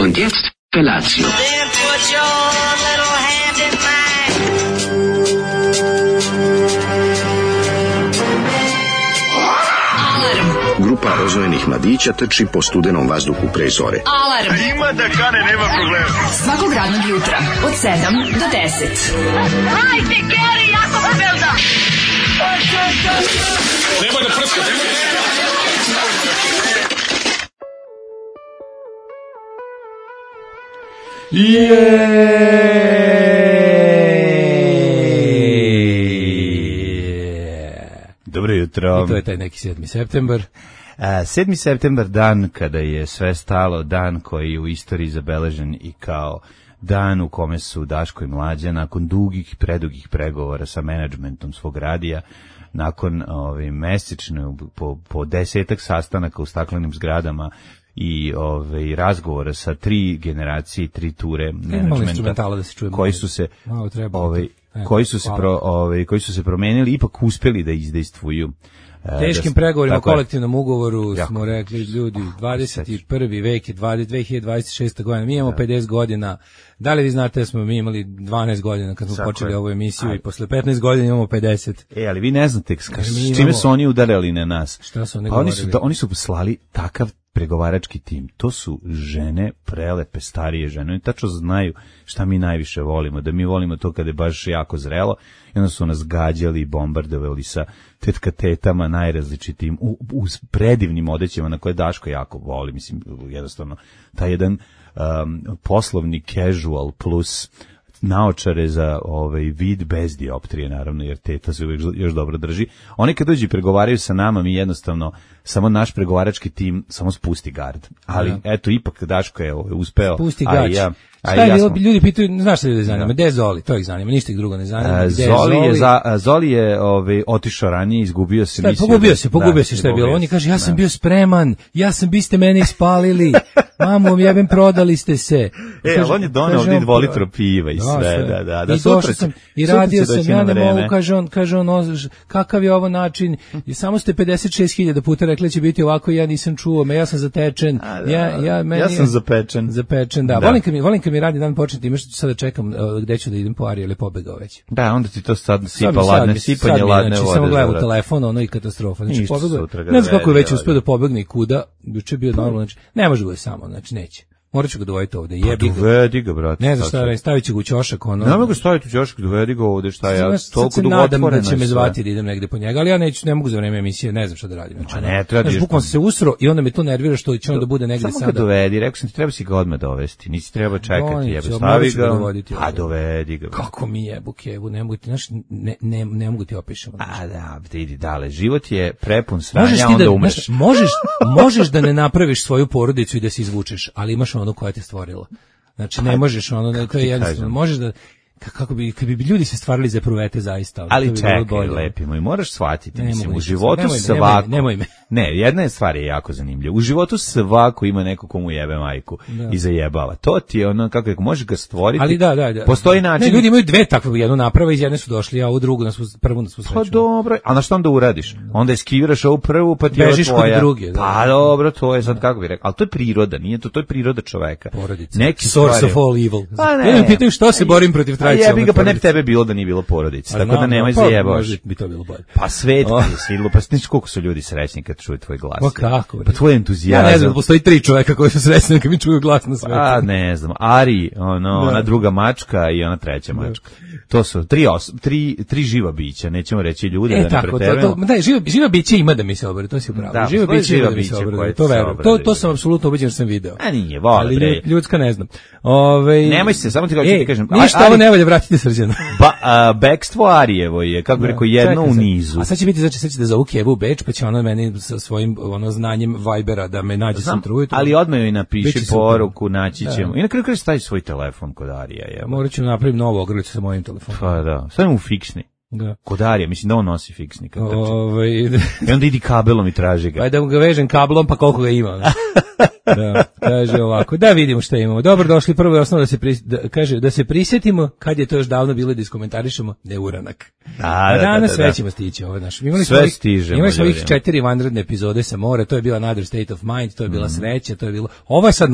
Und jetzt Felatio. Then put your little hand in mine. Alarm. Grupa rozvojenih mladića trči po studenom vazduhu pre zore. Alarm. Ima da kane, nema problema. Svakog radnog jutra od 7 do 10. Hajde, Geri, jako se velda. Nema da prska, Dobro jutro. I to je taj neki 7. septembar. 7. septembar, dan kada je sve stalo, dan koji je u istoriji zabeležen i kao dan u kome su Daško i Mlađa nakon dugih, predugih pregovora sa menadžmentom svog radija, nakon mesečne po 10 sastanaka u staklenim zgradama i razgovora sa 3 generacije, 3 ture menadžmenta koji su se koji su se promenili, ipak uspeli da izdejstvuju. Teškim pregovorima o kolektivnom ugovoru smo rekli, ljudi, 21. vek je 2026. godina, mi imamo 50 godina. Da li vi znate da smo mi imali 12 godina kad smo počeli ovu emisiju i posle 15 godina imamo 50? Ali vi ne znate s čime su oni udarali na nas. Šta su oni govorili? Oni su poslali takav pregovarački tim. To su žene, prelepe, starije žene. Oni tačno znaju šta mi najviše volimo. Da mi volimo to kada je baš jako zrelo. I onda su nas gađali i bombardovali sa tetama najrazličitim, uz predivnim odećima na koje Daško jako voli. Mislim, jednostavno, taj jedan poslovni casual plus naočare za vid bez dioptrije, naravno, jer teta se uvijek još dobro drži. Oni kad dođu i pregovaraju sa nama, mi jednostavno, samo naš pregovarački tim samo spusti gard. Ali, eto, ipak Daško je uspeo. Spusti gač. Šta je bilo? Ljudi pitaju, znaš šta ljudi zanima? Gde je Zoli? To ih zanima, ništa ih drugo ne zanima. Zoli je otišao ranije, izgubio se. Pogubio se šta je bilo. On je kaže, ja sam bio spreman, vi ste mene ispalili, mamu, jebem, prodali ste se. Ali on je doneo ovdje 2 litra piva i sve, da. I došao sam, i radio sam, ja ne mogu, kaže on, kakav je ovo način, i samo ste 56.000 puta rekli će biti ovako, ja nisam čuo, ja sam zatečen. Ja sam zapečen. Da. Volim kad mi radi dan početi, imaš sada čekam gde ću da idem po Ari, ili pobegao već. Da, onda ti to sad sipanje ladne vode. Samo gledam u telefon, i katastrofa. Znači, pobegao. Ne znam kako je već uspio da pobegne i kuda, juče je bio normalno, znači, ne može bude samo, znači, neće. Morat ću ga dovojiti ovde. Dovedi ga, brate. Ne znam šta, stavit ću ga u ćošak. Ne mogu staviti u ćošak, dovedi ga ovde, šta ja toliko dugo otvoren. Nadam da će me zvati da idem negde po njega, ali ja ne mogu za vreme emisije, ne znam šta da radim. Znači, bukvalno se usro i onda me to nervira što će on da bude negde sada. Samo ga dovedi, rekao sam ti, treba si ga odmah dovesti, nisi treba čekati, jebe, stavi ga, a dovedi ga. Kako mi jebu kevu, ne mogu ti, znaš, ne mogu ti opišem. Da, idi dale, život je prepun sranja, onda umreš. Možeš da ne napraviš svoju porodicu i da se izvučeš, ali imaš ono koja te stvorila. Znači ne možeš to je jednostavno, možeš da kako bi ljudi se stvarali za pruvete zaista. Ali čekaj, lepi moj, moraš shvatiti, mislim, u životu svako. Nemoj me. Ne, jedna stvar je jako zanimljiva. U životu svako ima neko komu jebe majku i zajebava. To ti je ono, kako možeš ga stvoriti. Ali da. Postoji način. Ne, ljudi imaju 2 takve, jednu naprave, iz jedne su došli, a ovu drugu prvu nas sreću. Pa dobro, a na što onda uradiš? Onda eskiviraš ovu prvu, pa ti je bežiš kod druge. Pa dobro, to je sad kako bih rekao. Ali to je priroda, nije to je priroda čoveka. Porodica. Source of all evil. Ja me pitaju što se borim protiv tradicionalne porodice. Pa ne bi tebe bilo da nije bilo porodice, tako da nemoj zajebavaš. Bi to bilo bolje. Pa svet je svidilo, pa znaš koliko su ljudi srećni kad čuju tvoj glas. Pa kako? Pa tvoj entuzijazam. Ja ne znam, postoji 3 čoveka koji su srećni kad mi čuju glas na svetu. A ne znam, Ari, ona druga mačka i ona treća mačka. To su 3 živa bića, nećemo reći ljude da ne preterujemo. Da, živa bića ima da mi se obere, to si upravo. Živa bića ima da mi se obere, to verujem. To sam apsolutno ubeđen, sam video. A nije, vole bre. Ali ljudska ne znam. Nemoj se, samo ti kažem. Ništa ovo ne valja, vratite Srđana. Bekstvo Arijevo je, kako bih rekao, jedno u nizu. A sad će biti, znači sad će da zovu Kevu u Beč, pa će ona meni sa svojim znanjem Vibera da me nađe sutra ujutro. Ali odmah joj napiši poruku, naći ćemo. I na kraju stavi svoj telefon kod Arija. Morat ću napraviti novu ogrlicu sa mojim telefonom. Pa da, stavim u fiksni. Da. Kod Arija, mislim da on nosi fiksni. I onda idi kabelom i traži ga. Pa da mu ga vežem kablom, pa koliko ga ima. Da, kaže ovako, da vidimo šta imamo. Dobro došli, prvo je osnovno kaže da se prisjetimo kad je to još davno bilo da iskomentarišemo neuranak. A danas sve ćemo stići ovo naš. Imali smo ovih 4 vanredne epizode sa mora, to je bila Another State of Mind, to je bila sreća, to je bilo. Ovo je sad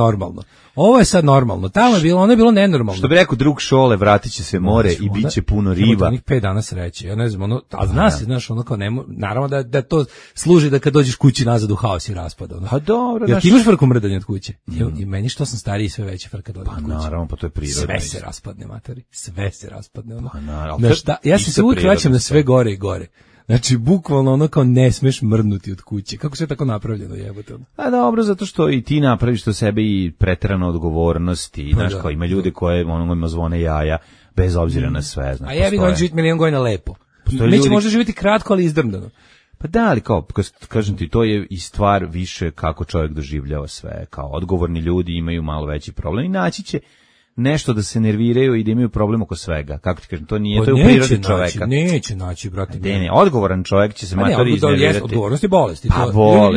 normalno. Tamo je bilo, ono je bilo nenormalno. Što bi rekao drug Šole, vratit će se more i bit će puno riba. Onih 5 dana sreće. Ja ne znam, ono, a zna se, znaš, ono kao naravno da to služi da kad dođeš kući nazad u haos i raspad. Ono. Pa dobro, ja ti imaš frku mrdanje od kuće. I meni što sam stariji sve veće frka dođe od kuće. Pa naravno, pa to je prirodno. Sve se raspadne, materi. Sve se raspadne. Ono. Pa naravno. Ja se uvijek vraćam na sve gore i gore. Znači, bukvalno ono kao ne smeš mrdnuti od kuće. Kako sve tako napravljeno, jebote? A dobro, zato što i ti napraviš to sebe i preterano odgovornost i, znaš, kao ima ljude koje ono zvone jaja, bez obzira na sve. Znaš, a ja bih on živjeti milion godina lepo. Mi će možda živjeti kratko, ali izdrmdano. Pa da, ali kao, kažem ti, to je i stvar više kako čovjek doživljava sve. Kao odgovorni ljudi imaju malo veći problem i naći će nešto da se nerviraju i da imaju problem oko svega. Kako ti kažem, to nije, to je u prirodi čoveka. Neće naći, brate. Ne, odgovoran čovjek će se matori iznervirati. Odgovornost je bolest.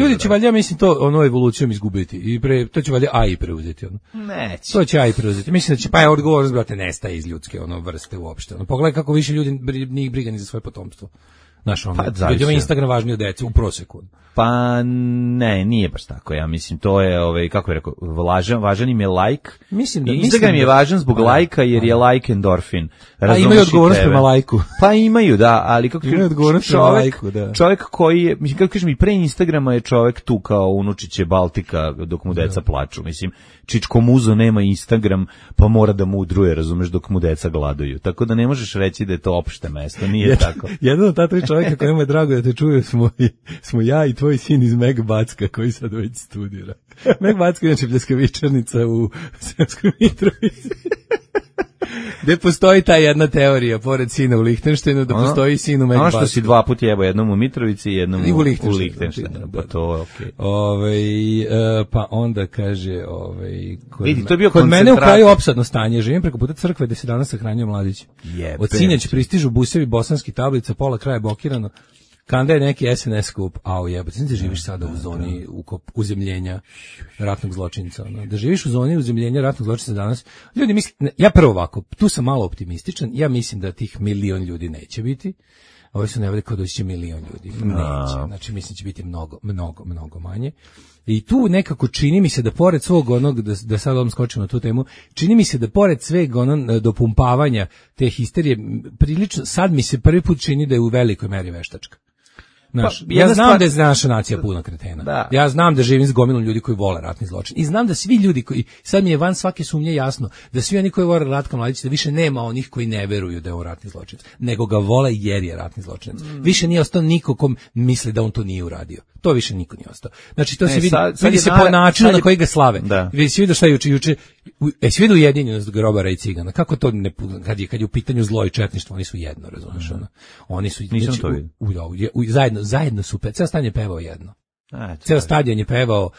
Ljudi će valjda, mislim, to ono evolucijom izgubiti. I to će valjda AI preuzeti. Ono. Neće. To će AI preuzeti. Mislim da će, pa je odgovornost, brate, nestaje iz ljudske vrste uopšte. Pogledaj kako više ljudi njih briga ni za svoje potomstvo. Znaš, ljudima Instagram važniji od dece u proseku. Pa ne, nije baš tako. Ja mislim, to je, kako je rekao, važan im je like. Instagram je važan zbog lajka jer je like endorfin. A imaju odgovornost prema lajku. Pa imaju, da, ali kako imaju odgovornost prema lajku, da. Čovjek koji je, mislim, kako kažem, i pre Instagrama je čovjek tu kao unučiće Baltika dok mu deca plaču. Mislim, Čičko Muzo nema Instagram, pa mora da mudruje, razumeš, dok mu deca gladuju. Tako da ne možeš reći da je to opšte mesto, nije tako. Jedan od ta 3 čovjeka kojima je drago da te čuje smo ja i tvoj sin iz Meg Backa koji sad već studira. Meg Backa je inače pljeskavičarnica u Sremskoj Mitrovici. Gde postoji ta jedna teorija, pored sina u Lihtenštajnu, da postoji sin u Meg Backu. Ono što si 2 puta jebo, jednom u Mitrovici i jednom u Lihtenštajnu. Pa to je okej. Pa onda kaže... Vidi, to je bio kod mene u kraju opsadno stanje. Živim preko puta crkve gde se danas sahranjuje mladić. Od sinjeć pristižu busevi bosanski tablica, pola kraja blokirano. Kanda je neki SNS skup, jebote, da živiš sada u zoni uzemljenja ratnog zločinca. Da živiš u zoni uzemljenja ratnog zločinca danas, ljudi misle, ja prvo ovako, tu sam malo optimističan, ja mislim da tih 1 milion ljudi neće biti, ovi su nevali kao doći će 1 milion ljudi, neće, znači mislim će biti mnogo manje. I tu nekako čini mi se da pored svog onog, da sad odmah skočimo na tu temu, čini mi se da pored sveg dopumpavanja te histerije, prilično, sad mi se prvi put čini da je u velikoj meri veštačka. Ja znam da je naša nacija puna kretena. Da. Ja znam da živim s gomilom ljudi koji vole ratni zločin. I znam da svi ljudi koji, sad mi je van svake sumnje jasno, da svi oni koji vole Ratka Mladića, da više nema onih koji ne veruju da je on ratni zločinac, nego ga vole jer je ratni zločinac. Više nije ostao niko ko misli da on to nije uradio. To više niko nije ostao. Znači to se vidi se po načinu na koji ga slave. Vidi se vidio šta je juče. Si vidio ujedinjenost grobara i cigana. Kako to ne, kad je u pitanju zlo i četništvo, oni su jedno, razumeš ono. Oni su zajedno su ceo stadion je pevao jedno. Ceo stadion je pevao,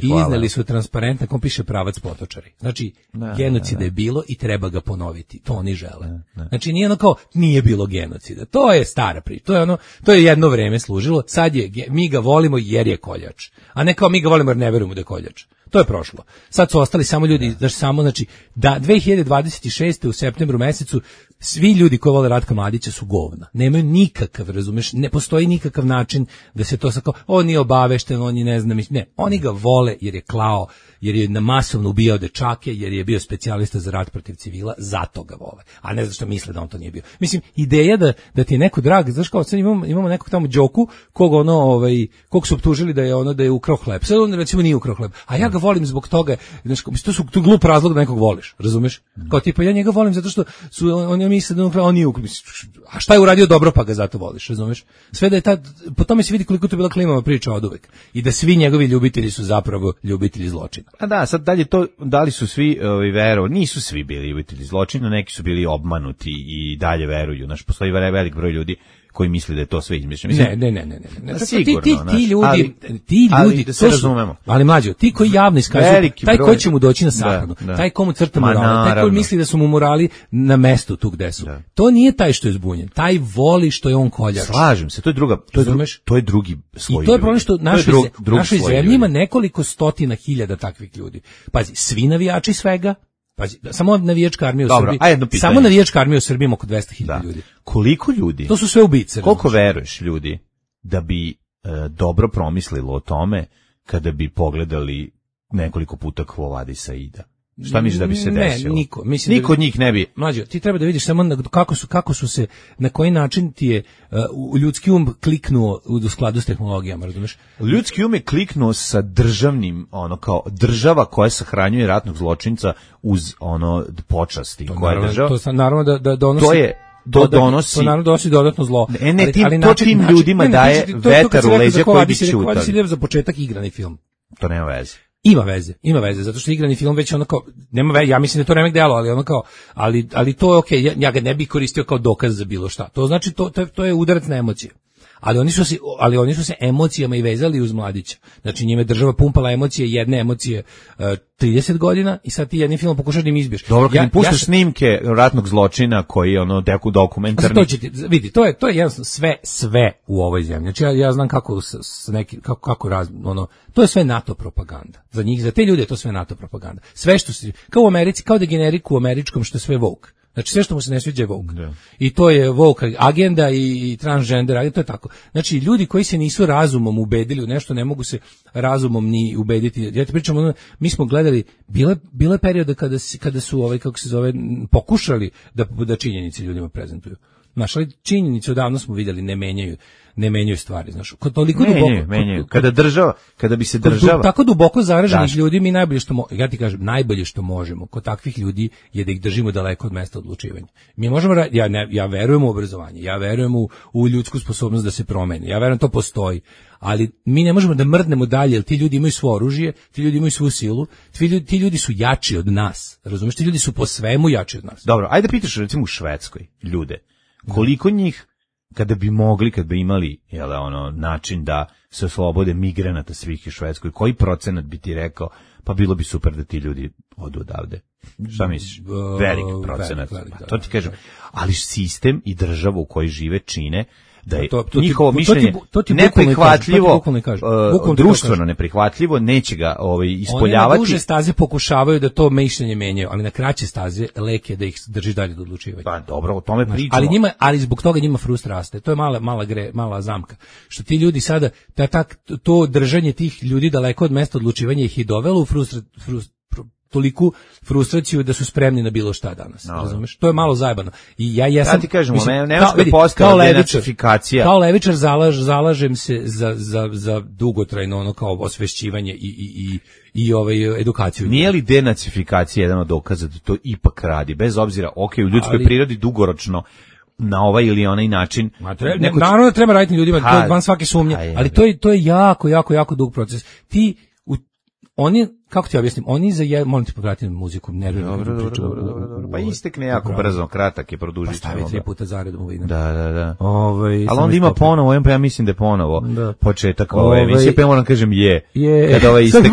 izneli su transparent na kom piše pravac potočari. Znači, genocida je bilo i treba ga ponoviti. To oni žele. Znači, nije ono kao, nije bilo genocida. To je stara priča. To je jedno vreme služilo. Sad mi ga volimo jer je koljač. A ne kao mi ga volimo jer ne verujemo da je koljač. To je prošlo. Sad su ostali samo ljudi, znači da 2026. u septembru mesecu svi ljudi koji vole Ratka Mladića su govna. Nemaju nikakav, razumeš, ne postoji nikakav način da se to sako, on nije obavešten, on je ne znam, ne, oni ga vole jer je klao, jer je masovno ubijao dečake, jer je bio specijalista za rat protiv civila, zato ga vole. A ne zato što misle da on to nije bio. Mislim, ideja da ti je neko drag, znaš kao, sad imamo nekog tamo Đoku, kog su optužili da je ukrao hleb. Sad on recimo nije ukrao hleb. A ja ga volim zbog toga, znaš, to je glup razlog da nekog voliš, razumeš? Kao tipa, ja njega volim zato što oni misle da on nije ukrao. A šta je uradio dobro pa ga zato voliš, razumeš? Sve da je po tome se vidi koliko to bila klimava priča oduvek. I da svi njegovi ljubitelji su zapravo ljubitelji zločina. A da, sad dalje to, da li su svi verovali, nisu svi bili ljubitelji zločina, neki su bili obmanuti i dalje veruju. Znaš, postoji velik broj ljudi koji misli da je to sve izmišljeno. Ne. Sigurno, ti ljudi, da se razumemo. Ali mlađo, ti koji javno iskazuju, taj ko će mu doći na sahranu, taj komu crta morale, taj koji misli da su mu morali na mestu tu gde su. To nije taj što je zbunjen, taj voli što je on koljač. Slažem se, to je drugi sloj. I to je problem što našoj zemlji ima nekoliko stotina hiljada takvih ljudi. Pazi, svi navijači svega, pazi, samo navijačka armija u Srbiji. Samo navijačka armija u Srbiji ima oko 200.000 ljudi. Koliko ljudi? To su sve ubice. Koliko veruješ ljudi da bi dobro promislilo o tome kada bi pogledali nekoliko puta Quo Vadis Aida? Šta misliš da bi se desilo? Niko od njih ne bi. Mlađo, ti treba da vidiš samo kako su se, na koji način ti je ljudski kliknuo u skladu s tehnologijama, razumeš? Ljudski je kliknuo sa državnim, kao država koja sahranjuje ratnog zločinca uz počasti. To naravno da donosi... To donosi dodatno zlo. To tim ljudima daje vetar u leđa koji bi čutali. Kada si lijev za početak igrani film. To nema veze. Ima veze, zato što igrani film već nema veze, ja mislim da je to remek delo, ali to je okej, ja ga ne bih koristio kao dokaz za bilo šta. To znači, to je udarac na emocije. Ali oni su se emocijama i vezali uz mladića. Znači njime država pumpala emocije, jedne emocije 30 godina i sad ti jednim filmom pokušaš da im izbiješ. Dobro, kad im puštaš snimke ratnog zločina koji je dokumentarni. To će ti vidi, to je jednostavno sve u ovoj zemlji. Znači ja znam kako to je sve NATO propaganda. Za njih, za te ljude je to sve NATO propaganda. Sve što se kao u Americi, kao da generiku u američkom što je sve woke. Znači sve što mu se ne sviđa je woke. Da. I to je woke agenda i transgender agenda, to je tako. Znači ljudi koji se nisu razumom ubedili u nešto, ne mogu se razumom ni ubediti. Ja ti pričam, mi smo gledali, bile periode kada su kako se zove, pokušali da činjenice ljudima prezentuju. Znaš, ali činjenice odavno smo vidjeli ne menjaju stvari, znaš. Toliko menjaju. Kada bi se država tako duboko zaraženih ljudi, mi najbolje što možemo kod takvih ljudi je da ih držimo daleko od mesta odlučivanja. Mi možemo ja verujem u obrazovanje, ja verujem u ljudsku sposobnost da se promeni. Ja verujem to postoji, ali mi ne možemo da mrdnemo dalje, jer ti ljudi imaju svo oružje, ti ljudi imaju svu silu, ti ljudi su jači od nas. Razumeš, ti ljudi su po svemu jači od nas. Dobro, ajde pitaš recimo u Švedskoj ljude. Koliko njih kada bi imali način da se oslobode migranata svih u Švedskoj, koji procenat bi ti rekao, pa bilo bi super da ti ljudi odu odavde? Šta misliš? Velik procenat. To ti kažem. Ali sistem i država u kojoj žive čine da je njihovo mišljenje neprihvatljivo, društveno neprihvatljivo, neće ga ispoljavati. Oni na duže staze pokušavaju da to mišljenje menjaju, ali na kraće staze lek je da ih drži dalje do odlučivanja. Pa dobro, o tome pričamo. Ali zbog toga njima frust raste. To je mala zamka. Što ti ljudi sada, to držanje tih ljudi daleko od mesta odlučivanja ih i dovelo u toliku frustraciju da su spremni na bilo šta danas, razumeš? To je malo zajebano. I ja ti kažem, nemačka postala denacifikacija. Kao levičar zalažem se za dugotrajno kao osvešćivanje i edukaciju. Nije li denacifikacija jedan od dokaza da to ipak radi, bez obzira, u ljudskoj prirodi dugoročno na ovaj ili onaj način. Naravno da treba raditi ljudima, to je van svake sumnje, ali to je jako dug proces. Oni, kako ti objasnim, molim te povratiti muziku, nerviram. Dobro. Pa istekne jako brzo, kratak je, produžit ćemo. Stavi 3 puta zaredom u vidim. Da. Ali onda ima ponovo, ja mislim da je ponovo početak ove emisije, pa ja moram kažem kada istekne.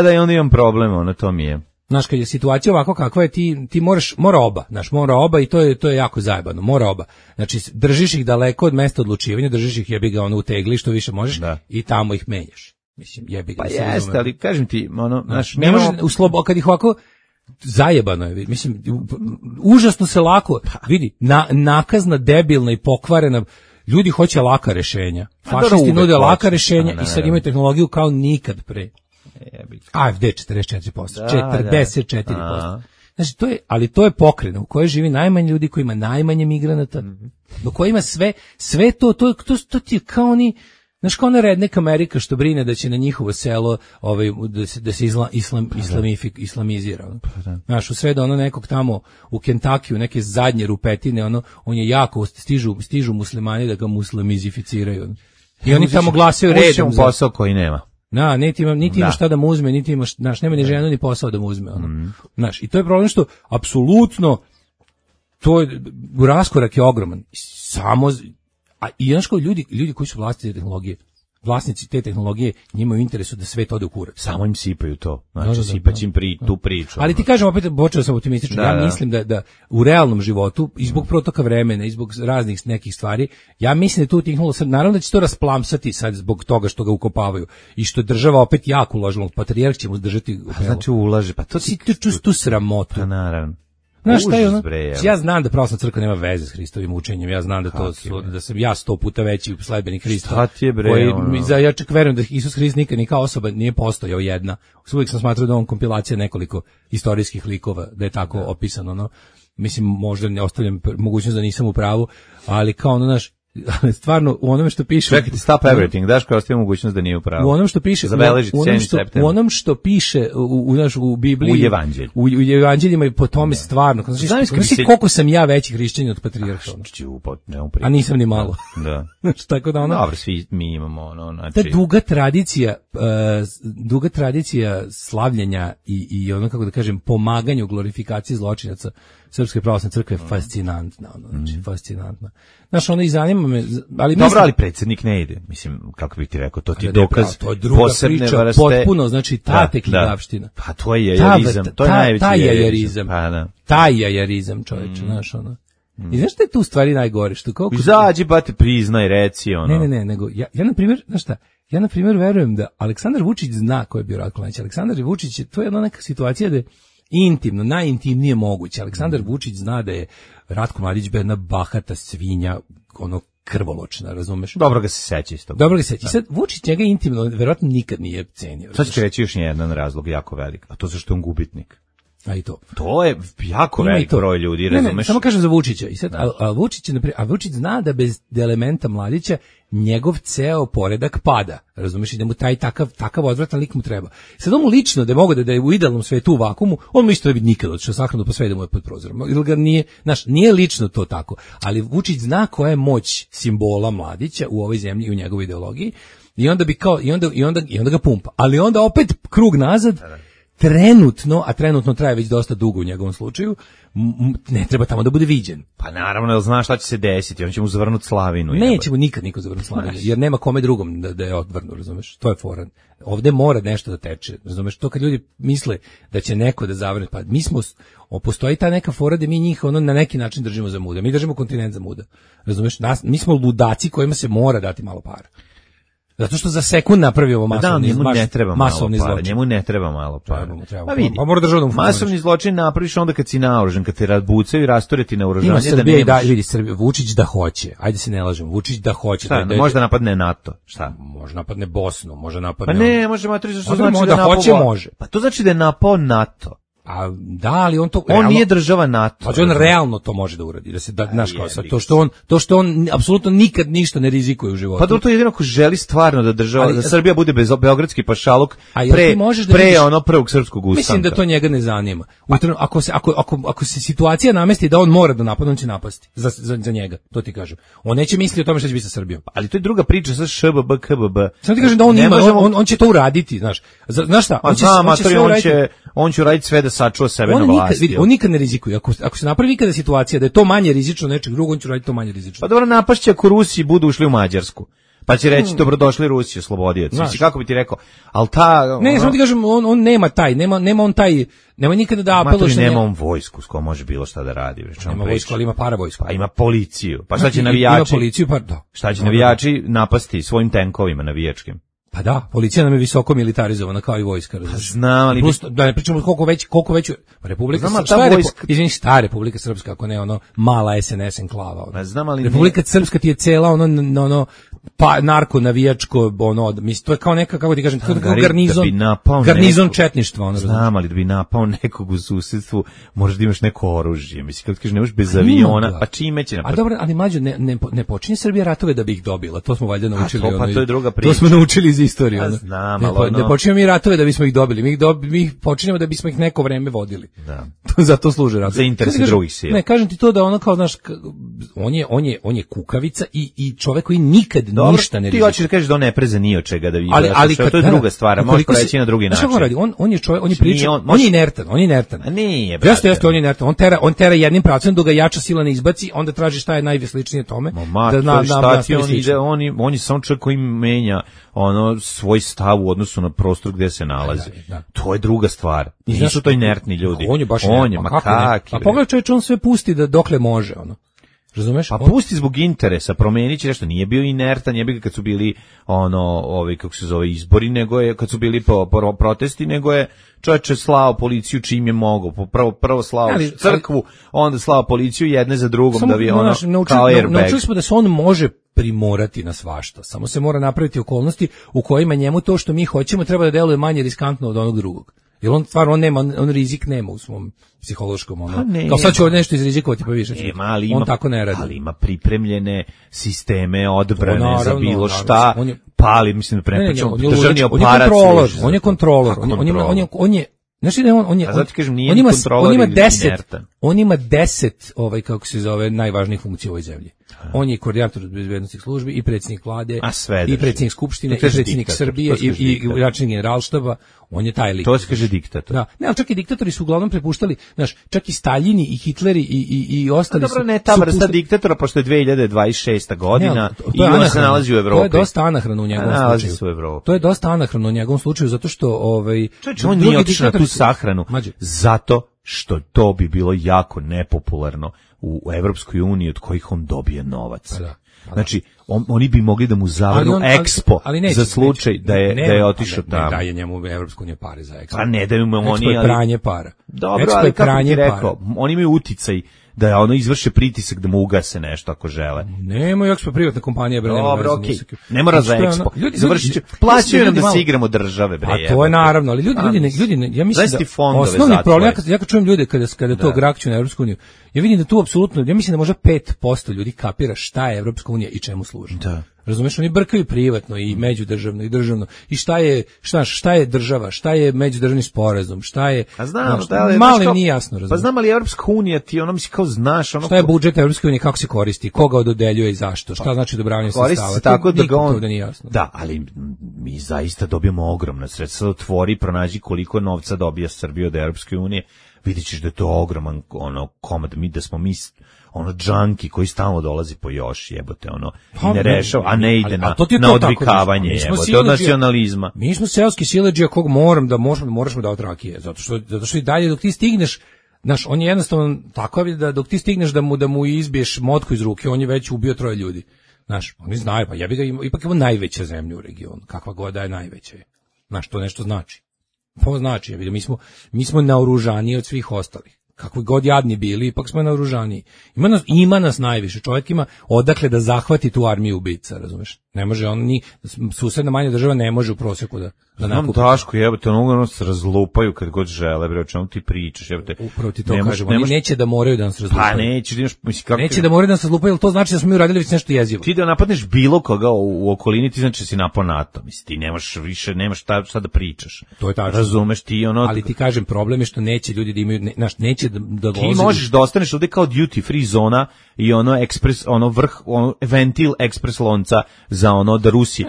Da, i onda imam problem, to mi je. Znaš, kad je situacija ovako kakva je, ti mora oba i to je jako zajebano, mora oba. Znači, držiš ih daleko od mesta odlučivanja, držiš ih jebi ga u tegli što više možeš i tamo ih menjaš. Mislim, jebi ga. Pa jeste, ali kažem ti, ne može kad ih ovako zajebano je, mislim, užasno se lako vidi, nakazna, debilna i pokvarena, ljudi hoće laka rešenja. Fašisti nude laka rešenja i sad imaju tehnologiju kao nikad pre. AfD 44%, 44%. Znači, to je pokrena u kojoj živi najmanje ljudi, koji ima najmanje migranata, do koji ima sve to ti je kao oni. Znaš, kao ona rednek Amerika što brine da će na njihovo selo da se islamizira. Znaš, u sredo nekog tamo u Kentakiju, neke zadnje rupetine, on je jako, stižu muslimani da ga muslimizificiraju. I oni tamo glasaju redom. Za posao koji nema. Niti ima šta da mu uzme, niti ima, nema ni ženu ni posao da mu uzme. Znaš, i to je problem što apsolutno to je, raskorak je ogroman. Samo, i znaš kao ljudi koji su vlasnici te tehnologije, njima je u interesu da sve to ode u kurac. Samo im sipaju to. Znači, sipać im tu priču. Ali ti kažem, opet, počeo sam optimistično, ja mislim da u realnom životu, i zbog protoka vremena, i zbog raznih nekih stvari, ja mislim da tu utihnulo sad, naravno da će to rasplamsati sad zbog toga što ga ukopavaju, i što država opet jako uložila, patrijarh će mu zdržati. Znači ulaže, pa to ti tu sramotu. Pa naravno. Znaš šta je ono? Ja znam da pravoslavna crkva nema veze s Hristovim učenjem, ja znam da da sam ja 100 puta veći sledbenik Hrista. Šta ti je bre? Ja čak verujem da Isus Hrist nikad ni kao osoba nije postojao jedna. Uvijek sam smatrao da on kompilacija nekoliko istorijskih likova, da je tako opisano, no. Mislim, možda ne ostavljam mogućnost da nisam u pravu, ali kao ono, naš, stvarno u onome što piše. Čekajte, stop everything, daš kao ostavljam mogućnost da nije u pravu. U onom što piše, u onom što piše u Bibliji, u evanđeljima i po tome stvarno. Znači koliko sam ja veći hrišćanin od patrijarha. A nisam ni malo. Da. Tako da ono. Dobro, svi mi imamo ono, znači. Ta duga tradicija slavljenja i ono, kako da kažem, pomaganju glorifikaciji zločinaca Srpske pravoslavne crkve je fascinantna, ono, znači fascinantna. Znaš, ono i zanima me, ali dobro, ali predsjednik ne ide. Mislim, kako bih ti rekao, to ti je dokaz to je druga priča, vrste, potpuno, znači ta tekljavština. Pa to je jajerizam, to je najveći jajerizam. Pa da. Taj jajerizam, čoveče, znaš, ono. I znaš šta je tu stvari najgore? Što koliko izađi, bate, priznaj, reci, ono. Ne, nego, ja na primjer, znaš šta, ja na primjer verujem da Aleksandar Vučić zna ko je bio Ratko Mladić. Aleksandar Vučić, to je jedna neka situacija da je intimno, najintimnije moguće. Aleksandar Vučić zna da je Ratko Mladić bio jedna bahata svinja, ono krvoločna, razumeš? Dobro ga se seća isto. Dobro ga se seća. Sad Vučić njega intimno verovatno nikad nije cenio. Sad ću reći još jedan razlog jako velik, a to zašto je on gubitnik. A i to. To je jako velik broj ljudi, razumeš? Ne, samo kažem za Vučića. I sad, a Vučić zna da bez elementa Mladića njegov ceo poredak pada. Razumeš, i da mu taj takav odvratan lik mu treba. Sad on mu lično da je mogo da je u idealnom svetu u vakumu, on mu isto ne bi nikad otišao sahranu pa sve da mu je pod prozorom. Ili ga nije lično to tako. Ali Vučić zna koja je moć simbola Mladića u ovoj zemlji i u njegovoj ideologiji. I onda bi kao i onda ga pumpa. Ali onda opet krug nazad. Trenutno traje već dosta dugo u njegovom slučaju, ne treba tamo da bude viđen. Pa naravno, jer zna šta će se desiti, on će mu zavrnuti slavinu. Neće mu nikad niko zavrnuti slavinu, jer nema kome drugom da je odvrnu, razumeš, to je fora. Ovde mora nešto da teče, razumeš, to kad ljudi misle da će neko da zavrne, pa mi smo, postoji ta neka fora da mi njih ono na neki način držimo za muda, mi držimo kontinent za muda, razumeš, mi smo ludaci kojima se mora dati malo para. Zato što za sekund napravi ovo masovni zločin. Njemu ne treba malo para. Pa vidi, masovni zločin napraviš onda kad si naoružan, kad te razbucaju i rasture ti naoružanje. Ima Srbija da vidi, Vučić da hoće. Ajde se ne lažemo, Vučić da hoće. Šta, možda napadne NATO, šta? Može napadne Bosnu, može napadne. Pa ne, može napadne, što znači da hoće, može. Pa to znači da je napao NATO. A da, ali on to realno, nije država NATO. Pa on realno to može da uradi, da se znaš kao sad to što on apsolutno nikad ništa ne rizikuje u životu. Pa to jedino ko želi stvarno da država da Srbija bude bez beogradski pašaluk pre ono prvog srpskog ustanka. Mislim da to njega ne zanima. Ako se situacija namesti da on mora da napadne, on će napasti za njega, to ti kažem. On neće misliti o tome šta će biti sa Srbijom. Ali to je druga priča sa ŠBB, KBB. Samo ti kažem da on će to uraditi, znaš. Znaš šta? On će uraditi sve da sačuva sebe na vlasti. On nikad ne rizikuje. Ako se napravi ikada situacija da je to manje rizično nečeg drugog, on će raditi to manje rizično. Pa dobro, napašće ako Rusi budu ušli u Mađarsku. Pa će reći dobrodošli Rusi, oslobodioci. Znači kako bi ti rekao? Al ne, samo ti kažem, on nema nema nikada da apeluje. Nema on vojsku s kojom može bilo šta da radi. Nema vojsku, ali ima paravojsku. Pa ima policiju. Pa šta će navijači? Ima policiju, pa da. Šta će navijači napasti svojim tenkovima navijačkim? Pa da, policija nam je visoko militarizovana kao i vojska. Znam, ali da ne pričamo koliko već Republika Srpska, Republika Srpska, ako ne ono mala SNS enklava. Znam, ali Republika Srpska ti je cela ono pa narko navijačko mislim to je kao neka, kako ti kažem, kao garnizon četništva, ono. Znam, ali da bi napao nekog u susedstvu, možeš da imaš neko oružje. Mislim kad kažeš ne možeš bez aviona, pa čime će napad? A dobro, ali mlađe ne počinje Srbija ratove da bi ih dobila. To smo valjda naučili. Pa to je druga priča. To smo naučili iz istorije. Ne počinjemo mi ratove da bismo ih dobili. Mi ih počinjemo da bismo ih neko vreme vodili. Da. Zato služe ratovi. Za interese drugih sila. Ne, kažem ti to da ono kao znaš, on je kukavica i čovek koji nikad ništa ne rizikuje. Ti hoćeš da kažeš da on ne preze ni od čega da vidi. Ali to je druga stvar, možeš preći na drugi način. Šta on radi? On je čovjek, on je priča, on je inertan. A nije, brate. Jeste, on je inertan. On tera jednim pravcem dok ga jača sila ne izbaci, onda traži šta je najsličnije tome. On je samo čovjek koji menja svoj stav u odnosu na prostor gdje se nalazi. Da. To je druga stvar. Nisu to inertni ljudi. On je baš inertan. A pogledaj čovječ, on sve pusti da dokle može, razumeš? Pa pusti zbog interesa, promenit će nešto, nije bio inertan, nije bio kad su bili kako se zove, izbori, nego je kad su bili protesti, nego je čovječe slao policiju čim je mogao, prvo slao crkvu, onda slao policiju jedne za drugom, da bi kao airbag. Naučili smo da se on može primorati na svašta, samo se mora napraviti okolnosti u kojima njemu to što mi hoćemo treba da deluje manje riskantno od onog drugog. Jer on stvarno on rizik nema u svom psihološkom kao sad ću ovdje nešto izrizikovati pa više. On tako ne radi. Ali ima pripremljene sisteme odbrane za bilo šta. Pali, mislim da prepričamo državni aparat. On je kontrolor. On je znači da on ima 10 kako se zove najvažnijih funkcija u ovoj zemlji. On je koordinator bezbednosnih službi i predsjednik vlade i predsjednik skupštine i predsjednik Srbije i načelnik generalštaba. On je taj lik. To se kaže diktator. Da, ne, ali čak i diktatori su uglavnom prepuštali, čak i Staljini i Hitleri i ostali. Dobro, ne ta vrsta diktatora, pošto je 2026. godina i on se nalazi u Evropi. To je dosta anahrano u njegovom slučaju. To je dosta anahrano u njegovom slučaju zato što on nije otišao na tu sahranu zato što to bi bilo jako nepopularno u Evropskoj uniji od kojih on dobije novac. Znači, oni bi mogli da mu zavrnu Expo za slučaj da je otišao tamo. Ne daje njemu Evropska unija pare za Expo. Pa ne daju mu oni. Expo je pranje para. Dobro, ali kako ti rekao, oni imaju uticaj da izvrše pritisak da mu ugase nešto ako žele. Nema Expo privatna kompanija, bre. Dobro, okej. Ne mora za Expo. Završiće. Plaćaju nam da se igramo države, bre. A to je naravno, ali ljudi, ja mislim da osnovni problem, ja kad čujem ljude kada to grakću na Evropsku uniju, ja vidim da tu apsolutno, ja mislim da možda 5% ljudi kapira šta je Evropska unija i čemu služi. Da. Razumeš, oni brkaju privatno i međudržavno i državno. I šta je država, šta je međudržavni sporazum, šta je... A znam, malo im nije jasno, razumeš. Pa znam, ali Evropska unija ti, mislim, kao znaš... Šta je budžet Evropske unije, kako se koristi, koga dodeljuje i zašto, šta znači odobravanje sredstava. Koristi se tako da ga on... nije jasno. Da, ali mi zaista dobijemo ogromna sredstva. Otvori, pronađi koliko novca dobija Srbija od Evropske unije. Vidjet ćeš da je to ogroman komad, da smo mi džanki koji stalno dolazi po još, jebote, i ne rešava, a ne ide na odvikavanje, jebote, od nacionalizma. Mi smo seoski siledžija kog moraš mu davati rakije, zato što i dalje dok ti stigneš, on je jednostavno tako da dok ti stigneš da mu izbiješ motku iz ruke, on je već ubio 3 ljudi. Oni znaju, pa ja bih ga ipak imao najveća zemlja u regionu, kakva god da je najveća. To nešto znači. To znači, mi smo naoružaniji od svih ostalih. Kako god jadni bili, ipak smo naoružaniji. Ima nas najviše. Čovjek ima odakle da zahvati tu armiju ubica, razumeš? Ne može susedna manja država ne može u prosjeku da nakupi. Daško, jebote, se razlupaju kad god žele, bre, o čemu ti pričaš, jebote. Upravo ti to kažem, oni neće da moraju da nas razlupaju. Pa neće da moraju da nas razlupaju, jer to znači da smo mi uradili već nešto jezivo. Ti da napadneš bilo koga u okolini, ti znači da si napao NATO, ti nemaš više, nemaš šta da pričaš. To je tačno. Razumeš ti Ali ti kažem, problem je što neće ljudi da imaju, neće da ti možeš da ostaneš ovde kao duty free zona i ventil ekspres lonca za da Rusi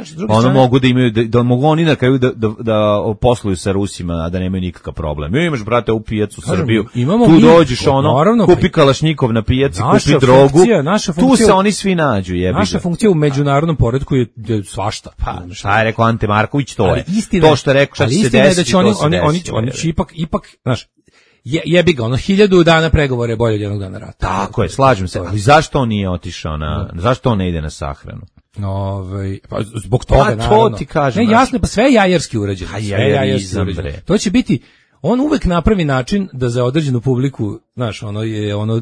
mogu da imaju da mogu oni na kraju da posluju sa Rusima, a da nemaju nikakav problem. Imaš, brate, u pijacu Srbiju, tu dođeš kupi kalašnjikov na pijaci, kupi drogu, tu se oni svi nađu, jebi. Naša funkcija u međunarodnom poretku je svašta. Pa, šta je rekao Ante Marković, to je. To što je rekao, šta će se desiti, oni će ipak, znaš, jebi ga, 1000 dana pregovore je bolje od jednog dana rata. Tako je, slažem se, ali zašto on nije otišao zašto on ne ide na sahranu? Pa zbog toga, naravno. To ti kažem. Ne, jasno, pa sve je jajerski urađeno. To će biti, on uvek napravi način da za određenu publiku, znaš, ono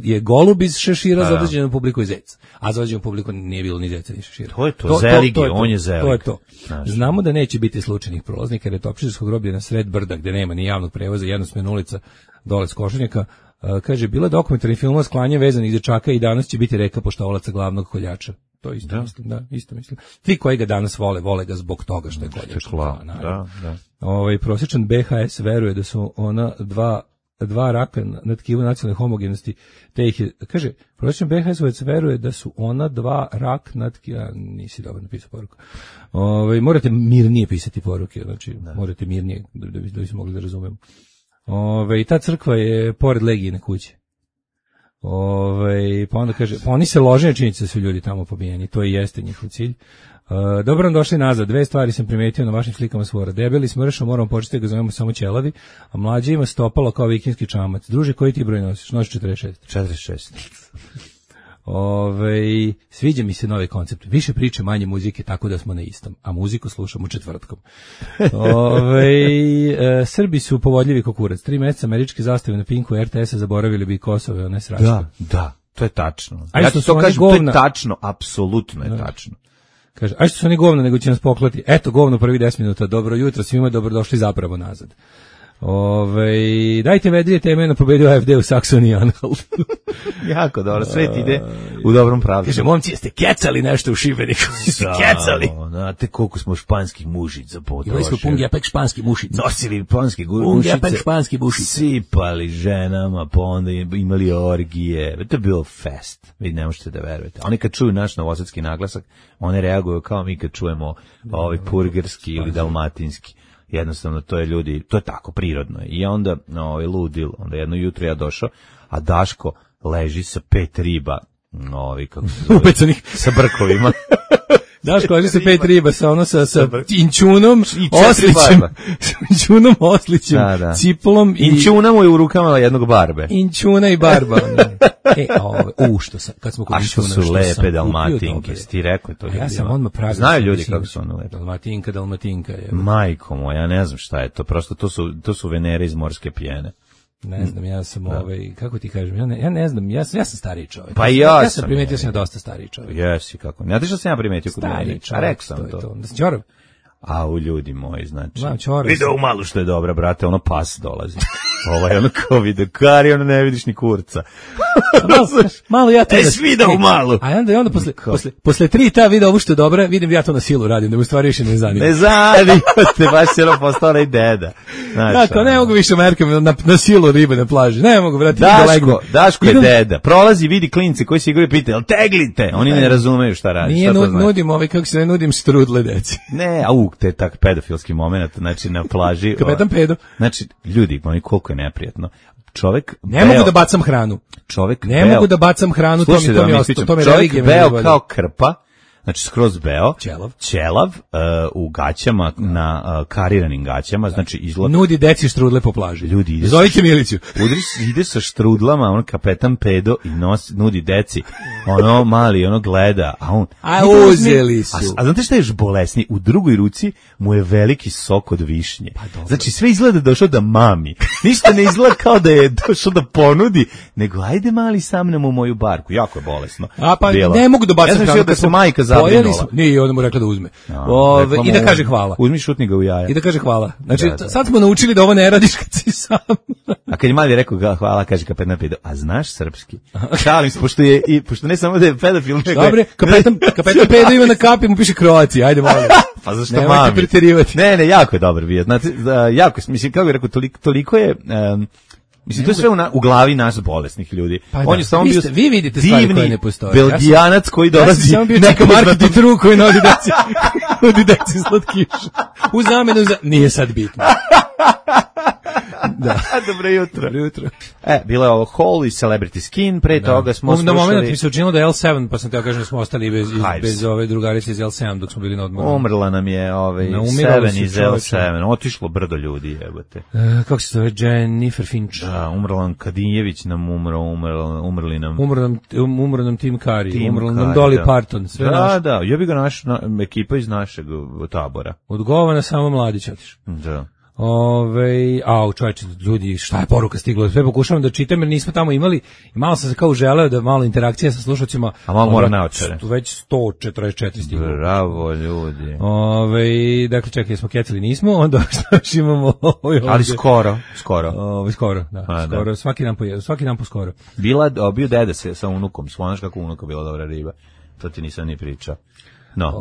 je golub iz šešira, za određenu publiku je zec. A za određenu publiku nije bilo ni zeca ni šešira. To je to, Zelig je, on je Zelig. To je to. Znamo da neće biti slučajnih prolaznika, jer je Topčićevsko groblje na sred brda, gde nema ni javnog prevoza, jednosmjerna ulica dole s Košarnjaka. Kaže, bila dokumentarni film o sklanju vezanih dečaka i danas će biti reka poštovalaca glavnog koljača. To isto mislim, isto mislim. Ti koji ga danas vole ga zbog toga što je koljač. Da. Prosječan BHS veruje da su ona 2 dva raka na tkivu nacionalne homogenosti, te ih je, kaže, prosječan BHS-ovac veruje da su ona dva rak na tkivu, nisi dobro napisao poruku. Morate mirnije pisati poruke, znači, morate mirnije, da bi se mogli da razumemo. I ta crkva je pored Legijine kuće. Pa onda kaže, pa oni se lože, činjenica da su ljudi tamo pobijeni, to i jeste njihov cilj. Dobro nam došli nazad, dve stvari sam primetio na vašim slikama svora. Debeli smršao, moramo početi da ga zovemo samo ćelavi, a mlađi ima stopalo kao vikinski čamac. Druže, koji ti broj nosiš? Nosiš 46. Sviđa mi se novi koncept. Više priče, manje muzike, tako da smo na istom. A muziku slušamo četvrtkom. Srbi su povodljivi kokurac. 3 meseca američke zastave na Pinku RTS-a zaboravili bi Kosovo, one sračke. Da, to je tačno. Ja ti to kažem, to je tačno, apsolutno je tačno. Kaže, a što su oni govno, nego će nas poklati. Eto, govno prvi 10 minuta. Dobro jutro, svima dobrodošli zapravo nazad. Dajte vedrije teme na pobedio AFD u Saksoniji Anhaltu. Jako dobro, sve ti ide u dobrom pravcu. Kaže, momci, jeste kecali nešto u Šibeniku? Jeste kecali? Znate koliko smo španskih mušica potrošili. Imali smo pungepek španskih mušica. Nosili španske mušice. Pungepek španskih mušica. Sipali ženama, pa onda imali orgije. To je bilo fest. Vi ne možete da verujete. Oni kad čuju naš novosadski naglasak, one reaguju kao mi kad čujemo purgerski ili dalmatinski. Jednostavno, to je ljudi, to je tako, prirodno. I onda, ludil, onda jedno jutro ja došao, a Daško leži sa 5 riba, kako se zove, upecanih, sa brkovima. Daško leži sa 5 riba, sa inčunom, oslićem, ciplom i... Inčuna mu je u rukama jednog barbe. Inčuna i barba. Kad smo kod inčuna, što su lepe dalmatinke, ti rekao to ljudi. Ja sam odmah pravio. Znaju ljudi kako su one lepe. Dalmatinka je. Majko moja, ja ne znam šta je to, prosto to su venere iz morske pjene. Ne znam, ja sam kako ti kažem, ja ne znam, ja sam stariji čovjek. Pa ja sam primetio sam dosta stariji čovjek. Jesi, kako. Ne znaš što sam ja primetio kod mene? A rekao sam to. Da si čorav? A u ljudi moji, znači. Video u malu što je dobra, brate, ono pas dolazi. Ono kao video kari, ono ne vidiš ni kurca. Malo ja to... Video u malu. A onda posle 3 ta video ovo što je dobra, vidim ja to na silu radim, da mu stvari više ne zanima. Ne zanima te, baš se ono postao i deda. Dakle, ne mogu više merkam na silu ribe na plaži. Ne mogu, brate. Daško je deda. Prolazi, vidi klince koji se igraju, pita, jel teglite? Oni ne razumeju šta radi. Nije nudim kako se ne nudim strudle deci. Ne, te tak pedofilski moment, znači na plaži. Kapetan pedo. Znači, ljudi, oni koliko je neprijatno. Čovek ne mogu da bacam hranu. Mogu da bacam hranu, to mi ostalo, to mi religija. Čovek beo kao krpa, znači skroz beo, ćelav, u gaćama, na kariranim gaćama, znači izgleda... Nudi deci štrudle po plaži. Ljudi, zovite Miliću. Ide sa štrudlama, on kapetan pedo i nudi deci, ono mali, ono gleda, a on... uzeli su. A znate šta je još bolesniji? U drugoj ruci mu je veliki sok od višnje. Znači sve izgleda došao da mami. Ništa ne izgleda kao da je došao da ponudi, nego ajde mali sa mnom u moju barku. Jako je bolesno. Ne mogu da bacam hranu. Da se majka zabrinula. Nije, onda mu rekla da uzme. I da kaže hvala. Uzmi šutni ga u jaja. I da kaže hvala. Znači, sad smo naučili da ovo ne radiš kad si sam. A kad je mali rekao hvala, kaže kapetan pedo, a znaš srpski? Šalim se, pošto ne samo da je pedofil, nego dobre, kapetan pedo ima na kapi, mu piše Kroacija, ajde molim. Pa zašto mami? Ne, jako je dobar bio. Znači, jako, mislim, kako je rekao, toliko je... Mislim, to je sve u glavi nas bolesnih ljudi. On je samo bio vi vidite stvari koje ne postoje. Belgijanac koji dolazi... Ja sam bio neka marketing tru koji nudi deci slatkiša. U zamenu za... Nije sad bitno. Da. Dobro jutro. Bilo je ovo Hall i Celebrity Skin, pre toga smo slušali... Na moment mi se učinilo da je L7, pa sam teo kažem da smo ostali bez ove drugarice iz L7 dok smo bili na odmoru. Umrla nam je 7 iz L7, otišlo brdo ljudi, jebote. Kako se zove, Jennifer Finch? Da, umrla nam Kadijević, nam umrli nam... Umro nam Tim Curry, umrla nam Dolly Parton, sve naše. Da, ja bi ga ekipa iz našeg tabora. Odgovana samo Mladić otiš. Da. Čovječe, ljudi, šta je poruka stigla? Sve pokušavam da čitam jer nismo tamo imali i malo sam se kao želeo da malo interakcija sa slušateljima. A malo mora naočare. Već 144 stiglo. Bravo, ljudi. Dakle, čekaj, smo kecali, nismo, onda što imamo ali skoro. Skoro, da. Svaki dan po skoro. Bio deda sa unukom, slonaš kako unuka bila dobra riba. To ti nisam ni pričao. No.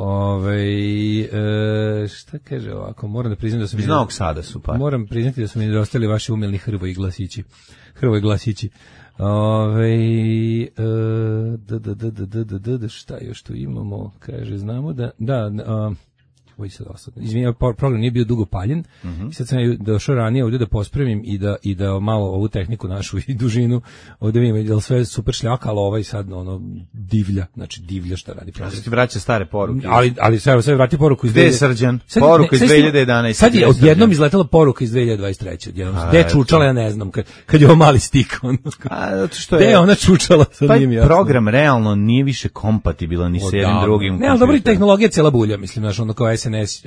Šta kaže ovako, moram da priznam da sam... Iz Novog Sada su pa. Moram priznati da su mi nedostali vaši umilni Hrvoji glasići. Šta još tu imamo? Kaže, znamo izvinjam, program nije bio dugo paljen. Sad sam došao ranije ovdje da pospremim i da malo ovu tehniku našu i dužinu ovdje vidimo, jer sve super šljaka, ali ovaj sad divlja, znači divlja šta radi. Ja ti vraća stare poruke. Ali sve vrati poruku iz 2011. Gde je Srđan? Poruka iz 2011. Sad je odjednom izletela poruka iz 2023. Gde je čučala, ja ne znam, kad je ovo mali stik. Gde je ona čučala? Taj program realno nije više kompatibilan ni s jednim drugim. Ne, ali dobro, tehnologija cijela bulja, mislim, znaš, ono kao SMS,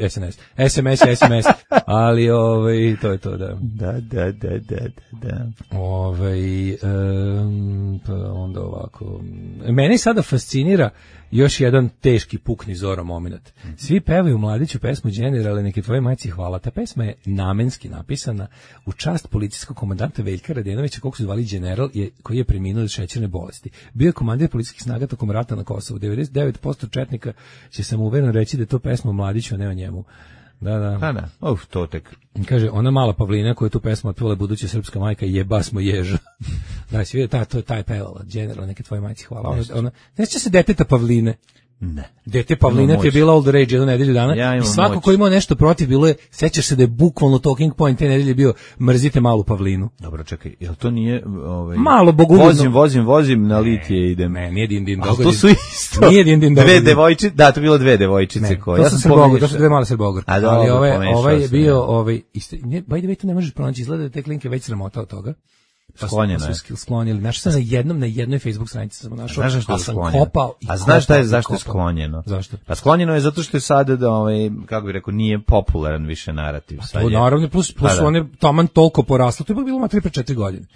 ali to je to, da. Da. Pa onda ovako. Mene sada fascinira još jedan teški pukni Zoro moment. Svi pevaju Mladiću pesmu Generale, neke tvoje majci hvala. Ta pesma je namenski napisana u čast policijskog komandanta Veljka Radenovića, kog su zvali General, koji je preminuo od šećerne bolesti. Bio je komandir policijskih snaga tokom rata na Kosovu. 99% četnika će sam uvereno reći da je to pesma o Mladiću, a ne o njemu. Da. To tek. Kaže, ona mala Pavlina koja je tu pesmu otpevala buduća srpska majka, jeba smo ježa. Da, si vidio, ta je pevala, General, neke tvoje majci hvala. Neće se deteta Pavline. Ne. Dete Pavlina ti je bila all the rage jednu nedelju dana i svako ko imao nešto protiv bilo je, sećaš se da je bukvalno talking point te nedelje bio mrzite malu Pavlinu. Dobro, čekaj, jel to nije malo bogoljubno? Vozim na litije idem. Ne, nije din dogodin. To su isto. Nije din Dve devojčice, da, to bilo dve devojčice koje. To su dve male Srbogorke. Ali ovaj je bio by the way, to ne možeš pronaći, izgleda da te klinke već sramota od toga. Sklonjeno je. Sklonjeli. Našao sam na jednoj Facebook stranici sam našao. Znaš zašto je sklonjeno? A znaš zašto je sklonjeno? Zašto? Pa sklonjeno je zato što je sada kako bih rekao, nije popularan više narativ. To naravno, plus one taman toliko poraslo, to je bilo 3-4 godine.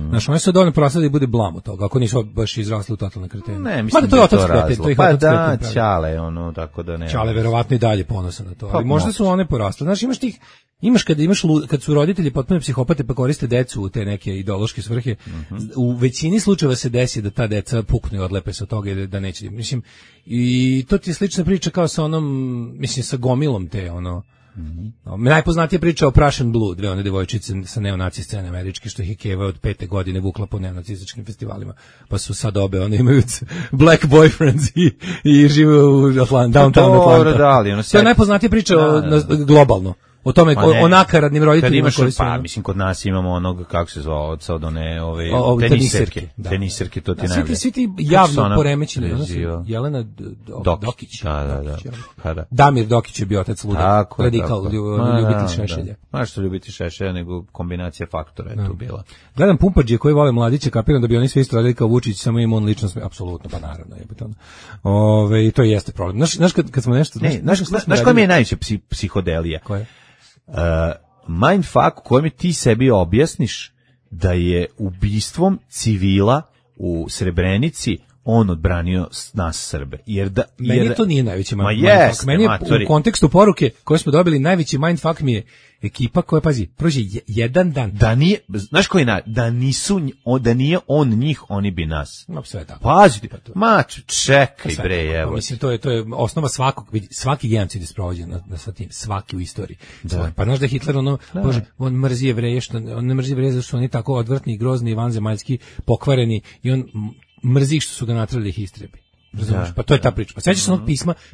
Znaš, one su dovoljno porasle da bude blam od toga, ako nisu baš izrasli u totalne kretene. Ne, mislim da je to razlog. Pa da, Ćale, tako da ne. Ćale verovatno i dalje ponosan na to, ali možda su one porasle. Znaš, imaš kad su roditelji potpuno psihopate pa koriste decu u te neke ideološke svrhe, u većini slučajeva se desi da ta deca puknu i odlepe se od toga i da neće. Mislim, i to ti je slična priča kao sa sa gomilom te, najpoznatija priča o Prussian Blue, dve one devojčice sa neonaci scene američke, što ih je Keva od 5. godine vukla po neonacističkim festivalima, pa su sad obe, one imaju black boyfriends i žive u downtown Atlanta. To je najpoznatija priča globalno. O tome, o nakaradnim roditeljima koji su... Pa, mislim, kod nas imamo onog, kako se zvao, od one teniserke, to ti najbolje. Svi ti javno poremećeni. Jelena Dokić. Da. Damir Dokić je bio otac luda. Radikal, ljubitelj Šešelja. Ma što ljubitelj Šešelja, nego kombinacija faktora je tu bila. Gledam Pumpadžije koji vole mladiće, kapiram da bi oni svi isto radili kao Vučić, samo im on lično sme, apsolutno, pa naravno. I to jeste problem. Znaš, kad smo nešto... Znaš koja mi je najveća psihodelija? Koja je? Mindfuck u kojem ti sebi objasniš da je ubistvom civila u Srebrenici on odbranio nas Srbe. Meni to nije najveći mindfuck. Meni je u kontekstu poruke koje smo dobili najveći mindfuck mi je ekipa koja, pazi, prođe jedan dan. Da nije, znaš koji da nije on njih, oni bi nas. No, sve tako. Pazi, čekaj bre, evo. Mislim, to je osnova svaki genocid je sprovođen sa tim, svaki u istoriji. Pa znaš da Hitler, Bože, on mrzi Jevreje, on ne mrzi Jevreje zato što oni tako odvrtni, grozni, vanzemaljski, pokvareni i on mrzi što su ga natrali ih istrebi. Razumiješ? Pa to je ta priča. Pa sećaš se onog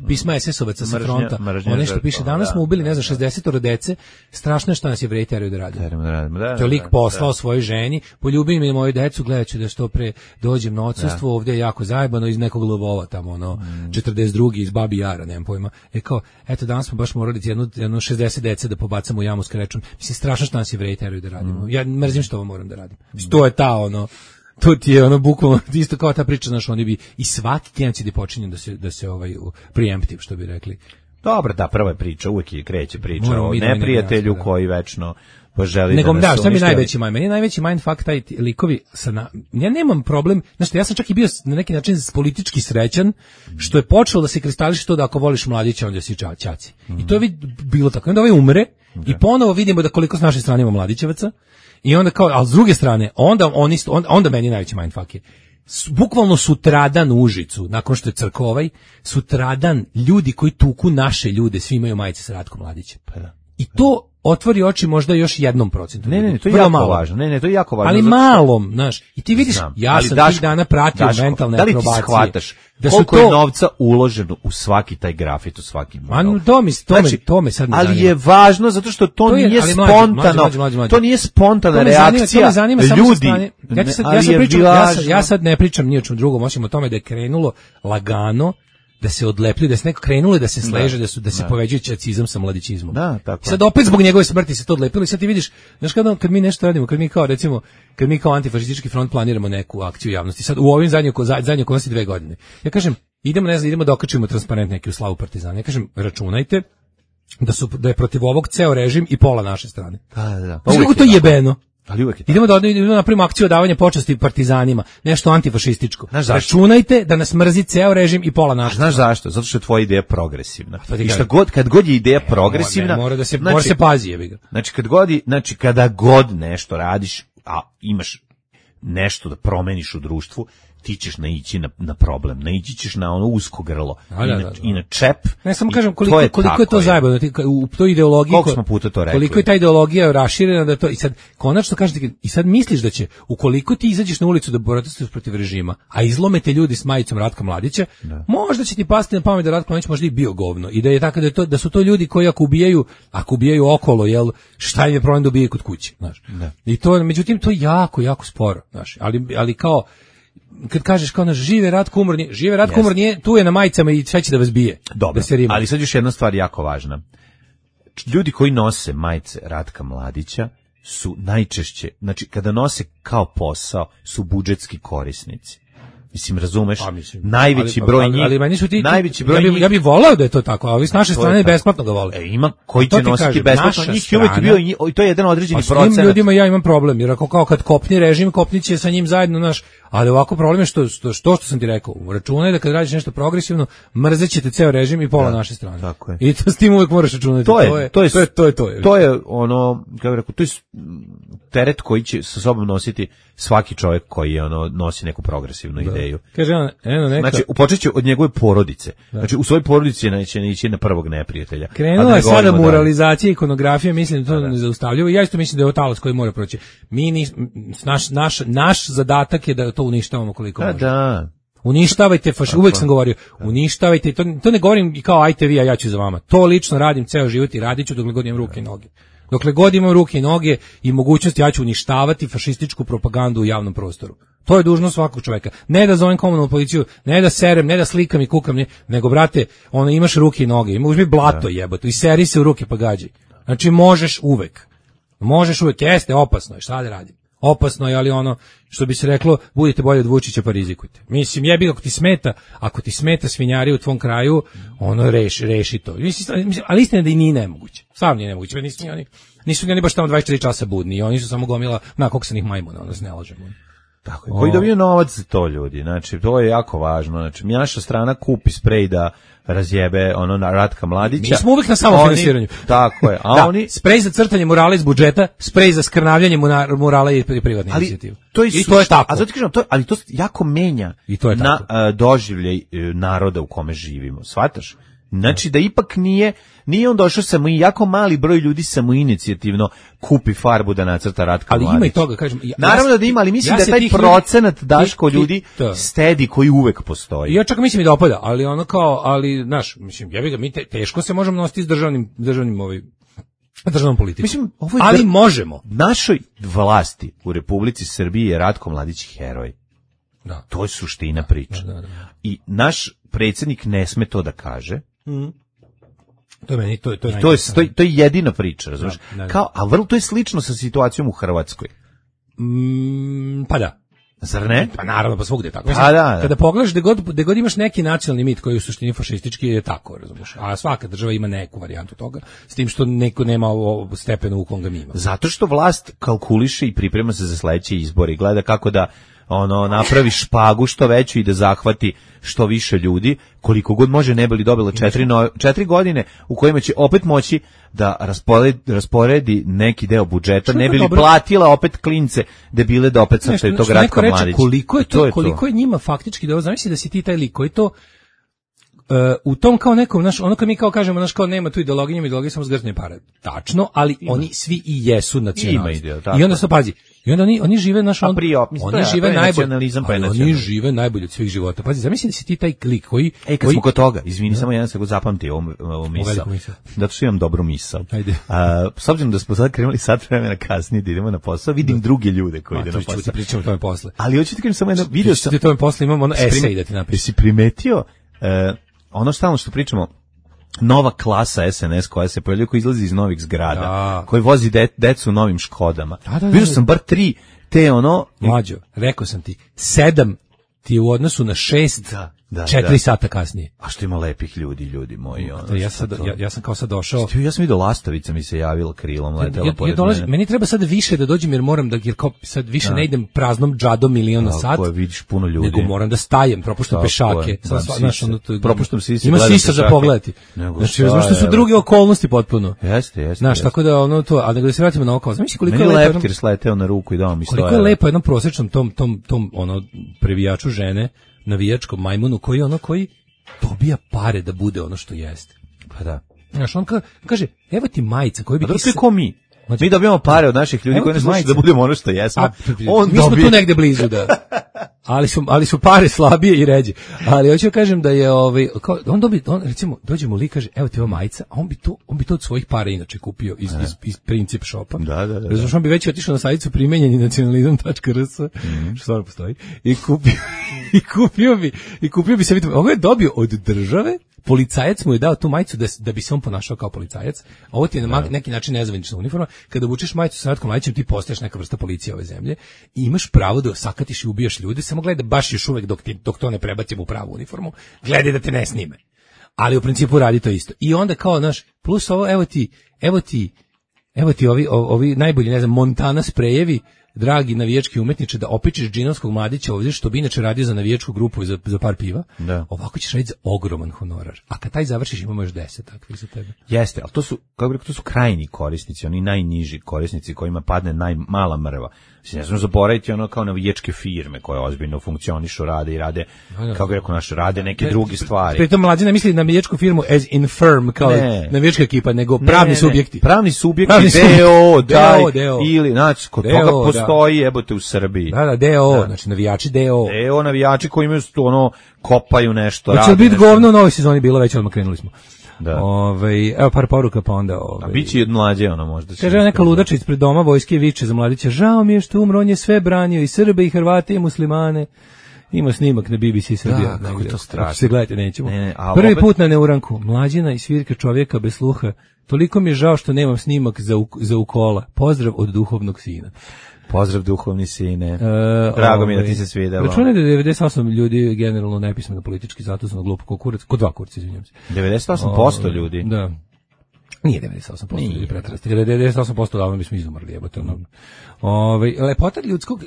pisma SS-ovaca sa fronta. Ono što piše, danas smo ubili, ne znam, 60 dece, strašno je što nas Jevreji teraju da radimo. To je lik poslao svojoj ženi, poljubim mi moju decu, gledat ću da što pre dođem na odsustvo, ovdje je jako zajebano iz nekog Lvova tamo, 42. iz Babi Jara, nemam pojma. Kao, eto, danas smo baš morali jednu 60 dece da pobacamo u jamu s krečom. Mislim, strašno što nas Jevreji teraju da radimo. Ja mrzim što ovo moram da radim. To je ta, to ti je bukvalno isto kao ta priča, znaš, oni bi i svaki genocid je počinjen da se preemptive, što bi rekli. Dobro, da, prva je priča, uvijek kreće priča o neprijatelju koji večno poželi da nas šta mi najveći mind? Meni je najveći mindfuck taj likovi ja nemam problem, znaš, ja sam čak i bio na neki način politički srećan što je počelo da se kristališe to da ako voliš mladića onda si ćaci. I to je bilo tako. Onda ovaj umre i ponovo vidimo da koliko s naše strane ima mladićevaca. I onda kao, ali s druge strane, onda meni najveći mindfuck je. bukvalno sutradan u Užicu, nakon što je Crkovaj, sutradan ljudi koji tuku naše ljude, svi imaju majice sa Ratkom Mladićem. Pa da. I to otvori oči možda još 1%. Ne, to je jako važno. Ne, to je jako važno. Ali malom, znaš. I ti vidiš, ja sam tih dana pratio mentalne akrobacije. Da li ti shvataš koliko je novca uloženo u svaki taj grafit, u svaki mural? To me sad ne zanima. Ali je važno zato što to nije spontano. To nije spontana reakcija to me zanima ljudi. Ja sad ne pričam ni o čemu drugom, osim o tome da je krenulo lagano, da se odlepljuje, da se neko krenulo da se sleže, da se poveđuje čacizam sa mladićizmom. Da, tako. Sad opet zbog njegove smrti se to odlepilo i sad ti vidiš, znaš kad mi nešto radimo, kad mi kao antifašistički front planiramo neku akciju javnosti, sad u ovim zadnjih okolnosti 2 godine. Ja kažem, idemo da okačimo transparent neki u slavu Partizana. Ja kažem, računajte da je protiv ovog ceo režim i pola naše strane. Da. Znaš kako to jebeno? Ali uvek je idemo da napravimo akciju davanja počasti partizanima, nešto antifašističko. Računajte da nas mrzi ceo režim i pola naše. Znaš zašto? Zato što je tvoja ideja progresivna. I kad god je ideja progresivna, mora se pazi, jebi ga. Znači kada god nešto radiš, a imaš nešto da promeniš u društvu, ti ćeš naići na problem, naići ćeš na ono usko grlo i na čep. Ne, samo kažem koliko je to zajebano u toj ideologiji. Koliko smo puta to rekli. Koliko je ta ideologija raširena da to, i sad konačno kažete, i sad misliš da će, ukoliko ti izađeš na ulicu da protestuješ protiv režima, a izlomete ljudi s majicom Ratka Mladića, možda će ti pasti na pamet da Ratko Mladić možda i bio govno i da je tako da su to ljudi koji ako ubijaju okolo, jel, šta im je problem da ubijaju kod kuće, znaš. I to, međutim, to je jako sporo, znaš, ali kao kad kažeš kao naš žive Ratko umor nije, tu je na majicama i sve će da vas bije. Dobro, ali sad još jedna stvar jako važna. Ljudi koji nose majice Ratka Mladića su najčešće, znači kada nose kao posao, su budžetski korisnici. Mislim, razumeš? Najveći broj njih. Ali meni su ti, ja bih voleo da je to tako, a ovi s naše strane besplatno ga vole. Ima koji će nositi besplatno, njih je uvijek bio, i to je jedan određeni procenat. S tim ljudima ja imam problem, jer ako kao kad kopni režim, kopniće sa njim zajedno, naš, ali ovako problem je što sam ti rekao, računaj da kad radiš nešto progresivno, mrzećete ceo režim i pola naše strane. Tako je. I to s tim uvijek moraš računati. To je ono, kako rekao, to je teret koji će sa sobom nositi svaki čovjek koji nosi neku progresivnu ideju. Kaže znači, počet će od njegove porodice. Znači, u svojoj porodici neće ići na prvog neprijatelja. Krenula je sada moralizacija, ikonografija, mislim da to nezaustavljivo. Ja isto mislim da je ovo talas koji mora proći. Naš zadatak je da to uništavamo koliko možemo. Da. Uništavajte uvijek sam govorio, uništavajte, to ne govorim kao ajte vi, a ja ću za vama. To lično radim ceo život i radit ću dokle god imam ruke i noge. Dokle god imam ruke i noge i mogućnost, ja ću uništavati fašističku propagandu u javnom prostoru. To je dužnost svakog čoveka. Ne da zovem komunalnu policiju, ne da serem, ne da slikam i kukam, nego brate, imaš ruke i noge, uzmi blato jebote i seri se u ruke pa gađaj. Znači možeš uvek, jeste, opasno je, šta da radim? Opasno je, ali što bi se reklo, budite bolje od Vučića pa rizikujte. Mislim, jebi ako ti smeta svinjari u tvom kraju, reši to. Mislim, ali istina da i nije nemoguće. Stvarno nije nemoguće. Nisu oni baš tamo 24 časa budni, oni su samo gomila kokosanih majmuna, se ne lažemo. Tako je. Koji dobiju novac za to, ljudi. Znači, to je jako važno. Znači, naša strana kupi sprej da razjebe na Ratka Mladića. Mi smo uvijek na samofinansiranju. Tako je. A oni sprej za crtanje murala iz budžeta, sprej za skrnavljanje murala i privatne inicijative. I to je tako. A zato kažem, ali to jako menja na doživljaj naroda u kome živimo. Shvataš? Znači da ipak nije on došao samo i jako mali broj ljudi samoinicijativno kupi farbu da nacrta Ratka Mladića. Ali ima i toga, kažem. Naravno da ima, ali mislim da taj procenat Daško ljudi stedi koji uvek postoji. Ja čak mislim i da opada, ali znaš, mislim, mi teško se možemo nositi s državnom politikom. Mislim, ali možemo. Našoj vlasti u Republici Srbiji je Ratko Mladić heroj. Da. To je suština priče. Da. I naš predsjednik ne sme to da kaže. To je jedina priča, razumiješ? A to je slično sa situacijom u Hrvatskoj. Pa da. Zar ne? Pa naravno, pa svugdje je tako. Mislim, kada pogledaš gde god imaš neki nacionalni mit koji je u suštini fašistički, je tako, razumiješ? A svaka država ima neku varijantu toga, s tim što neko nema ovo stepenu u kom ga mi imamo. Zato što vlast kalkuliše i priprema se za sledeće izbore i gleda kako da napravi špagu što veću i da zahvati što više ljudi, koliko god može, ne bi li dobila 4 godine u kojima će opet moći da rasporedi neki deo budžeta, ne bi li platila opet klince debile da opet sačaju tog Ratka Mladića. Koliko je njima faktički da zamisli da si ti taj lik koji to u tom kao nekom, ono kad mi kao kažemo, kao nema tu ideologije samo zgrtne pare. Tačno, ali oni svi i jesu nacionalisti. I onda se pazi, i onda oni žive oni žive najbolje od svih života. Pazi, zamisli da si ti taj klik koji kad smo kod toga, izvini, samo jedan sekund zapamtio ovu misao. Zato što imam dobru misao. S obzirom da smo sad krenuli sat vremena kasnije da idemo na posao, vidim druge ljude koji ide na posao. Pričamo o tome posle. Ali hoću ti kažem samo jedno, video sam. Tome posle imamo ono esej da ti napišem. Jesi primetio ono stalno što pričamo, nova klasa SNS koja se pojavljuje, koja izlazi iz novih zgrada, koji vozi decu u novim Škodama. Vidio sam bar 3 te Mlađo, rekao sam ti, 7 ti je u odnosu na 6, 4 sata kasnije. A što ima lepih ljudi moji. Ja sam kao sad došao. Ja sam vidio lastavica mi se javila krilom, letela pored mene. Meni treba sad više da dođem jer moram jer kao sad više ne idem praznom džadom milion na sat. Tako je, vidiš puno ljudi. Nego moram da stajem, propuštam pešake. Propuštam sise. Ima sisa za pogledati. Znači, što su druge okolnosti potpuno. Jeste. Znaš, tako da to, a da se vratimo na oko. Znači koliko je lepo. Meni leptir sleteo na ruku i dao mi 100 €. Koliko je lepo jednom prosječnom tom previjaču žene, navijačkom majmunu koji dobija pare da bude ono što jeste. Pa da. Znaš, on kaže, evo ti majica koju bi... A to je ko mi? Mi dobijamo pare od naših ljudi koji ne slušaju da budemo ono što jesmo. Mi smo tu negde blizu, da. Ali su pare slabije i ređe. Ali hoću kažem da je on recimo dođemo li kaže evo ti ova majica, a on bi to od svojih para inače kupio iz Princip shopa. Da. Znači on bi već otišao na sajtu primenjeni nacionalizam.rs što stvarno postoji i kupio bi se, vidite, ovo je dobio od države. Policajac mu je dao tu majicu da bi se on ponašao kao policajac. Ovo ti je na neki način nezvanična uniforma. Kada obučeš majicu sa Ratkom Mladićem, ti postaješ neka vrsta policije ove zemlje i imaš pravo da sakatiš i ubijaš ljude, samo gledaj baš još uvek dok to ne prebacimo u pravu uniformu, gledaj da te ne snime. Ali u principu radi to isto. I onda kao, plus ovo, evo ti ovi najbolji, ne znam, Montana sprejevi, dragi navijački umetniče, da opičeš džinovskog mladića ovdje, što bi inače radio za navijačku grupu i za par piva, ovako ćeš raditi za ogroman honorar. A kad taj završiš, imamo još 10 takvih za tebe. Jeste, ali to su krajnji korisnici, oni najniži korisnici kojima padne najmala mrva. Ne znam zaboraviti kao navijačke firme koje ozbiljno funkcionišu, rade, kako bi rekao rade neke druge stvari. Pritom mlađi ne misli na navijačku firmu as in firm, kao navijačka ekipa, nego pravni subjekti. Pravni subjekti, DO, ili, znači, kod toga postoji, jebote, u Srbiji. DO, znači navijači DO. DO, navijači koji imaju kopaju nešto, rade. Hoće biti govno u novoj sezoni bilo, već odmah krenuli smo. Da. Evo par poruka pa onda a biće i od mlađe možda. Kaže neka ludača ispred doma vojske viče za Mladića, žao mi je što umro, on je sve branio, i Srbe i Hrvate i muslimane. Ima snimak na BBC Srbija. Da, kako je to strašno. Se gledajte, nećemo. Prvi put na neuranku, Mlađina i svirka čovjeka bez sluha. Toliko mi je žao što nemam snimak za ukola. Pozdrav od duhovnog sina. Pozdrav duhovni sine. Drago mi je da ti se svidelo. Računaj da 98 ljudi generalno nepismeno politički, zato sam glupo ko kurac, ko dva kurca, izvinjavam se. 98% ljudi? Da. Nije 98% ljudi pretrasti. 98% davno bismo izumrli, jebote.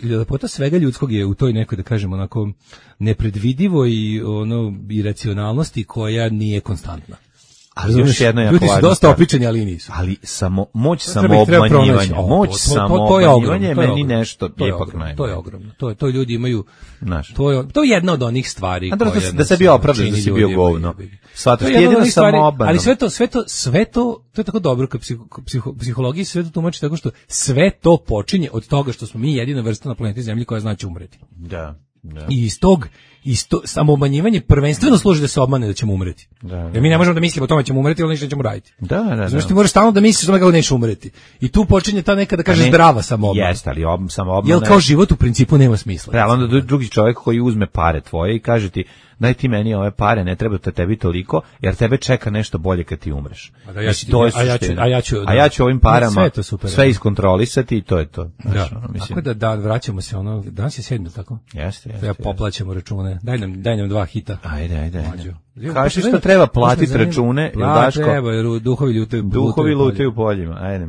Lepota svega ljudskog je u toj nekoj, da kažemo, onako nepredvidivo i iracionalnosti koja nije konstantna. Ali još jedno je ljudi su dosta opičeni, ali nisu. Ali moć samoobmanjivanja. Moć samoobmanjivanja je meni nešto ipak najbolje. To je ogromno. To ljudi imaju. To je jedna od onih stvari koje da se bio opravdan, da si bio govno. Svataš jedino samoobmana. Ali sve to je tako dobro kad psihologiji sve to tumači tako što sve to počinje od toga što smo mi jedina vrsta na planeti Zemlji koja zna će umreti. Da. I iz tog samoobmanjivanje prvenstveno služi da se obmane da ćemo umreti. Jer mi ne možemo da mislimo o tome ćemo umreti, ali ništa ćemo raditi. Znači ti moraš stalno da misliš o tome kako nećeš umreti. I tu počinje ta neka, da kaže, zdrava samoobmana. Jeste, ali samoobmana. Jer kao život u principu nema smisla. Ali onda drugi čovjek koji uzme pare tvoje i kaže ti, daj ti meni ove pare, ne treba da tebi toliko, jer tebe čeka nešto bolje kad ti umreš. A ja ću ovim parama sve iskontrolisati i to je to. Tako da vraćamo se danas je 7, tako? Jeste. Ja poplaćamo račune. Daj nam 2 hita. Ajde. Kaži što treba platiti račune, ili Daško? Treba, jer duhovi lutaju u poljima. Ajde.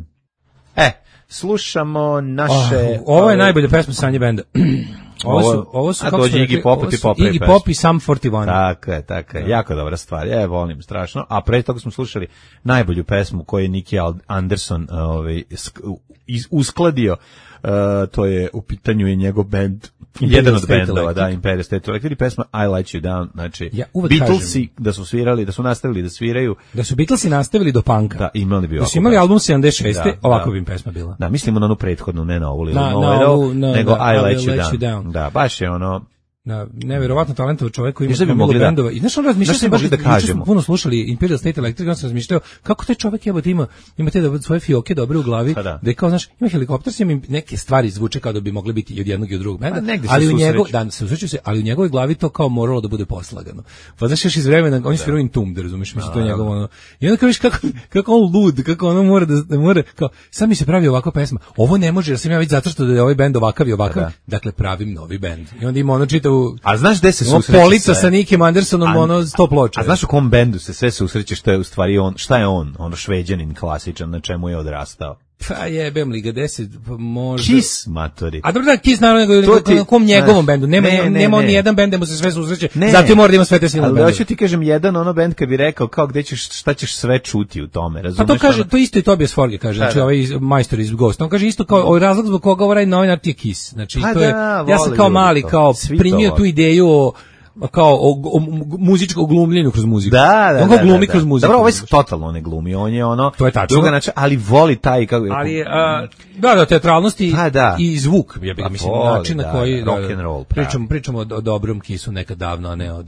Slušamo naše... Ovo je najbolja pesma Sanje benda. Ovo su a kako dođe Iggy Pop, ti popravi Iggy Pop i Sum 41. Tako je, jako dobra stvar, volim strašno, a pre toga smo slušali najbolju pesmu koju je Nicky Anderson uskladio, to je, u pitanju je njegov band, jedan od bendova, da, Imperial State Electric, pesma I Let You Down, znači, Beatlesi da su svirali, da su nastavili da sviraju. Da su Beatlesi nastavili do punka. Da, imali bi ovako. Da su imali album 76. Ovako bi im pesma bila. Da, mislimo na onu prethodnu, ne na ovu, nego I Let You Down. Da, baš je ono... Neverovatno talentovan čovjek koji ima mnogo bendova. I znaš, on razmišljao baš da kažemo. Puno slušali Imperial State Electric, on se razmišljao kako taj čovjek jebote ima te svoje fioke dobre u glavi, da je kao, znaš, ima helikopter, ima neke stvari zvuče kao da bi mogle biti i od jednog i od drugog benda, ali u ali u njegovoj glavi to kao moralo da bude poslagano. Pa znaš, još iz vremena oni sviraju Entombed, razumeš, mislim to je njegovo ono. I onda kao viš kako on lud, kako ono mora kao sad mi se pravi ovakva pesma. Ovo ne može, jer sam ja već zato što da je ovaj bend ovakav i ovakav, dakle pravim novi bend. I onda ima ono čitavu. A znaš gde se susreće? Polica sa Nickiem Andersonom, ono 100 ploča. A znaš u kom bendu se sve susreće, što je u stvari on, šta je on? Ono Šveđanin klasičan, na čemu je odrastao. Pa jebem li ga 10, možda... Kiss, matori. A dobro da, Kiss naravno, na kom njegovom bendu. Nema ni jedan bend da mu se sve susreće, zato mora da ima sve te silne bendove. Ali hoću ti kažem, jedan ono bend kad bi rekao kao gde ćeš, šta ćeš sve čuti u tome, razumeš? Pa to kaže, to isto i Tobias Forge kaže, znači ovaj majstor iz Ghost. On kaže isto kao, ovaj razlog zbog koga ovaj novinar ti je Kiss. Znači, to je, ja sam kao mali, kao primio tu ideju kao o muzičkom glumljenju kroz muziku. On ga glumi kroz muziku. Dobro, ovaj se totalno ne glumi, on je ono druga način, ali voli taj kako je. Ali teatralnosti i zvuk, ja bih ga mislim način na koji rock and roll. Pričamo o dobrom Kissu nekad davno, a ne o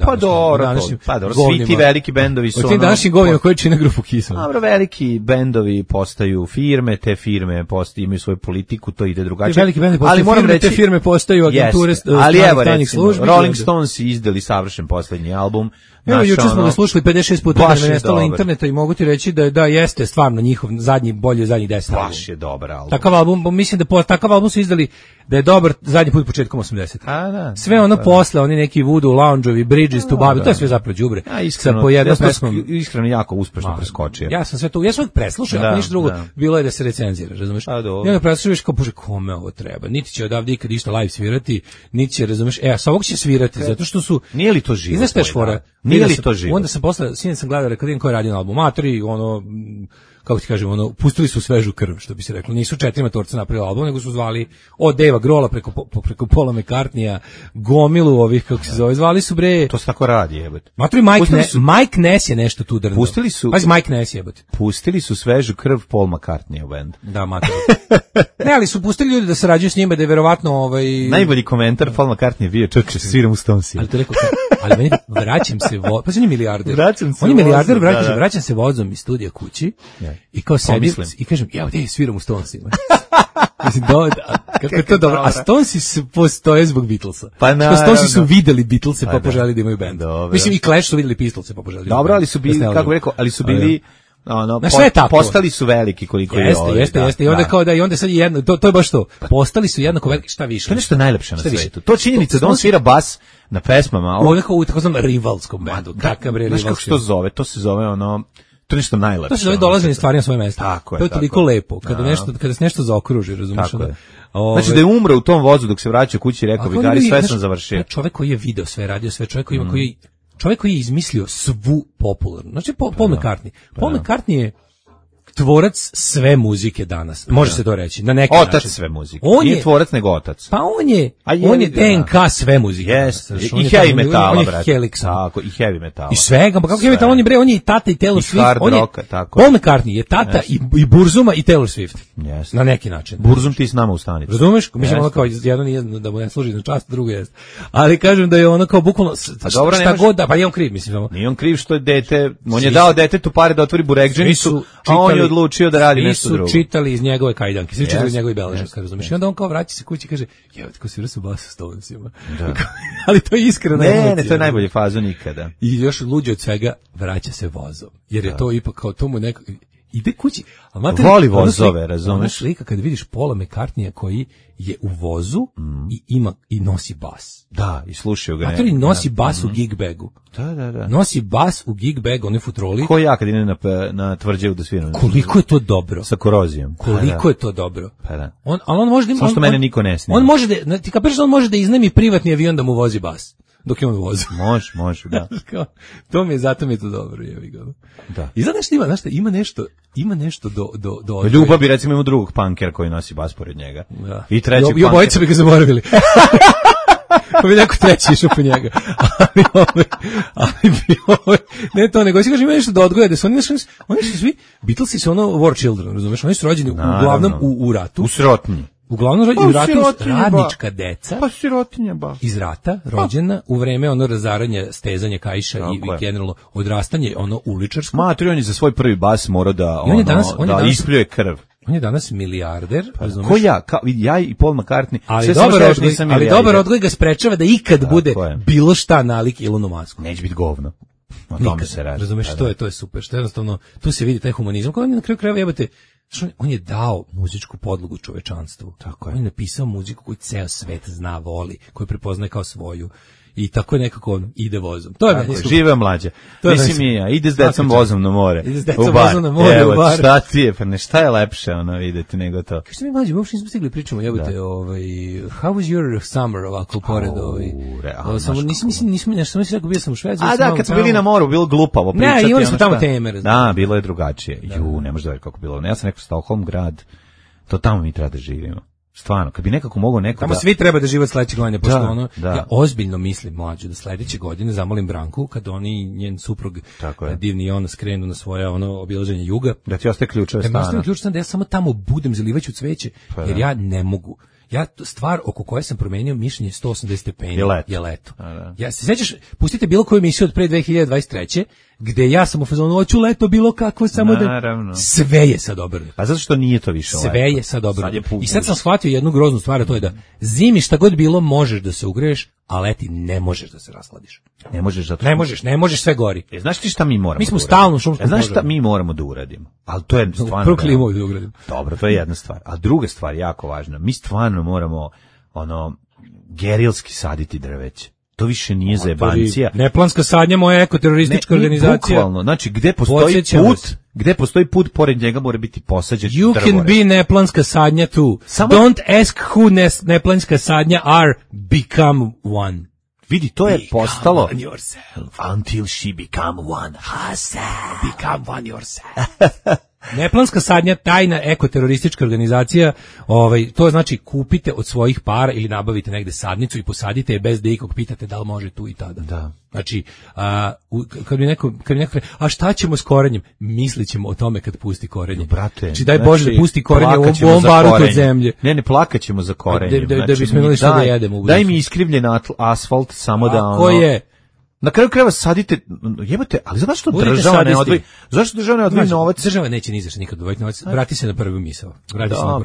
današnjim. Pa dobro, svi ti veliki bendovi su ono. Ti današnji govnima koji čine grupu Kissu. Dobro, veliki bendovi postaju firme, te firme imaju svoju politiku, to ide drugačije. Veliki bendovi postaju firme, te firme postaju agenture stranih službi. Rolling Stones izdali savršen poslednji album. Evo, juče smo ga slušali 56 puta kad me nestalo interneta i mogu ti reći da jeste stvarno njihov bolji od zadnjih 10 albuma. Baš je dobar album. Takav album, mislim da takav album su izdali da je dobar zadnji put početkom 80. Sve ono posle, oni neki Voodoo Lounge-ovi, Bridges to Babylon, to je sve zapravo đubre. Iskreno jako uspešno preskočio. Ja sam sve to, ja sam preslušao, ako ništa drugo, bilo je da se recenzira, razumeš? I onda preslušaš kao, bože, kome ovo treba? Niti će odavde ikad išta live svirati, niti će, razumeš, a sa ovog će svirati, zato što su... Nije li to živo? Znaš šta je fora? Nije li to živo? Onda sam posle, sinoć sam gledao, rekao, ko je radio na albumu, matori, ono, kako ti kažem, ono, pustili su svežu krv, što bi se reklo. Nisu 4 matorca napravili album, nego su zvali od Davea Grohla preko Paula McCartneya, gomilu ovih, kako se zove, zvali su bre... To se tako radi, jebote. Matori, Mike Ness je nešto tu drno. Pustili su... Pazi, Mike Ness, jebote. Pustili su svežu krv Paul McCartney u band. Da, matori. Ne, ali su pustili ljudi da sarađuju s njima, da je verovatno najbolji komentar Paul McCartney je bio, čak sviram u Stonesima. Ali to rekao, ali meni vraćam se pa on je milijarder. Vraćam se vozom iz studija kući i kao sedim i kažem, ja ovdje sviram u Stonesima. Mislim, kako je to dobro. A Stonesi postoje zbog Beatlesa. Pa naravno. Stonesi su videli Beatlese pa poželi da imaju bend. Mislim, i Clash su videli Pistolse pa poželi. Dobro, ali su bili, kako bih rekao, ali su bili... postali su veliki koliko je ovo. Jeste. I onda kao i onda sad jedno, to je baš to. Postali su jednako veliki, šta više. To je nešto najlepše na svetu. To činjenica da on svira bas na pesmama. Ovo kao u takozvanom rivalskom bendu. Kakav bre rivalski. Znaš kako se to zove? To se zove ono... To je nešto najlepše. To se zove dolaženje stvari na svoje mesto. Tako je. To je toliko lepo. Kada se nešto zaokruži, razumiješ? Znači da je umro u tom vozu dok se vraća kući i rekao bi, Gari, sve sam završio. Čovjek koji je video sve, radio sve, čovjek koji je izmislio svu popularnu. Znači Paul McCartney. Paul McCartney je tvorac sve muzike danas. Može se to reći. Na neki način. Otac sve muzike. Nije tvorac nego otac. Pa on je DNK sve muzike. I heavy metala, brate. Tako, i heavy metala. I svega, pa kako heavy metal, on je i tata i Taylor Swift. Paul McCartney je tata i Burzuma i Taylor Swift. Na neki način. Burzum ti s nama u stanici. Razumeš? Mislim, ono kao jedno nije da mu ne služi na čast, drugo jest. Ali kažem da je ono kao bukvalno šta god da, pa je on kriv, mislim. Nije on kriv što je dete, on je dao detetu pare da otvori burekdženicu, a on je odlučio da radi nešto drugo. Svi su čitali iz njegove kajdanke, svi čitali iz njegove beležak, razumiješ? I onda on kao vraća se kući i kaže, jeo, tako si vrsu basu s Stonesima. Ali to je iskreno emocija. Ne, to je najbolji fazon nikada. I još luđe od svega, vraća se vozom. Jer je to ipak kao tomu neko... ide kući. Voli vozove, razumeš? Ona slika kad vidiš Paula McCartneya koji je u vozu i nosi bas. Da, i slušaju ga. Matori nosi bas u gig bagu. Da. Nosi bas u gig bagu, onoj futroli. Ko ja kad idem na tvrđavu da sviram. Koliko je to dobro. Sa korozijom. Koliko je to dobro. Pa da. On može da... Samo što mene niko ne snima. On može da... Ti kapiraš da on može da iznajmi privatni avion da mu vozi bas. Dok je on vozi. Može, da. Zato mi je to dobro, jevi ga. Da. I znaš šta ima nešto do Ljubav bi recimo ima drugog punkera koji nosi bas pored njega. Da. I treći punker. I obojica bi ga zaboravili. Pa bi neko treći išao po njega. Ne to, nego si kaže ima nešto da odgoja, da su oni su svi, Beatlesi su ono war children, razumeš, oni su rođeni uglavnom u ratu. U sirotnji. Uglavnom u ratu radnička deca. Pa sirotinja ba. Iz rata, rođena u vreme ono razaranja, stezanja kaiša i generalno odrastanje ono uličarsko. Mater, on je za svoj prvi bas morao da ispljuje krv. On je danas milijarder, razumeš? Ko ja i Paul McCartney. Ali dobar odgoj ga sprečava da ikad bude bilo šta nalik Elonu Musku. Neće biti govno. O tome se radi. Razumeš, to je super. Što jednostavno, tu se vidi taj humanizam. Kao on je na kraju krajeva jebate, on je dao muzičku podlogu čovečanstvu. Tako je. On je napisao muziku koju ceo svet zna, voli, koju prepoznaje kao svoju. I tako je nekako ide vozom. To je meni super. Žive mlađe. Mislim i ja, ide s decom vozom na more. Ide s decom vozom na more u bar. Šta ti je, pa ne, šta je lepše videti nego to. Što mi mlađe, uopšte nismo stigli pričamo, jebote, how was your summer ovako pored samo nismo nešto, sam si rekao, bio sam u Švedskoj. A da, kad smo bili na moru, bilo glupavo pričati. Ne, imali smo tamo teme. Da, bilo je drugačije. Ne možeš da veri kako bilo. Ja sam rekao Stockholm grad, to tamo mi treba da živimo. Stvarno, kad bi nekako mogao neko tamo svi treba da žive od sledećeg godine, pošto ja ozbiljno mislim, mlađe, da sledeće godine zamolim Branku, kad oni njen suprug divni i ona skrenu na svoje obilaženje juga, da ti ostaje ključeve stana. Da ja samo tamo budem, zalivaću cveće, jer ja ne mogu. Ja stvar oko koje sam promenio mišljenje 180 stepeni je leto. Ja se sećaš, pustite bilo koju emisiju od pre 2023. gde ja sam u fazonu hoću leto bilo kakvo, samo da sve je sad obrnuto. Pa zato što nije to više leto. Sve je sad obrnuto. I sad sam shvatio jednu groznu stvar, a to je da zimi šta god bilo možeš da se ugreješ, a leti ne možeš da se rashladiš. Ne možeš zato. Ne možeš sve gori. Znaš ti šta mi moramo? Mi smo stalno u šumskom požaru. Znaš šta mi moramo da uradimo? Al to je stvarno. Prvo klimu da uradimo. Dobro, to je jedna stvar. A druga stvar jako važna. Mi stvarno moramo gerilski saditi drveće. To više nije zajebancija. Neplanska sadnja, moja ekoteroristička organizacija. Bukvalno, znači gde postoji put, pored njega mora biti posađen drvored. You can be neplanska sadnja too. Don't ask who neplanska sadnja are, become one. Vidi, to je postalo one yourself. Until she become one herself. Become one yourself. Neplanska sadnja, tajna ekoteroristička organizacija, to znači kupite od svojih para ili nabavite negde sadnicu i posadite je bez da ikog pitate da li može tu i tada. Da. Znači, kad mi neko a šta ćemo s korenjem? Mislićemo o tome kad pusti korenje. Brate, znači, daj Bože da pusti korenje u ovom barutu od zemlje. Ne plakaćemo za korenjem. Da bismo imali što da jedemo. Daj mi iskrivljen asfalt samo da Ko je? Na kraju krajeva sadite, jebote, ali zašto država ne odvoji? Zašto država ne odvoji novac? Država neće ni zašto nikad odvojiti novac. Vrati se na prvu misao.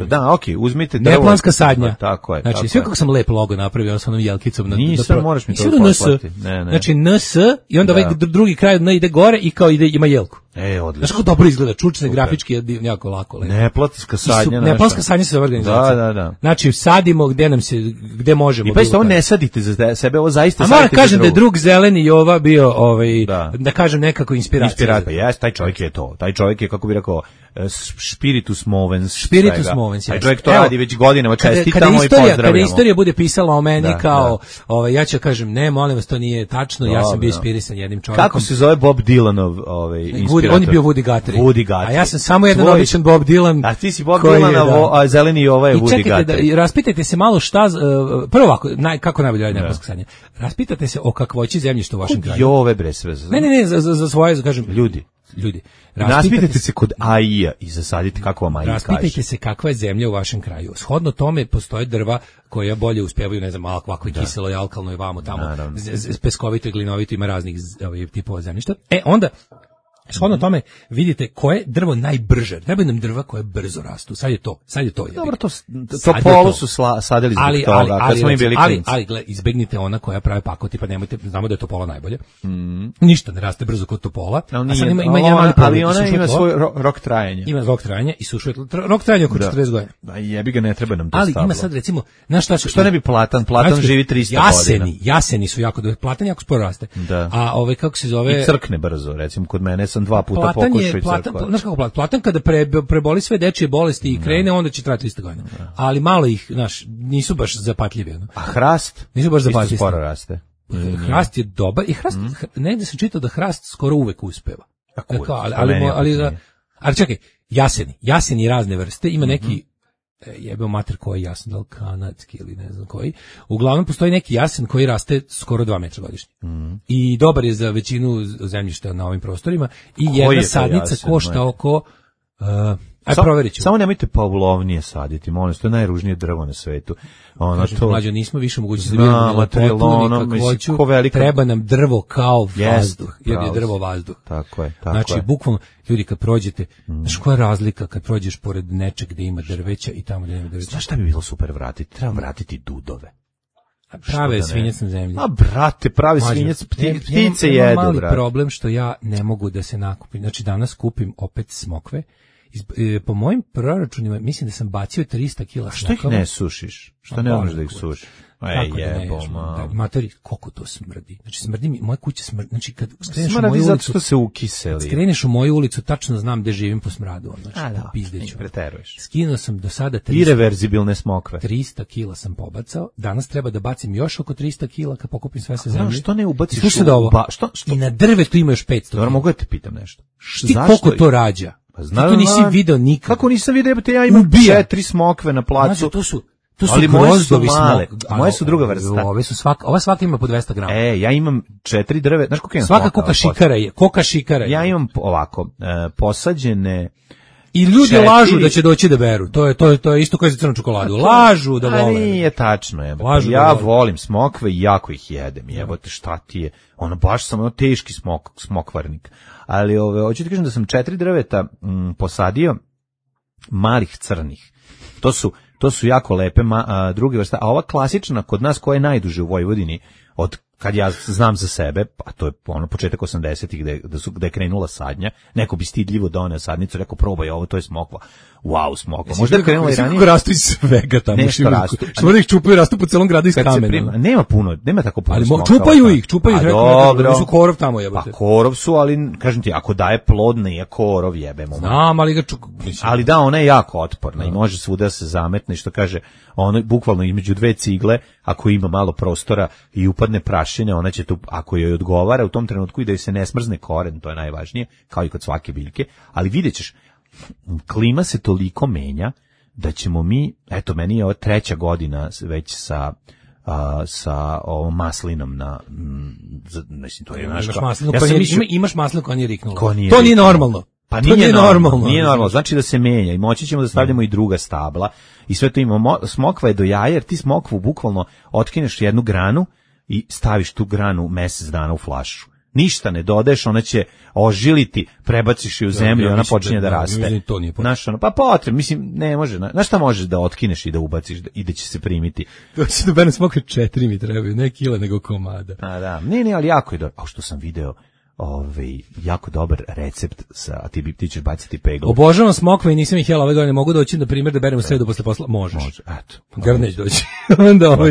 Da, okej, uzmite drvo. Neplanska sadnja. Tako je. Znači, sve kako sam lep logo napravio, sa onom jelkicom na. Nisam, moraš mi to poslati. Znači NS i onda ovaj drugi kraj ide gore i kao ima jelku. Odlično. Znaš kako dobro izgleda, čučne grafički je jako lako. Neplanska sadnja. Neplanska sadnja se organizacija. Da. Znači, sadimo gde možemo. I pa isto ovo ne sadite za sebe, ovo zaista sadite. A moram kažem da je drug Zeleni Jova bio, da kažem nekako inspiracija. Jes, taj čovjek je to. Taj čovjek je, kako bi rekao, spiritus movens. Spiritus movens, taj čovjek to radi već godinama, čestitamo i pozdravljamo. Kada istorija bude pisala o meni kao, ja ću kažem, ne, molim vas, to nije tačno, ja sam bio inspirisan jednim čovjekom. Kako se zove Bob Dylanov inspirator? On je bio Woody Guthrie. A ja sam samo jedan običan Bob Dylan. A ti si Bob Dylan, a Zeleni Jova je Woody Guthrie. I čekajte, raspitajte se malo šta, prvo ovako, kako najbolje radi neplanska sadnja. Raspitajte se o kakvoći zemljišta u vašem kraju. Jove bre sve. Ne, za svoje, kažem, ljudi. Raspitajte se kod AI-a i zasadite kako vam AI kaže. Raspitajte se kakva je zemlja u vašem kraju. Shodno tome postoje drva koja bolje uspevaju, ne znam, ovako kiselo i alkalno je vamo tamo, peskovito i glinovito, ima raznih tipova zemljišta. Onda Shodno tome vidite koje drvo najbrže. Treba nam drva koje brzo rastu. Sad je to. Dobro, to polu su sadili zbog toga, kad smo im bili klinci. Ali izbegnite ona koja prave pakoti, pa nemojte, znamo da je topola najbolje. Ništa ne raste brzo kod topola. A sad ima jedan mali problem. Ali ona ima svoj rok trajanja. Ima rok trajanja i sušuje rok trajanja oko 40 godina. Da, jebi ga, ne treba nam to stablo. Ali ima sad recimo, znaš šta ne bi platan živi 300 godina. Jaseni su jako dobro. Platan jako sporo raste. Da. A kako se zove? I crkne brzo, recimo kod mene sam 2 puta pokušao i crkva. Znaš kako platan kada preboli sve dečije bolesti i krene, onda će trajati 300 godina. Ali malo ih, znaš, nisu baš zapatljivi. A hrast? Nisu baš zapatljivi. Isto sporo raste. Hrast je dobar i hrast, negde sam čitao da hrast skoro uvek uspeva. Ali čekaj, jaseni razne vrste, ima neki, jebeo mater koji je jasen, da li kanadski ili ne znam koji, uglavnom postoji neki jasen koji raste skoro 2 metra godišnje. I dobar je za većinu zemljišta na ovim prostorima i jedna sadnica košta oko... proverit ću. Samo nemojte pavlovnije saditi, molim, to je najružnije drvo na svetu. Mlađo, nismo više mogućnosti da vidimo treba nam drvo kao vazduh, jer je drvo vazduh. Tako je. Znači, bukvalno, ljudi, kad prođete, znaš koja je razlika kad prođeš pored nečeg gde ima drveća i tamo gde nema drveća? Znaš šta bi bilo super vratiti? Treba vratiti dudove. Prave svinjac na zemlji. A brate, pravi svinjac, ptice jedu, brate. Mali problem što ja ne mogu da se nakupim. Znači, danas kupim opet smokve. Po mojim proračunima mislim da sam bacio 300 kila smokava. Što ih ne sušiš? Što ne možeš da ih sušiš? Materi, koliko to smrdi. Znači, smrdi mi, moja kuća smrdi. Znači, kad skreneš u moju ulicu, zato se ukiseli. Kad skreneš u moju ulicu, tačno znam gde živim po smradu. Znači, pizdeću. Preteruješ. Skinuo sam do sada ireverzibilne smokve. 300 kila sam pobacao. Danas treba da bacim još oko 300 kila kad pokupim sve sa zemlje. Što ne ubaciš što? I na drvetu ima još 500. Dobro, mogu da te pitam nešto. Ti koliko to rađa? Ti to nisi video nikad. Kako nisam video, ja imam 4 smokve na placu. Znači, to su ali moje su male, moje su druga vrsta. Ova svaka ima po 200 grama. Ja imam 4 drve, znaš koliko imam? Svaka koka šikara je. Ja imam ovako, posađene... I ljudi lažu da će doći da beru. To je isto kao za crnu čokoladu. Lažu da vole. A nije tačno, jebote. Ja volim smokve i jako ih jedem. Jebote, šta ti je? Baš sam teški smokvarnik. Ali hoću ti kažem da sam 4 drveta posadio malih crnih. To su jako lepe druge vrste. A ova klasična kod nas koja je najduže u Vojvodini od kad ja znam za sebe, a to je početak 80-ih gde je krenula sadnja, neko bi stidljivo doneo sadnicu, rekao probaj ovo, to je smokva. Wow, smokva. Možda je krenula i ranije. Kako rastu iz svega tamo. Nešto rastu. Što da ih čupaju, rastu po celom gradu iz kamena. Nema tako puno ali smokva. Čupaju ih. Dobro. Su korov tamo jebate. Pa korov su, ali kažem ti, ako daje plodne je korov jebemo. Znam, ali ga ali da, ona je jako otporna i može svuda se zametne, što kaže, ono bukvalno između 2 cigle, ako ima malo prostora i upadne prašine, ona će tu, ako joj odgovara u tom trenutku i da joj se ne smrzne koren, to je najvažnije, kao i kod svake biljke, ali vidjet ćeš, klima se toliko menja da ćemo mi, eto, meni je ovo 3. godina već sa ovom maslinom mislim, to je imaš maslinu koja nije riknula. To nije normalno. Pa nije normalno, znači da se menja i moći ćemo da stavljamo i druga stabla i sve to imamo. Smokva je do jaja, jer ti smokvu bukvalno otkineš jednu granu i staviš tu granu mesec dana u flašu. Ništa ne dodaješ, ona će ožiliti, prebaciš je u zemlju i ona počinje da raste. Pa potrebno, mislim, ne može. Znaš šta možeš da otkineš i da ubaciš i da će se primiti? To će da bene smokve 4 mi trebaju, ne kila nego komada. A da, nije, ali jako je dobro. A što sam video, jako dobar recept a ti ćeš baciti peglu. Obožavam smokve i nisam ih jela ove godine, mogu doći na primjer da berem u sredu posle posla. Možeš. Eto. Grneć doći.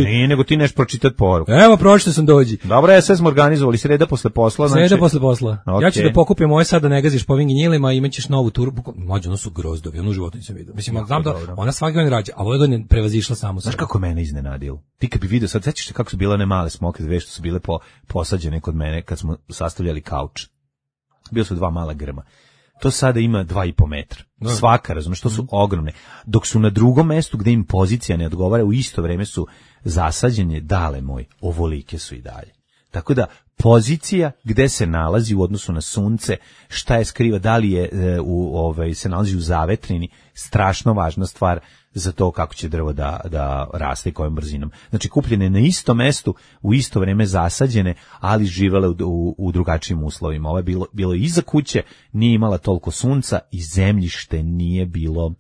Nije, nego ti neš pročitati poruku. Evo, pročito sam dođi. Dobro, sve smo organizovali, sreda posle posla. Sreda posle posla. Okay. Ja ću da pokupim moje sad da ne gaziš po ovim ginjilima i imaćeš novu turu. Mlađe, ono su grozdovi, ono u životu nisam vidio. Mislim, znam da ona svake godine rađa, a ove godine prevazišla samo sebe. Znaš kako mene iznenadilo? Ti kad bi vidio sad, sećaš se kako su bile one male smokve, dve što su bile posađene kod mene kad smo sastavljali kauč. Bio su 2 mala grma. To sada ima 2,5 metra. Svaka, razumiješ, to su ogromne. Dok su na drugom mestu gde im pozicija ne odgovara, u isto vreme su zasađene, dale moj, ovolike su i dalje. Tako da pozicija gde se nalazi u odnosu na sunce, šta je skriva, da li je se nalazi u zavetrini, strašno važna stvar za to kako će drvo da raste i kojom brzinom. Znači kupljene na istom mestu, u isto vreme zasađene, ali živele u drugačijim uslovima. Ovo je bilo iza kuće, nije imala toliko sunca i zemljište nije bilo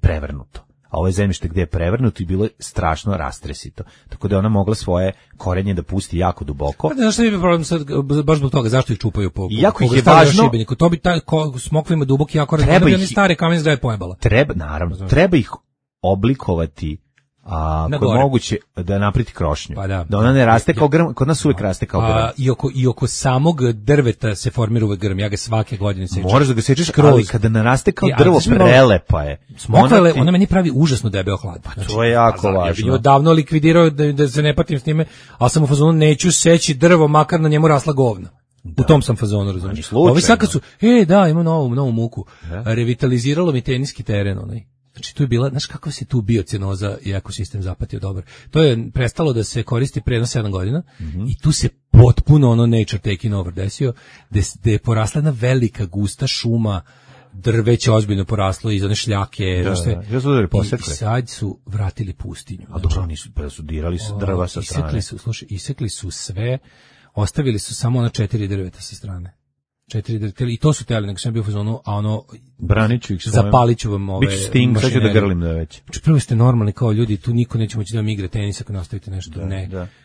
prevrnuto. A ovo je zemljište gdje je prevrnuto i bilo je strašno rastresito. Tako da je ona mogla svoje korenje da pusti jako duboko. Znaš šta je problem sad, baš zbog toga, zašto ih čupaju po jako ih je važno. To bi smokva ima duboki jako koren, da bi oni stare kamen je pojebala. Treba ih oblikovati ako je moguće da napriti krošnju. Pa da ona ne raste kao grm, kod nas uvijek raste kao grm. I oko samog drveta se formira uvek grm, ja ga svake godine sečem. Moraš da ga sečeš, ali kada naraste kao drvo, prelepa je. Smokva, ona meni pravi užasno debeo hlad. Znači, to je jako važno. Ja bih nju davno likvidirao da se ne patim s njime, ali sam u fazonu neću seći drvo, makar na njemu rasla govna. U tom sam fazonu, razumiješ. Ovi sad kad su, ima novu muku, revitaliziralo mi teniski teren, onaj. Znači tu je bila, znaš kako se tu biocenoza i ekosistem zapatio dobro. To je prestalo da se koristi pre 7 godina i tu se potpuno nature taking over desio, gde je porasla jedna velika gusta šuma, drveće ozbiljno poraslo iz one šljake, i sad su vratili pustinju. A dobro, su dirali drva sa strane. Isekli su sve, ostavili su samo 4 drveta sa strane. 4 drveta, i to su teli, nego sam bio u fazonu, a braniću ih zapalit ću vam ove biću sting, sad ću da grlim da već. Prvo ste normalni kao ljudi, tu niko neće moći da vam igra tenis ako nastavite nešto,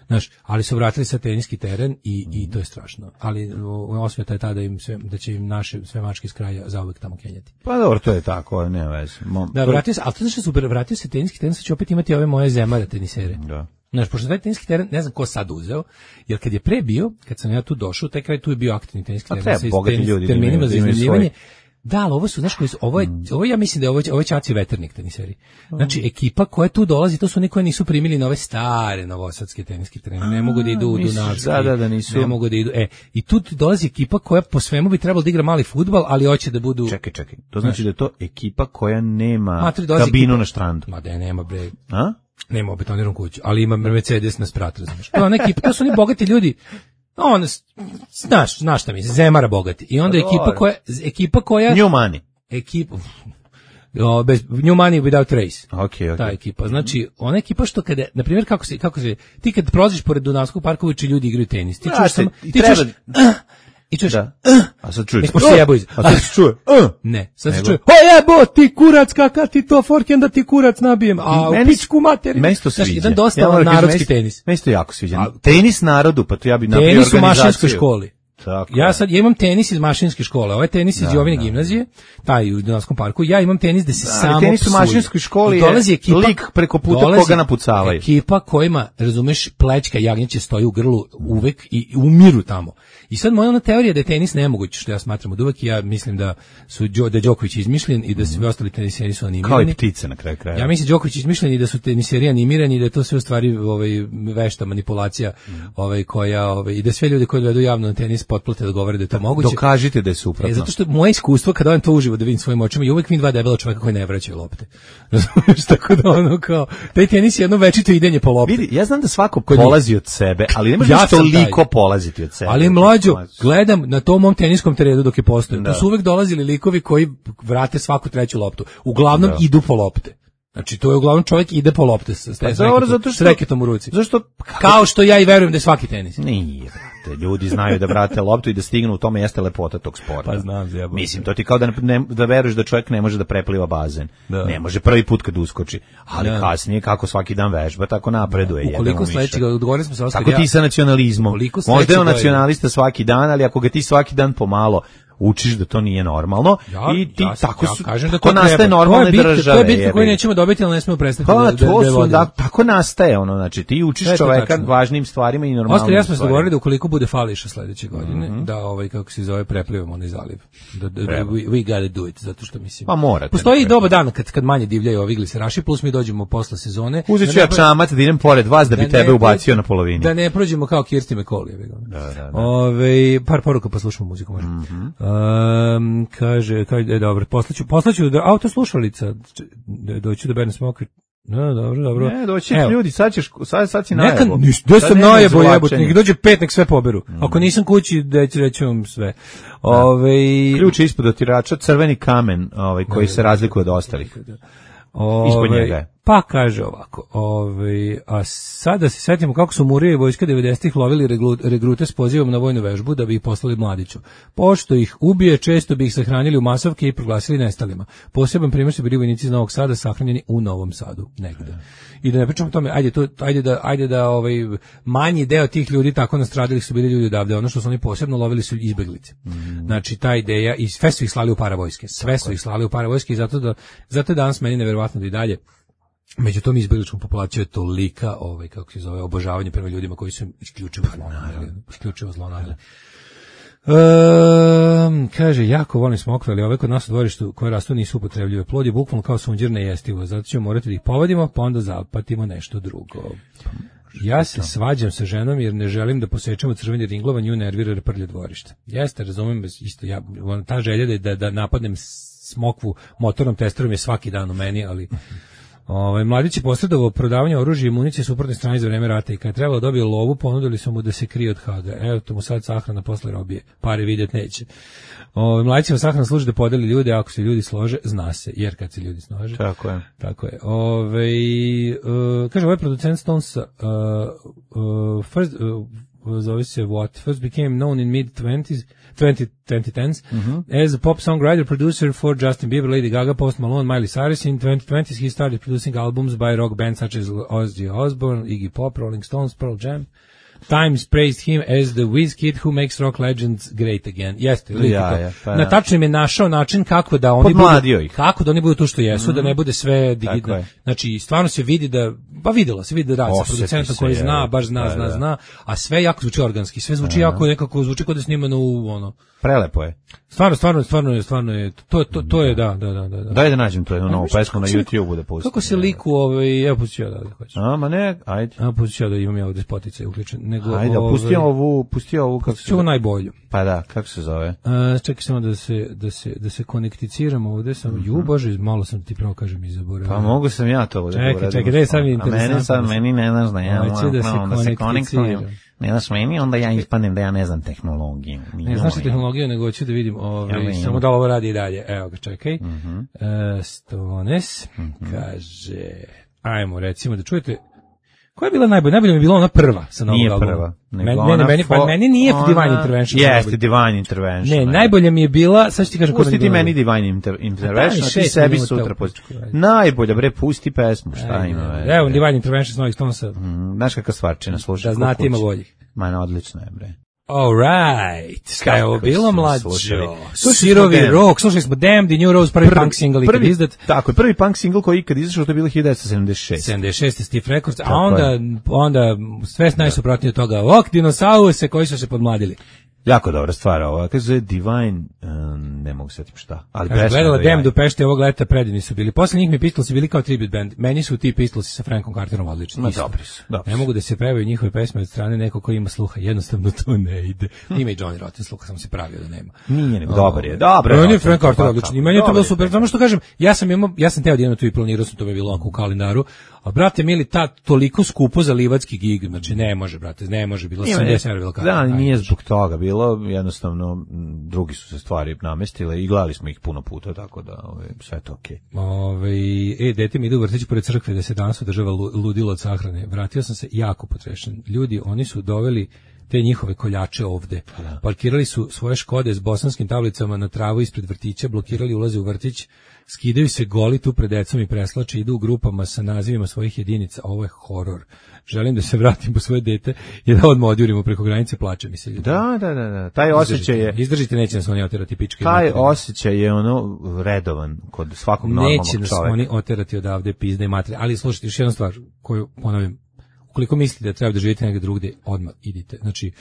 znaš, ali su vratili sa teniski teren i to je strašno. Ali osveta je ta da će im naše sve mačke iz kraja zauvek tamo kenjati. Pa dobro, to je tako, ne veze. Da, vratio se, ali to znači super, vratio se teniski teren, sad će opet imati ove moje zemare tenisere. Da. Znaš, pošto taj teniski teren, ne znam ko sad uzeo, jer kad je pre bio, kad sam ja tu došao, taj kraj tu je bio aktivni teniski teren sa terminima za iznajmljivanje. Da, ali ovo su, znaš, ovo ja mislim da je ovo Ćaci veternik teniseri. Znači, ekipa koja tu dolazi, to su oni koji nisu primili na ove stare novosadske teniske terene, ne mogu da idu u Dunavski, ne mogu da idu, i tu dolazi ekipa koja po svemu bi trebalo da igra mali fudbal, ali hoće da budu... Čekaj, to znači da je to ekipa koja nema kabinu na štrandu. Ma da nema, bre. A? Nema betoniranu kuću, ali ima Mercedes na sprat, razumiješ. To su oni bogati ljudi, znaš šta mislim, zemara bogati. I onda ekipa koja... New money. Bez new money without race. Okay. Ta ekipa. Znači, ona ekipa što kada, na primjer, kako se, ti kad prolaziš pored Dunavskog parka, uči ljudi igraju tenis. Ti čuješ samo... I čuješ, a sad čuješ, a sad se čuje, ne, sad se čuje, jebo ti kurac, kakav ti to forken da ti kurac nabijem, a u pičku materiju. Meni to sviđa. Jedan dosta narodski tenis. Meni to jako sviđa. Tenis narodu, pa to ja bi napravio organizaciju. Tenis u mašinskoj školi. Tako. Ja imam tenis iz mašinske škole, ovaj tenis iz Jovine gimnazije, taj u Dunavskom parku. Ja imam tenis da se samo tenis u mašinskoj školi je lik preko puta koga napucavaju. Ekipa kojima, razumeš, plećka jagnjeće stoji u grlu uvek i umiru tamo. I sad moja teorija da je tenis nemoguć, što ja smatram od uvek, ja mislim da je Đoković izmišljen i da svi ostali teniseri su animirani. Kao i ptice na kraju kraja. Ja mislim da Đoković izmišljen i da su teniseri animirani i da je to sve u stvari vešta manipulacija koja i da sve ljudi koji gledaju javno na tenis potplate da govore da je to moguće. Dokažite da je suprotno. Zato što moje iskustvo kada on to uživo da vidim svojim očima i uvek vidim dva debela čoveka koji ne vraćaju lopte. Razumiješ, tako da kao taj tenis je jedno večito idenje po lopti. Vidi, ja znam da svako polazi od sebe, ali ne može toliko polaziti od sebe. Ali mlađo, gledam na tom mom teniskom terenu dok je postojao. To su uvek dolazili likovi koji vrate svaku treću loptu. Uglavnom idu po lopte. Znači, to je uglavnom čovjek ide po lopte s reketom u ruci. Zašto? Kao što ja i verujem da je svaki tenis. Nije, brate. Ljudi znaju da vrate loptu i da stignu, u tome jeste lepota tog sporta. Pa znam, zjebam. Mislim, to ti kao da veruješ da čovjek ne može da prepliva bazen. Da. Ne može prvi put kad uskoči. Ali kasnije, kako svaki dan vežba, tako napreduje. Ukoliko sledećeg, odgovorili smo se Oskar. Tako ti sa nacionalizmom. Možda je on nacionalista svaki dan, ali ako ga ti svaki dan pomalo učiš da to nije normalno i ti tako nastaje normalne države. To je bitno koju nećemo dobiti, ali ne smemo prestati tako nastaje znači ti učiš čoveka važnim stvarima i normalnim stvarima. Oskar, ja smo se dogovorili da ukoliko bude fališa sledeće godine, da kako se zove, preplivamo onaj zaliv. We gotta do it, zato što mislim. Pa morate. Postoji dobar dan kad manje divljaju ovi gliseraši, plus mi dođemo posle sezone. Uzet ću ja čamac da idem pored vas da bi tebe ubacio na polovini. Da ne prođemo kao Kirsti McCall. Par poruka pa slušamo muziku možda. Kaže, dobro, poslaću auto slušalica, doću da Berne Smoker. No, dobro. Ne, doći ljudi, sad si najebo. Gde sam najebo jebote, nek dođe 5, nek sve poberu. Ako nisam kući, reći vam sve. Ključ ispod otirača, crveni kamen, koji se razlikuje od ostalih. Ispod njega je. Pa kaže ovako, a sada se setimo kako su Murija i vojska 90-ih lovili regrute s pozivom na vojnu vežbu da bi ih poslali Mladiću. Pošto ih ubije, često bi ih sahranili u masovke i proglasili nestalima. Poseban primjer su bili vojnici iz Novog Sada sahranjeni u Novom Sadu negde. I da ne pričamo o tome, ajde da manji deo tih ljudi tako nastradili su bili ljudi odavde, ono što su oni posebno lovili su izbeglice. Znači ta ideja i sve su ih slali u paravojske. Sve su ih slali u paravojske i zato je danas meni neverovatno da i dalje među tom izbegličkom populacijom je tolika kako se zove obožavanje prema ljudima koji su isključivo zlonamjerni. Kaže, jako volim smokve, ali ove kod nas u dvorištu koje rastu nisu upotrebljive. Plod je bukvalno kao sunđer nejestivo, zato ćemo morati da ih povadimo, pa onda zapatimo nešto drugo. Ja se svađam sa ženom jer ne želim da posečemo crveni ringlova, nju nervira jer prlje dvorište. Jeste, razumem, isto ja, ta želja da napadnem smokvu motornom testerom je svaki dan u meni, ali Mladić je posredovao prodavanje oružja i municije suprotne strane za vreme rata i kad je trebalo dobije lovu, ponudili su mu da se krije od Haga. Evo to mu sad sahrana posle robije. Pare vidjet neće. Mladićeva sahrana služi da podeli ljude, ako se ljudi slože, zna se, jer kad se ljudi slože. Tako je. Tako je. Kaže, ovaj producent Stonesa zove se first became known in mid-2010s as a pop songwriter, producer for Justin Bieber, Lady Gaga, Post Malone, Miley Cyrus. In 2020s, he started producing albums by rock bands such as Ozzy Osbourne, Iggy Pop, Rolling Stones, Pearl Jam. Times praised him as the whiz kid who makes rock legends great again. Jeste, na tačnim je našao način kako da oni budu to što jesu, da ne bude sve digitalno. Znači, stvarno se vidi da, videlo se da radi sa producentom koji zna, baš zna, a sve jako zvuči organski, sve zvuči jako nekako, zvuči kao da je snimano u Prelepo je. Stvarno je, to je, da. Daj da nađem to jednu novu pesmu na YouTube-u da pustim. Kako se liku, evo pustit ću ja da hoćeš. Ma ne, ajde. Pustit ću ja da imam ja ovdje spotice uključen. Ajde, pusti ovu, kako se zove. Najbolju. Pa da, kako se zove? Čekaj samo da se konekticiramo ovdje, Bože, malo sam ti pravo kažem i zaboravio. Pa mogu sam ja to ovdje. Čekaj, da je sad mi interesantno. Meni ne znaš da ja moram da se konektiram. Ne znaš meni, onda ja ispadnem da ja ne znam tehnologiju. Ne znaš tehnologiju, nego hoću da vidim samo da ovo radi i dalje. Evo ga, čekaj. Stones kaže, ajmo recimo da čujete, koja je bila najbolja? Najbolja mi je bila ona prva sa novog albuma. Nije prva. Meni nije Divine Intervention. Jeste, Divine Intervention. Ne, najbolja mi je bila, sad ću ti kažem koja mi je bila. Pusti ti meni Divine Intervention, a ti sebi sutra pusti. Najbolja, bre, pusti pesmu, šta ima. Evo, Divine Intervention s novih Stonesa. Znaš kakva stvarčina, slušaj. Da znate, ima boljih. Ma, odlično je, bre. All right. Kaj je ovo bilo, mlađo? Sirovi rock, slušali smo Damned i New Rose, prvi punk single ikad izdat. Tako je, prvi punk single koji ikad izašao, to je bilo 1976. 76. Steve Records, a onda sve najsuprotnije od toga, dinosause koji su se podmladili. Jako dobra stvar ova, kaže zove Divine, ne mogu setiti šta. Ali gledala Damned u Pešti ovog leta, predivni su bili. Posle njih mi Pistolsi bili kao tribute band. Meni su ti Pistolsi sa Frankom Carterom odlični. Dobri su. Ne mogu da se pevaju njihove pesme od strane nekog koji ima sluha. Jednostavno to ne ide. Ima i Johnny Rotten sluha, sam se pravio da nema. Nije nego, dobar je. Dobro. On je Frank Carter odlični. I meni je to bilo super. Samo što kažem, ja sam teo da idem tu i planirao sam, to mi je bilo onako u kalendaru. A brate mili, toliko skupo za livatski gig, znači ne može, brate, ne može, bilo 70 € bilo kada. Da, nije zbog toga, bilo jednostavno drugi su se stvari namestile i gledali smo ih puno puta, tako da sve to okej. Dete mi ide u vrtić pored crkve da se danas održava ludilo od sahrane. Vratio sam se jako potrešen. Ljudi, oni su doveli te njihove koljače ovde. Parkirali su svoje Škode s bosanskim tablicama na travu ispred vrtića, blokirali ulaze u vrtić, skidaju se goli tu pred decom i preslače, idu u grupama sa nazivima svojih jedinica. Ovo je horor. Želim da se vratim po svoje dete i da odmah odjurimo preko granice, plače mi se. Da. Taj osjećaj je... Izdržite, neće nas oni oterati pičke. Taj osjećaj je redovan kod svakog normalnog čovjeka. Neće nas oni oterati odavde pizde i materije. Ali slušajte, još jedna stvar koju ponavljam. Ukoliko mislite da treba da živite negdje drugdje, odmah idite. Znači,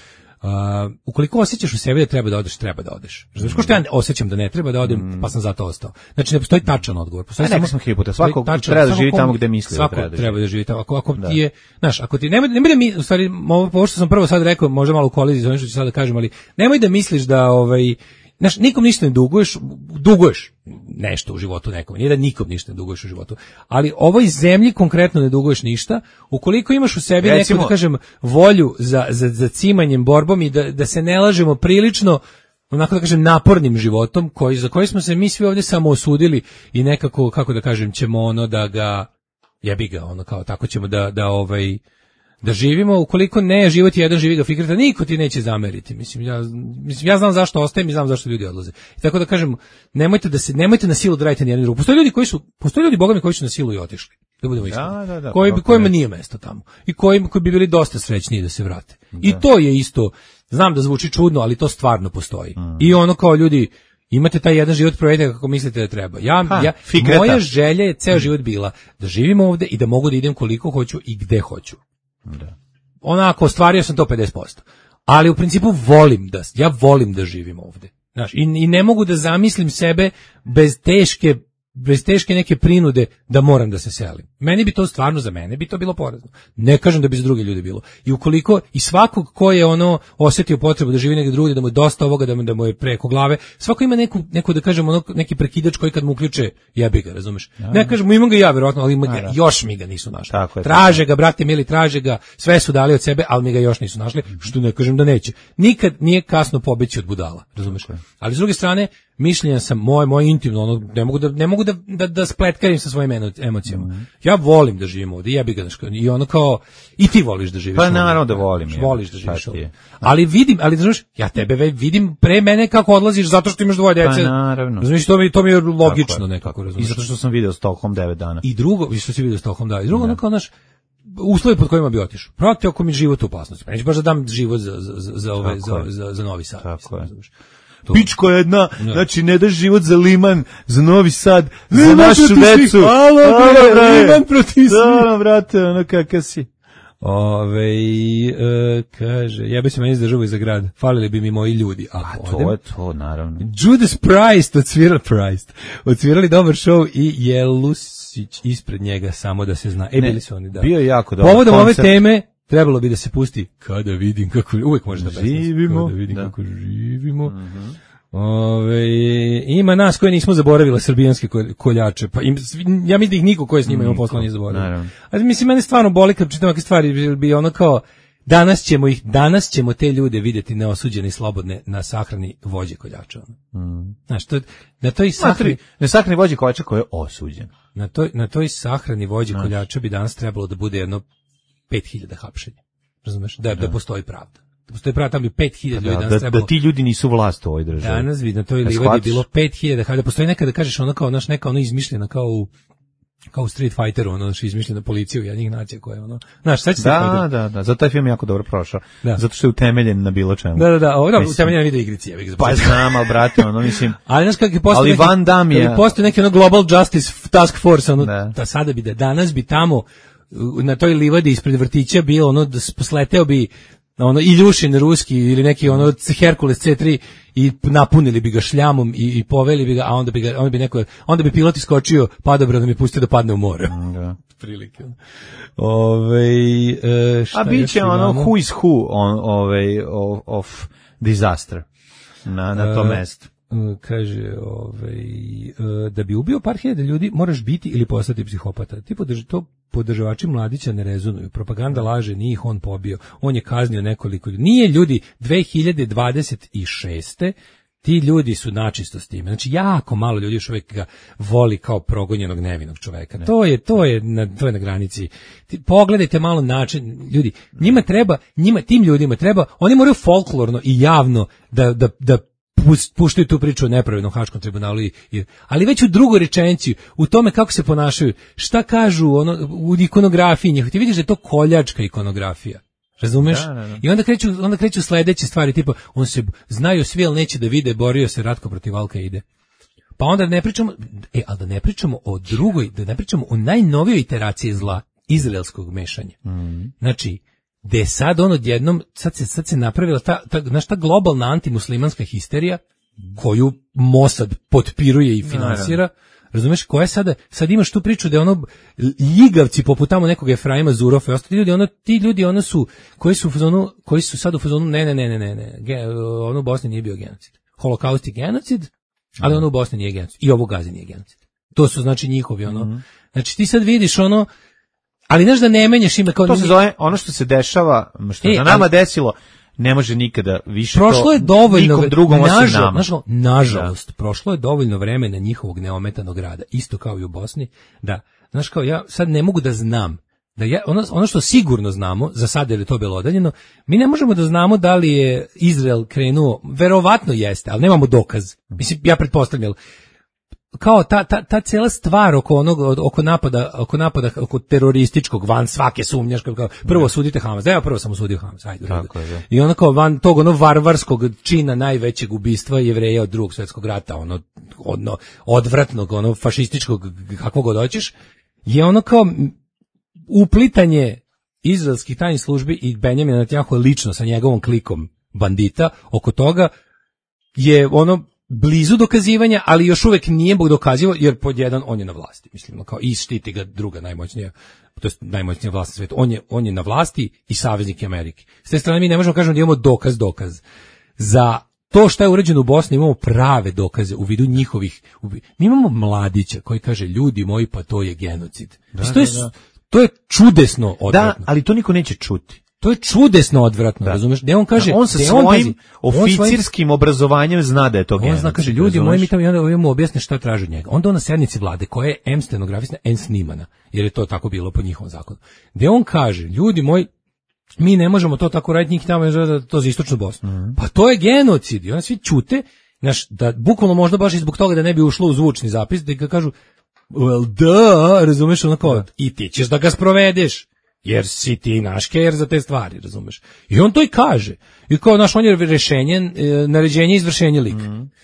ukoliko osjećaš u sebi da treba da odeš, treba da odeš. Znači, ko što ja osjećam da ne treba da odem, pa sam zato ostao. Znači, ne postoji tačan odgovor. Neko smo hipote, svako treba da živi tamo gde misli da treba da živi. Treba da živi tamo. Ako ti je, znaš, ako ti, nemoj da mi, u stvari, ovo što sam prvo sad rekao, možda malo u koliziji za ono što ću sad da kažem, ali nemoj da misliš da, znaš, nikom ništa ne duguješ nešto u životu nekom, nije da nikom ništa ne duguješ u životu, ali ovoj zemlji konkretno ne duguješ ništa, ukoliko imaš u sebi neku, da kažem, volju za cimanjem, borbom i da se ne lažemo prilično, onako da kažem napornim životom za koji smo se mi svi ovdje samo osudili i nekako, kako da kažem, ćemo ono da ga jebi ga, ono kao tako ćemo da živimo. Ukoliko ne život jedan, živi ga fikreta, niko ti neće zameriti. Mislim ja znam zašto ostajem i znam zašto ljudi odlaze. I tako da kažem, nemojte na silu da radite ni jednu drugu. Postoje ljudi bogami koji su na silu i otišli. Da budemo iskreni. Kojima nije mesto tamo. I koji bi bili dosta srećniji da se vrate. I to je isto, znam da zvuči čudno, ali to stvarno postoji. I ono kao ljudi, imate taj jedan život, provedete kako mislite da treba. Moja želja je ceo život bila da živim ovde i da mogu da idem koliko hoću i gde hoću. Da. Onako, ostvario sam to 50%. Ali u principu volim da živim ovde. Znaš, i ne mogu da zamislim sebe bez teške neke prinude da moram da se selim. Meni bi to stvarno, za mene bi to bilo porazno. Ne kažem da bi za druge ljude bilo. I ukoliko, i svakog ko je osjetio potrebu da živi negdje drugdje, da mu je dosta ovoga, da mu je preko glave, svako ima neku da kažem, neki prekidač koji kad mu uključe, jebi ga, razumeš? Ja. Ne kažem, imam ga ja, verovatno, ali još mi ga nisu našli. Traže ga, brate mili, traže ga, sve su dali od sebe, ali mi ga još nisu našli, što ne kažem da neće. Nikad nije kasno pobeći od budala, razumeš? Ali s druge strane, mišljenja sam moje intimno, ne mogu da spletkarim sa svojim emocijama. Ja volim da živim ovdje, jebi ga, i ono kao, i ti voliš da živiš ovdje. Pa naravno da volim. Voliš da živiš ovdje. Ali znaš, ja tebe vidim pre mene kako odlaziš zato što imaš dvoje djece. Pa naravno. Znaš, to mi je logično nekako, razumiješ. I zato što sam video Stockholm 9 dana. I drugo, što si video Stockholm, da. I drugo, ono kao, znaš, uslovi pod kojima bi otišao. Prati ako mi život u opasnosti. Neću baš da dam život za Novi Sad. Tako je. Pičko jedna, znači ne daš život za Liman, za Novi Sad, za našu decu. Liman protiv svih. Da, brate, ono kakav si. Kaže, jebe se meni izdržava iza grada. Falili bi mi moji ljudi. To je to, naravno. Judas Priest odsvirali dobar show i Jelusić ispred njega, samo da se zna. Bili su oni, da. Bio je jako dobar povodom ove teme trebalo bi da se pusti Kada vidim kako uvek može da živimo. Kada vidim kako živimo. Ima nas koji nismo zaboravili srbijanske koljače, pa ja mislim da ih niko koji s njima ima posla nije zaboravio. Ali mislim, mene stvarno boli kad čitam ovakve stvari, bi ono kao, danas ćemo te ljude vidjeti neosuđene i slobodne na sahrani vođe koljača. Znaš, na toj sahrani... Na sahrani vođe koljača koji je osuđen. Na toj sahrani vođe koljača bi danas trebalo da bude jedno 5000 hapšenja. Razumeš? Da postoji pravda. Da postoji pravda, tamo bi 5000 ljudi danas trebalo. Da ti ljudi nisu vlast u ovoj državi. Danas bi na toj livadi bilo 5000, da postoji nekada kažeš ono kao, neka izmišljena kao u Street Fighteru, izmišljena policija u jednih nacija koja je znaš, sad će se da, zato taj film je jako dobro prošao. Zato što je utemeljen na bilo čemu. Utemeljen na video igrici. Pa znam, ali brate, mislim. Ali znaš kako je postoji neki Global Justice Task Force, da sada bi danas bi tamo na toj livadi ispred vrtića bio da posleteo bi Iljušin ruski ili neki Herkules C3 i napunili bi ga šljamom i poveli bi ga, a onda bi pilot iskočio padobradom i pustio da padne u more. Da. Prilike. A biće who is who of disaster na tom mestu. Kaže, da bi ubio par hiljada ljudi moraš biti ili postati psihopata. To podržavači Mladića ne rezonuju. Propaganda laže, nije ih on pobio. On je kaznio nekoliko ljudi. Nije ljudi 2026. Ti ljudi su načisto s time. Znači, jako malo ljudi još uvijek ga voli kao progonjenog nevinog čoveka. To je na granici. Pogledajte malo način. Ljudi, tim ljudima treba, oni moraju folklorno i javno da puštaju tu priču o nepravednom Haškom tribunalu, ali već u drugoj rečenici, u tome kako se ponašaju, šta kažu u ikonografiji njih, ti vidiš da je to koljačka ikonografija, razumeš? Da. I onda kreću sledeće stvari, tipa, on se znaju svi, ali neće da vide, borio se Ratko protiv Al-Kaide. Pa onda ne pričamo, ali da ne pričamo o drugoj, da ne pričamo o najnovijoj iteraciji zla, izraelskog mešanja. Znači, gde je sad odjednom, sad se napravila ta globalna antimuslimanska histerija koju Mossad potpiruje i finansira, razumeš, koja sad imaš tu priču da je ljigavci poput tamo nekog Efraima Zurofa i ostali ti ljudi su koji su sad u fazonu ne, u Bosni nije bio genocid. Holokaust je genocid, ali u Bosni nije genocid. I ovo Gazi nije genocid. To su znači njihovi Znači ti sad vidiš ali znaš da ne menjaš ime kao... To se zove ono što se dešava, što je na nama desilo, ne može nikada više prošlo je dovoljno nikom drugom osim nama. Nažalost, prošlo je dovoljno vremena njihovog neometanog rada, isto kao i u Bosni, da, znaš, kao ja sad ne mogu da znam, da ja, ono što sigurno znamo, za sad je to belodanjeno, mi ne možemo da znamo da li je Izrael krenuo, verovatno jeste, ali nemamo dokaz. Mislim, ja pretpostavljam, kao ta cela stvar oko napada oko terorističkog van svake sumnje, kao prvo sudite Hamas, da ja prvo sam osudio Hamas, ajde. I ono kao van tog varvarskog čina najvećeg ubistva Jevreja od Drugog svjetskog rata, odvratnog, fašističkog, kako god hoćeš, je ono kao uplitanje izraelskih tajnih službi i Benjamina Netanjahua lično sa njegovom klikom bandita oko toga je ono blizu dokazivanja, ali još uvek nije dokazivo, jer pod jedan on je na vlasti, mislim, kao i štiti ga druga najmoćnija, to jest najmoćnija vlast na svijetu. On je na vlasti i saveznik Amerike. S te strane mi ne možemo kažemo da imamo dokaz. Za to što je urađeno u Bosni imamo prave dokaze u vidu njihovih. Mi imamo Mladića koji kaže, ljudi moji, pa to je genocid. To je čudesno odvratno. Da, ali to niko neće čuti. To je čudesno odvratno, razumeš? Da on kaže, on sa svojim oficirskim obrazovanjem zna da je to genocid. On zna, kaže, ljudi moji, mi tamo mu objasne šta traže od njega. Onda on na sednici vlade, koja je M stenografisna, N snimana, jer je to tako bilo po njihovom zakonu. Gde on kaže, ljudi moji, mi ne možemo to tako raditi, njih tamo da to za istočnu Bosnu. Pa to je genocid. I onda svi ćute, znaš, da bukvalno možda baš i zbog toga da ne bi ušlo u zvučni zapis, da ga kažu, well, da, razumeš, ono kao, i ti ćeš da ga sprovedeš. Jer si ti naš ker za te stvari, razumeš? I on to i kaže. I kao, naš, on je rešenje, naređenje, izvršenje lik.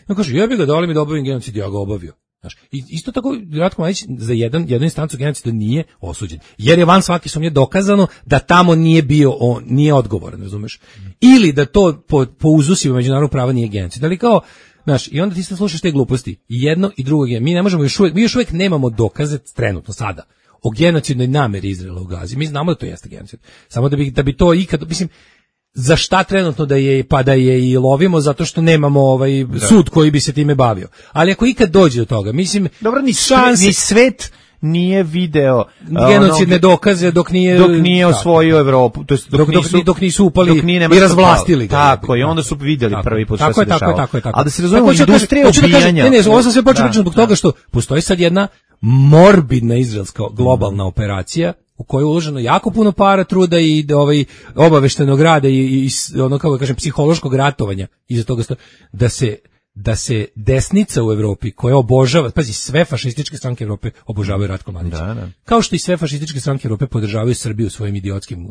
On kaže, ja bih ga dali mi da obavim genocid, ja ga obavio. Znaš, i isto tako, Ratko Mladić za jednu instancu genocida nije osuđen. Jer je van svake sumnje dokazano da tamo nije bio, nije odgovoran, razumeš? Ili da to po uzusima međunarodnog prava nije genocid. Ali kao, znaš, i onda ti se slušaš te gluposti. I jedno i drugo je. Mi ne možemo mi još uvijek nemamo dokaze trenutno sada o genocidnoj nameri Izraela u Gazi. Mi znamo da to jeste genocid. Samo da bi to ikad, mislim, za šta trenutno da je i lovimo, zato što nemamo sud koji bi se time bavio. Ali ako ikad dođe do toga, mislim, dobro, ni svet nije video genocidne dokaze dok nije osvojio Evropu, to jest dok nisu upali i razvlastili ga. Tako, i onda su vidjeli prvi put šta se dešava. Tako. A da se razumemo, industrija ubijanja. Ne, ovo sam sve počeo pričati zbog toga što postoji sad jedna morbidna izraelska globalna operacija u kojoj je uloženo jako puno para, truda i obaveštenog rada i ono, kako kažem, psihološkog ratovanja iza toga da se desnica u Evropi koja obožava, pazi, sve fašističke stranke Evrope obožavaju Ratko Mladića. Da. Kao što i sve fašističke stranke Evrope podržavaju Srbiju svojim idiotskim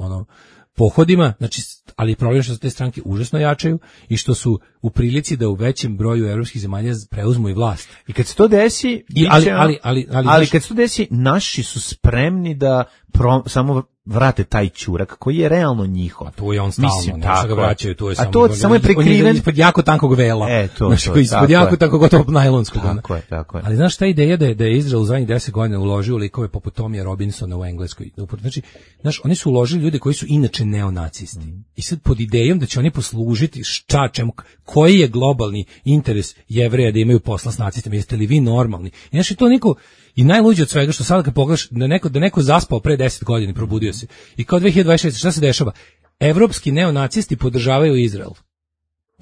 pohodima, znači, ali problem je što te stranke užasno jačaju i što su u prilici da u većem broju evropskih zemalja preuzmu i vlast. I kad se to desi, ali kad se to desi, naši su spremni da samo vrate taj ćurak koji je realno njihov. A to je on stalno, nešto ga vraćaju, to je samo. A to samo je prikriven. On je ispod jako tankog vela. Ispod jako tankog gotovo najlonskog. Tako je. Ali znaš ta ideja da je Izrael u zadnjih 10 godina uložio likove poput Tomija Robinsona u Engleskoj. Znači, znaš, oni su uložili ljude koji su inače neonacisti. I sad pod idejom da će oni poslužiti čemu, koji je globalni interes Jevreja da imaju posla s nacistima, jeste li vi normalni? I znaš, to niko. I najluđe od svega što sada kad pogledaš da neko zaspao pre 10 godina i probudio se. I kao 2026, šta se dešava? Evropski neonacisti podržavaju Izrael.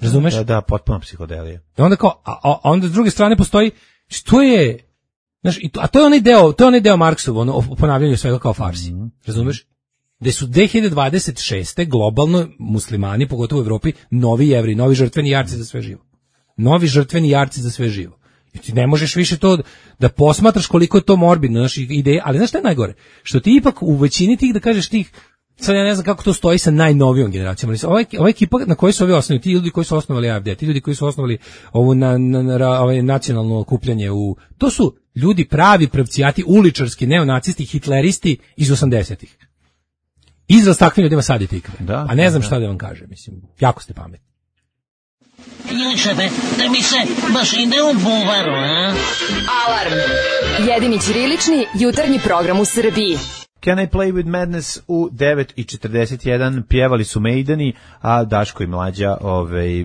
Razumeš? Da, potpuno psihodelija. I onda kao, a onda s druge strane postoji, što je, znaš, a to je onaj deo Marksov, o ponavljanju svega kao farsi. Razumeš? Da su 2026. globalno muslimani, pogotovo u Evropi, novi Jevri, novi žrtveni jarci za sve živo. Novi žrtveni jarci za sve živo. I ti ne možeš više to da posmatraš koliko je to morbidno, naš ideje, ali znaš šta je najgore? Što ti ipak u većini tih, da kažeš tih, sad ja ne znam kako to stoji sa najnovijom generacijom, ali ova ekipa na kojoj su ovi osnovni, ti ljudi koji su osnovali AFD, ti ljudi koji su osnovali ovu nacionalno okupljanje, to su ljudi pravi pravcijati, uličarski, neonacisti, hitleristi iz 80-ih. Izraz takvim ljudima sadite ikve. A ne znam šta da vam kažem, mislim, jako ste pametni. Šefe, da mi se baš ide u buvaru, a? Alarm. Jedini ćirilični jutarnji program u Srbiji. Can I Play With Madness u 9:41 pjevali su Maideni, a Daško i Mlađa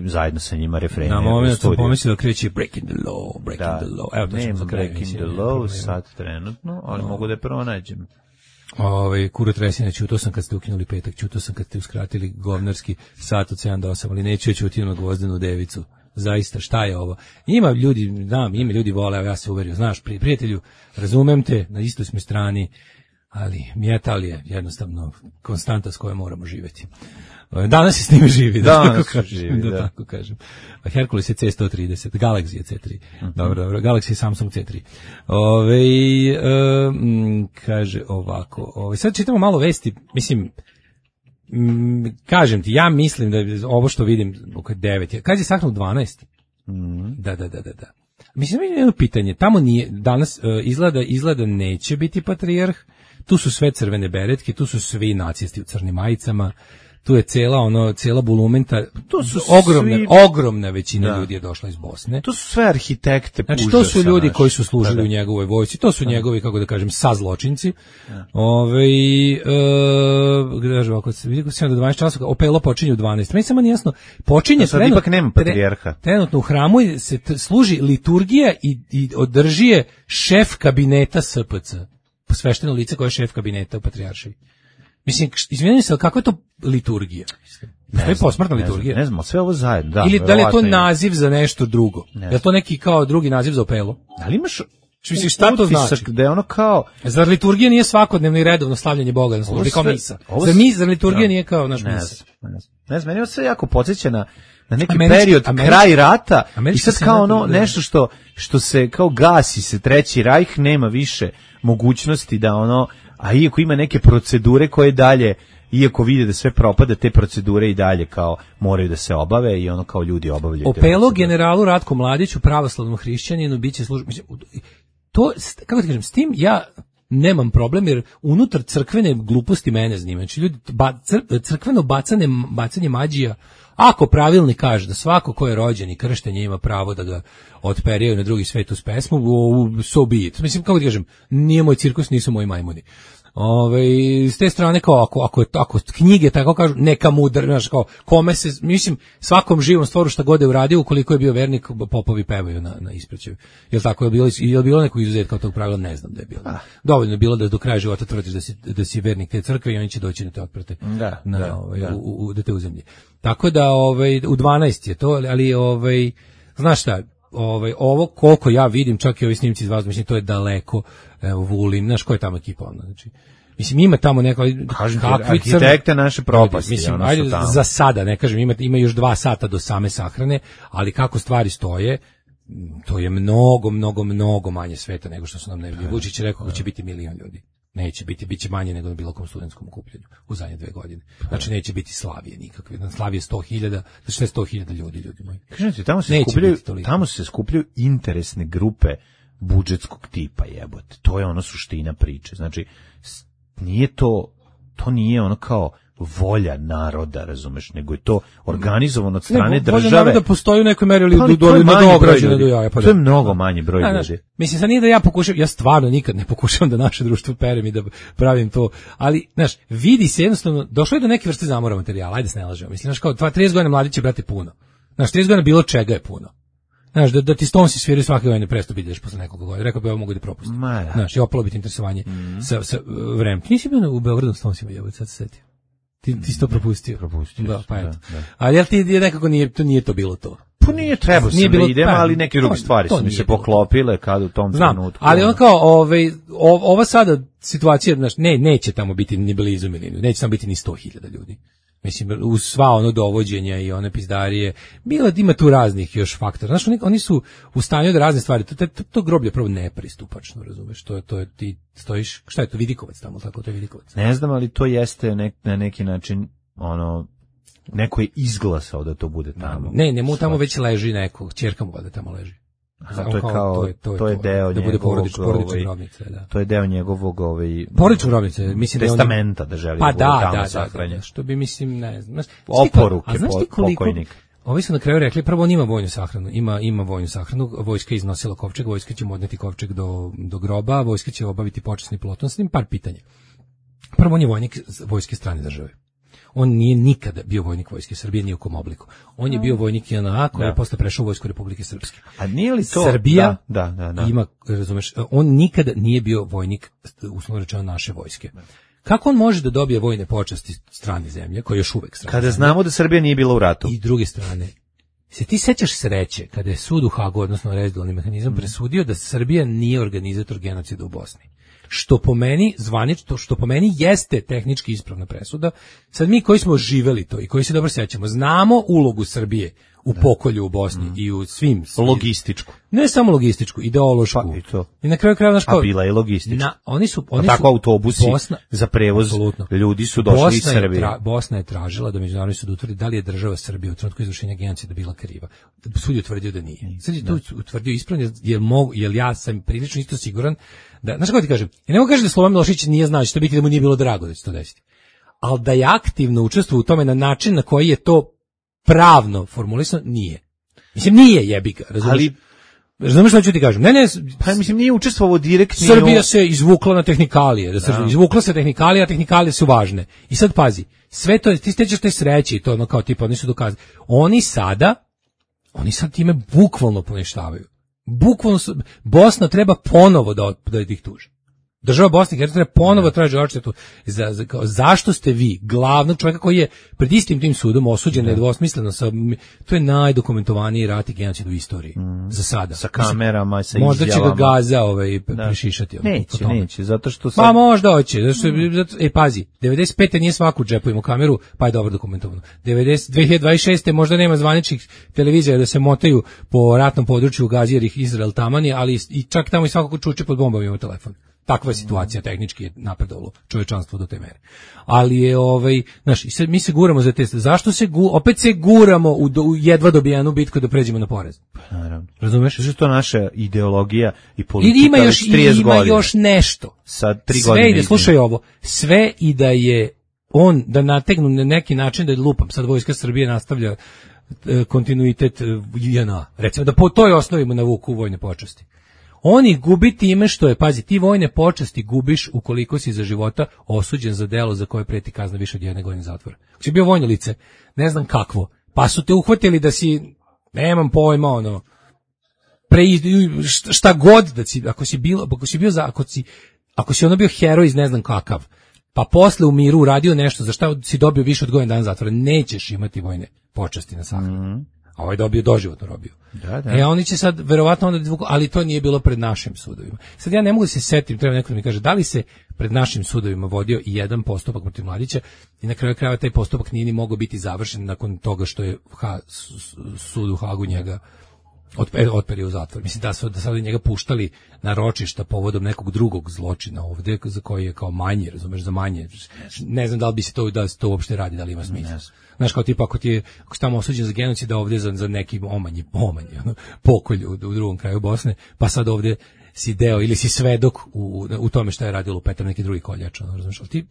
zajedno sa njima refrene. Na moment sam pomislio da kreće Breaking the Law, Breaking the Law. Evo to ćemo za Breaking the Law sad trenutno, ali mogu da je pronađem. Kuro Tresina, čutao sam kad ste ukinuli petak, čutao sam kad ste uskratili govnarski sat od 7 do 8, ali neću čuti na Gvozdenu devicu. Zaista, šta je ovo? Ima ljudi vole, ja se uverio, znaš, prijatelju, razumem te, na istoj smo strani, ali metal je jednostavno konstanta s kojom moramo živjeti. Danas se s njime živi, da tako kažem. Herkules je C130, Galaxy je C3. Dobro, Galaxy je Samsung C3. Kaže ovako, sad čitamo malo vesti, mislim, kažem ti, ja mislim da je ovo što vidim oko 9. Kad je sahranu 12? Da. Mislim, jedno pitanje, tamo nije, danas izgleda neće biti patrijarh, tu su sve crvene beretke, tu su svi nacisti u crnim majicama, tu je cela bulumenta, tu su ogromna većina ljudi je došla iz Bosne. To su sve arhitekte. Znači, to su ljudi koji su služili u njegovoj vojsci, to su njegovi, kako da kažem, sazločinci. Kaže ovako, vidim 7 do 12 časova, opelo počinje u 12. Meni samo nije jasno, počinje ipak nema patrijarha. Trenutno u hramu se služi liturgija i održi je šef kabineta SPC. Posvešteno lice koje je šef kabineta u patrijaršiji. Mislim, izvijenim se, kako je to liturgija? To je posmrtna liturgija. Ne znam, sve ovo zajedno. Da, ili da li je to naziv za nešto drugo? Da je to neki kao drugi naziv za opelo? Ali imaš šta to znači? Da je ono kao... Zar liturgija nije svakodnevno i redovno slavljanje Boga na službi, kao misa? Zar liturgija nije kao naš misa? Ne znam, meni je sve jako podsjeća na neki period, kraj rata, i sad kao ono nešto što se kao gasi se Treći rajh, nema više mogućnosti da ono, a iako ima neke procedure koje dalje, iako vide da sve propada, te procedure i dalje kao moraju da se obave i ono kao ljudi obavljaju. Opelo generalu Ratku Mladiću, pravoslavnom hrišćaninu, biće služba. To, kako ti kažem, s tim ja nemam problem, jer unutar crkvene gluposti mene zanima. Znači, ljudi, crkveno bacanje mađija, ako pravilnik kaže da svako ko je rođen i kršten ima pravo da ga otperijaju na drugi svet uz pesmu, so be it. Mislim, kako ti kažem, nije moj cirkus, nisu moji majmuni. S te strane, kao ako knjige tako kažu, neka mudar, znaš, kao kome se, mislim, svakom živom stvoru šta god je uradio, ukoliko je bio vernik, popovi pevaju na ispraćaju. Jel tako je bilo neko izuzetka od tog pravila? Ne znam da je bilo. Dovoljno je bilo da do kraja života tvrdiš da si vernik te crkve i oni će doći da te otprate da te uzemlji. Tako da u 12 je to, ali znaš šta, ovo koliko ja vidim, čak i ovi snimci iz vas, mislim, to je daleko, Vulin, znaš, ko je tamo ekipa onda, znači, mislim, ima tamo neko, arhitekte naše propasti, mislim, ajde, za sada, ne kažem, ima još 2 sata do same sahrane, ali kako stvari stoje, to je mnogo manje sveta nego što su nam najavili. Vučić je rekao da će biti 1 milion ljudi. Neće biti, bit će manje nego na bilo kom studentskom okupljanju u zadnje 2 godine. Znači, neće biti Slavije nikakve. Na Slavije 100.000, znači 100.000 ljudi moji. Kažem ti, tamo se skupljaju interesne grupe budžetskog tipa, jebote. To je ono suština priče. Znači, to nije ono kao volja naroda, razumeš, nego je to organizovano od strane države. Volja naroda postoji u nekoj meri, ali to je mnogo manji broj ljudi. Mislim, sad nije da ja pokušam, ja stvarno nikad ne pokušam da naše društvo perem i da pravim to, ali, znaš, vidi se jednostavno, došlo je do neke vrste zamora materijala, ajde se ne lažemo. Mislim, znaš, kao 30 godina mladić je, brate, puno. Znaš, 30 godina bilo čega je puno. Znaš, da ti Stonesi sviraju svake godine presto ideš posle nekoliko godina. Rekao bi, ovo mogu da propustim. Znaš, i opalo biti interesovanje sa vremem. Ti nisi bio u Beogradu s Stonesima, jebote, sad se setio. Ti si to propustio. Da, pa eto. Ali jel ti nekako nije to bilo to? Pa nije, trebao sam da idem, ali neke druge stvari su mi se poklopile kad u tom trenutku. Ali on kao, ova sada situacija, znaš, neće tamo biti ni blizu milijuna, neće tamo biti ni 100.000 ljudi. Mislim, uz sva ono dovođenja i one pizdarije, ima tu raznih još faktora. Znaš, oni su u stanju da razne stvari, to groblje prvo nepristupačno, razumeš, to je, ti stojiš, šta je to, Vidikovac tamo, tako, to je Vidikovac. Ne znam, ali to jeste na neki način, neko je izglasao da to bude tamo. Ne, mu tamo već leži neko, ćerka mu da tamo leži. To je deo njegovog grobnice, da. To je deo njegovog porodične grobnice, mislim testamenta da želi da bude tamo sahranjen. Što bi, mislim, ne znam. Oporuke pokojnika. Ovi su na kraju rekli, prvo on ima vojnu sahranu, ima vojnu sahranu, vojska je iznosila kovčeg, vojska će mu odneti kovčeg do groba, vojska će obaviti počasni ploton, s njim par pitanja. Prvo, on je vojnik vojske strane države. On nije nikada bio vojnik Vojske Srbije ni u kom obliku. On je bio vojnik JNA koji je posle prešao u Vojsku Republike Srpske. A nije li to? Srbija da. ima, razumeš, on nikada nije bio vojnik, uslovno rečeno, naše vojske. Kako on može da dobije vojne počasti strane zemlje, koje još uvek strane kada zemlje? Znamo da Srbija nije bila u ratu. I druge strane, se ti sećaš sreće kada je sud u Hagu, odnosno rezidualni mehanizam, presudio da Srbija nije organizator genocida u Bosni? Što po meni zvanično, što po meni jeste tehnički ispravna presuda. Sad mi koji smo živeli to i koji se dobro sećamo, znamo ulogu Srbije u pokolju u Bosni i u svim logističku. Ne samo logističku, ideološku. Pa i to. I na kraju krajeva a bila je logistička. Oni su tako autobusi za prevoz ljudi su došli iz Srbije. Bosna je tražila da međunarodni sud utvrdi da li je država Srbija u trenutku izvršenja genocida bila kriva. Sud je utvrdio da nije. Sad je to utvrdio ispravno, jer ja sam prilično isto siguran da, znaš kako ti kažem, ja ne mogu kažem da Slobodan Milošević nije znao da će to biti, da mu nije bilo drago da će to desiti. Ali da je aktivno učestvovao u tome na način na koji je to pravno formulisano, nije. Mislim, nije jebiga, razumiješ? Razumiješ što ću ti kažem? Ne, pa mislim nije učestvovao direktno. Srbija se izvukla na tehnikalije, izvukla se tehnikalije, a tehnikalije su važne. I sad pazi, sve to, ti stećeš te sreće i to ono kao tipa, oni su dokazali. Oni sad time bukvalno poništavaju. Bukvalno Bosna treba ponovo da ih tuži. Država Bosne i Hercegovine treba ponovo traži odštetu. Zašto ste vi glavnog čovjeka koji je pred istim tim sudom osuđen nedvosmisleno, to je najdokumentovaniji rat i genocid u istoriji za sada. Sa kamerama, sa izjavama. Možda će ga Gaza prešišati. Neće, zato što pa možda hoće. Pazi, 95. nije svaku džepu imao kameru, pa je dobro dokumentovano. 2026. možda nema zvaničnih televizija da se motaju po ratnom području u Gazi jer ih Izrael tamani, ali i čak tamo i svakako čuče pod bombama ima telefon. Takva je situacija, tehnički je napredovalo čovječanstvo do te mere. Ali je znaš, i sad mi se guramo za te, zašto se opet se guramo u jedva dobijanu bitku da pređemo na porez? Pa naravno. Razumeš? Što je to naša ideologija i politika već 30 godina. Ima još nešto. Sad 3 sve godine. Ide, slušaj ovo, sve i da je on, da nategnu na neki način da je lupam, sad Vojska Srbije nastavlja kontinuitet JNA. Recimo da po toj osnovi mu navuku vojne počasti. Oni gubi time što je, pazi, ti vojne počasti gubiš ukoliko si za života osuđen za delo za koje preti kazna više od 1 godine zatvora. Ako si bio vojno lice, ne znam kakvo, pa su te uhvatili da si, nemam pojma, šta god da si, ako si bio heroj iz ne znam kakav, pa posle u miru uradio nešto za šta si dobio više od godinu dana zatvora, nećeš imati vojne počasti na sahranu. A ovaj dobio doživotnu robiju. Da. Oni će sad verovatno onda ali to nije bilo pred našim sudovima. Sad ja ne mogu da se setim, treba neko da mi kaže da li se pred našim sudovima vodio i jedan postupak protiv Mladića i na kraju krajeva taj postupak nije ni mogao biti završen nakon toga što je sud u Hagu njega otperio u zatvor. Mislim da su sad njega puštali na ročišta povodom nekog drugog zločina ovde za koji je kao manji, razumeš, za manje. Ne znam da li bi se to uopšte radi, da li ima smisla. Znaš, kao tipa, ako si tamo osuđen za genocid, da ovdje za neki omanji, pokolj u drugom kraju Bosne, pa sad ovdje si deo ili si svedok u tome šta je radilo Petar neki drugi koljač, znaš, ali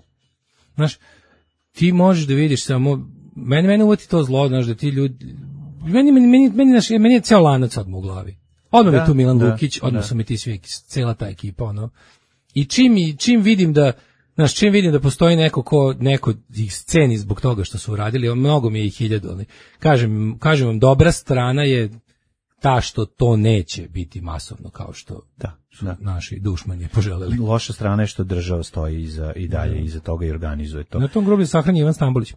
ti možeš da vidiš samo, mene uvati to zlo, znaš, da ti ljudi, meni je ceo lanac odmah u glavi. Odmah mi tu Milan Lukić, odmah su mi ti svi, cela ta ekipa, i čim vidim da postoji neko ih sceni zbog toga što su uradili, mnogo mi je i 1000, ali kažem vam, dobra strana je ta što to neće biti masovno kao što su naši dušmani poželeli. Loša strana je što država stoji i dalje iza toga i organizuje to. Na tom groblju sahranjen Ivan Stambolić.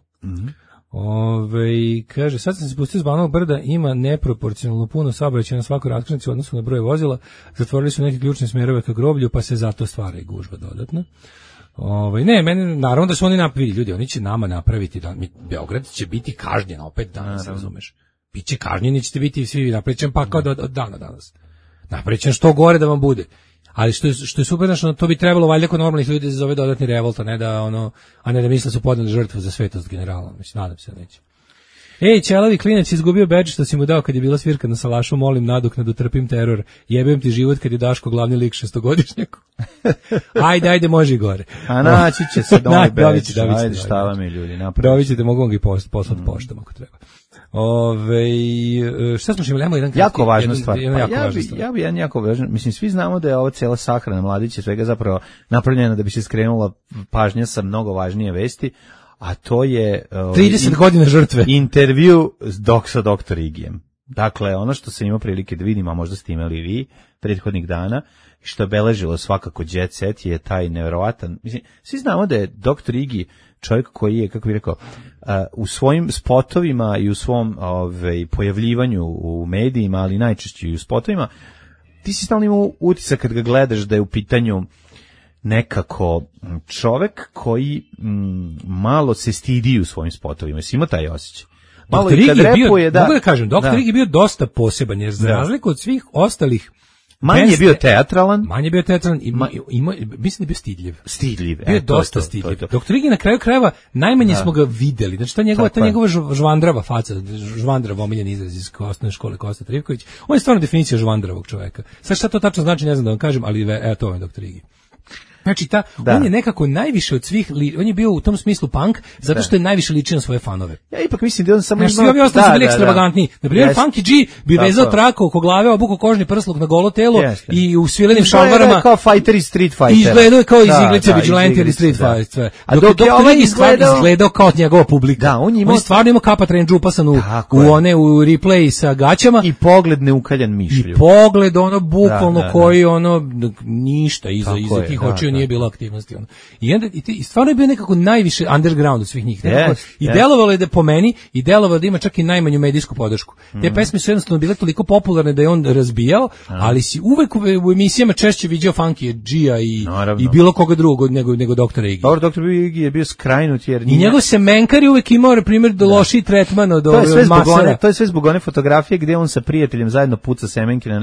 Kaže, sad sam se spustio s Banovog brda, ima neproporcionalno puno saobraćaja na svakoj raskrsnici u odnosu na broj vozila, zatvorili su neke ključne smerove ka groblju, pa se zato stvara i gužva dodatno. Naravno da su oni napravili, ljudi, oni će nama napraviti, Beograd će biti kažnjen opet danas, razumeš? Biće kažnjeni, ćete biti svi napravit pa kao od dana danas. Napravit što gore da vam bude. Ali što je super, znači, to bi trebalo valjda kod normalnih ljudi da se zove dodatni revolt, a ne da misle su podneli žrtvu za svetost generala. Mislim, nadam se da neće. Ćelavi klinac izgubio bedž što si mu dao kad je bila svirka na salašu, molim nadoknadu, trpim teror, jebem ti život kad je Daško glavni lik 6-godišnjak. Ajde, može i gore. A naći će se novi bedž, ajde, šta vam je ljudi, napraviti. Dobit ćete, mogu vam ga poslati poštom ako treba. Šta smo imali? Jedan jako važna stvar. Ja bi jedan jako važan. Mislim, svi znamo da je ova cela sahrana Mladića svega zapravo napravljena da bi se skrenula pažnja sa mnogo važnije vesti, a to je 30 godina žrtve. Intervju sa doktor Igijem. Dakle, ono što sam imao prilike da vidim, a možda ste imali vi prethodnih dana, što je beležilo svakako Jet Set je taj nevjerovatan, mislim, svi znamo da je doktor Igi čovjek koji je, kako bih rekao, u svojim spotovima i u svom pojavljivanju u medijima, ali najčešće i u spotovima, ti si stalno imao utisak kad ga gledaš da je u pitanju nekako čovjek koji malo se stidi u svojim spotovima. Si imao taj osjećaj? Malo i kad repuje, mogu da kažem, doktor Igi je bio dosta poseban, jer za razliku od svih ostalih manje je bio teatralan. I mislim da je bio stidljiv. Bio je dosta stidljiv. Doktor Igi na kraju krajeva najmanje smo ga videli. Znači ta njegova žvandrava faca, žvandrav omiljen izraz iz osnovne škole Kosta Trivković. On je stvarno definicija žvandravog čoveka. Sad šta to tačno znači, ne znam da vam kažem, ali evo to je doktor Igi. Znači on je nekako najviše od svih, on je bio u tom smislu punk, zato što je najviše ličio na svoje fanove. Ja ipak mislim da on samo svi ovi ostali su bili ekstravagantni. Na primjer, Funky G bi vezao traku oko glave, obukao kožni prsluk na golo telo i u svilenim šalvarama. Kao fighter iz Street Fighter. Izgledao kao iz iglice Vigilante ili Street Fighter. A dok je ovaj izgledao kao njegova publika. Da, on stvarno imao kapa trenđu upasan u replay sa gaćama. I pogled neukaljan mišlju. I pogled bukvalno koji ništa iza tih očiju nije bilo aktivnosti. I stvarno je bio nekako najviše underground od svih njih. I delovalo je da po meni, i delovalo da ima čak i najmanju medijsku podršku. Te pesme su jednostavno bile toliko popularne da je on razbijao, ali si uvek u emisijama češće viđao Funky G-a i bilo koga drugog nego doktora Igi. Dobro, doktor Igi je bio skrajnut jer... I njegov semenkar je uvek imao, na primjer, lošiji tretman od masera. To je sve zbog one fotografije gde on sa prijateljem zajedno puca semenke na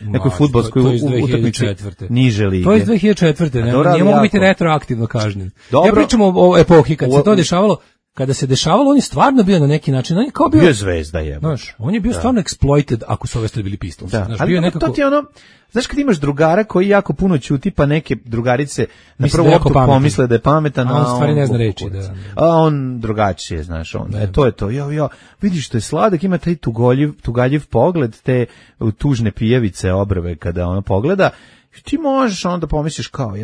nekoj fudbalskoj utakmici niže lige. To je 2004. Nije mogu biti retroaktivno kažnjen. Ja pričam o epohi kad se to dešavalo. Kada se dešavalo, on je stvarno bio na neki način, on je kao bio zvezda je. Znaš, on je bio stvarno exploited ako su ove stvari bili Pistols. Znaš, bio nekako... to ti znaš kad imaš drugara koji jako puno ćuti, pa neke drugarice na prvu loptu pomisle da je pametan, a on stvari ne zna reći. A on drugačije, znaš, to je to. Vidiš što je sladak, ima taj tugaljiv pogled, te tužne pijevice obrve kada ona pogleda. Ti možeš onda pomisliš kao,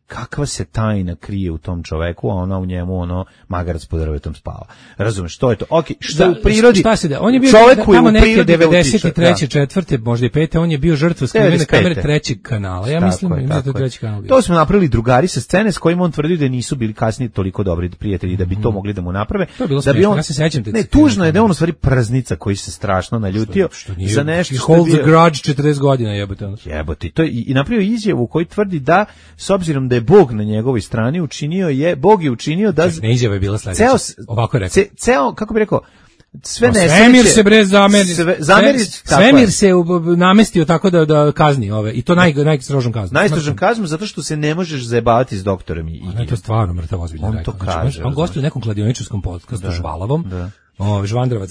kakva se tajna krije u tom čoveku, a ona u njemu magarac pod drvetom spava. Razumeš, to je to. Okej, što je u prirodi? Šta se da? On je bio tamo neke 93. 4. možda i 5. on je bio žrtva skrivene kamere trećeg kanala. Ja mislim da je to treći kanal bio. To smo napravili drugari sa scene s kojima on tvrdi da nisu bili kasnije toliko dobri prijatelji da bi to mogli da mu naprave. To je bilo smiješno, ja se sećam te. Ne, tužno je da on u stvari praznica koji se strašno naljutio za nešto što je bio. Grudge 40 godina jebote. To i napravio izjavu koji tvrdi da s obzirom da je Bog na njegovoj strani Bog je učinio da... Ne, izjava je bila sledeća. Ovako je rekao. Ceo, kako bi rekao, Svemir se Svemir se namestio tako da kazni ove, i to najstrožom kaznom. Najstrožom kaznom zato što se ne možeš zajebavati s doktorom Igijom. To je stvarno mrtav ozbiljno. On to kaže. On gostuje u nekom kladioničarskom podcastu Žvalavom. Žvandravac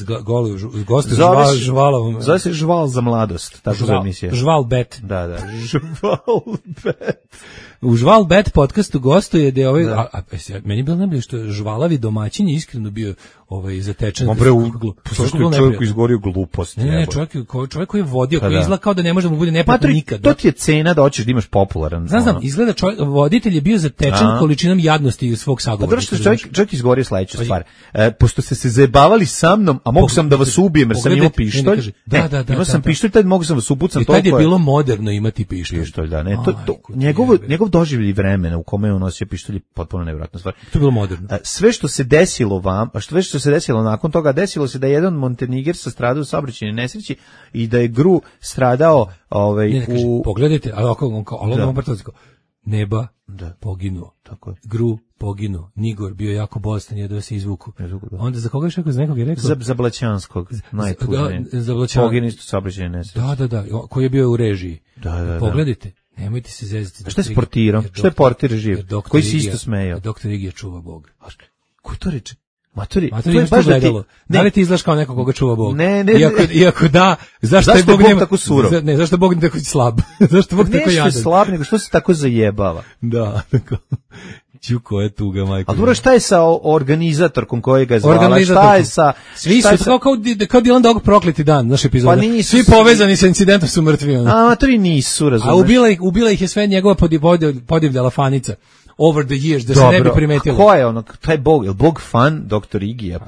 gostuje Žvalavom. Zove se Žval za mladost, tako da emisija. Žval Bet. Da, Žval Bet. U Žval Bet podcastu gostuje da je meni je bilo najbolje što žvalavi domaćin je iskreno bio zatečen. Čovjek izgorio glupost. Ne, čovjek koji je vodio, koji izgleda kao da ne može mu bude neprijatno nikad. To ti je cena da hoćeš da imaš popularan. Znam, izgleda voditelj je bio zatečen količinom jadnosti svog sagovornika. Zato što čovjek izgorio sledeću stvar. Pošto ste se zajebavali sa mnom, a mogu sam da vas ubijem jer sam imao pištolj. Imao sam pištolj, tad mogu sam vas upucam. I tad je bilo moderno imati pištolj. Njegov doživljaj vremena u kome je on nosio pištolj je potpuno nevjerojatna stvar. To je bilo moderno. Sve što se desilo što se desilo nakon toga, desilo se da je jedan Montenigersa stradao u saobraćajnoj nesreći i da je Gru stradao pogledajte, Neba poginuo. Tako je. Gru poginuo. Nigor bio jako bolestan, jedva se izvuku. Onda za koga je rekao? Za nekog je rekao? Za Blaćanskog, najtužnije. Poginuo isto saobraćajne nesreće. Da. Koji je bio u režiji. Da. Pogledajte. Nemojte se zezati. Šta je s portirom? Šta je portir živ? Koji si isto smejao? Doktor Igija čuva Bog. Ko to reče? Maturi, to je baš da li ti izgledaš kao neko koga čuva Bog? Ne. Iako da, zašto je Bog tako surov? Ne, zašto je Bog tako slab? Zašto je Bog tako jadan? Ne, slab, nego što se tako zajebava? Da, tako. Čuko je tuga, majko. A dobro, šta je sa organizatorkom koja ga je zvala? Šta je sa... Svi su kao Dylan Dog prokleti dan, naš epizoda. Svi povezani sa incidentom su mrtvi. A maturi nisu, razumeš? A ubila ih je sve njegova podivljala fanica. over the years, da se ne bi primetilo. Ko je ono, taj Bog, je Bog fan Dr. Igija,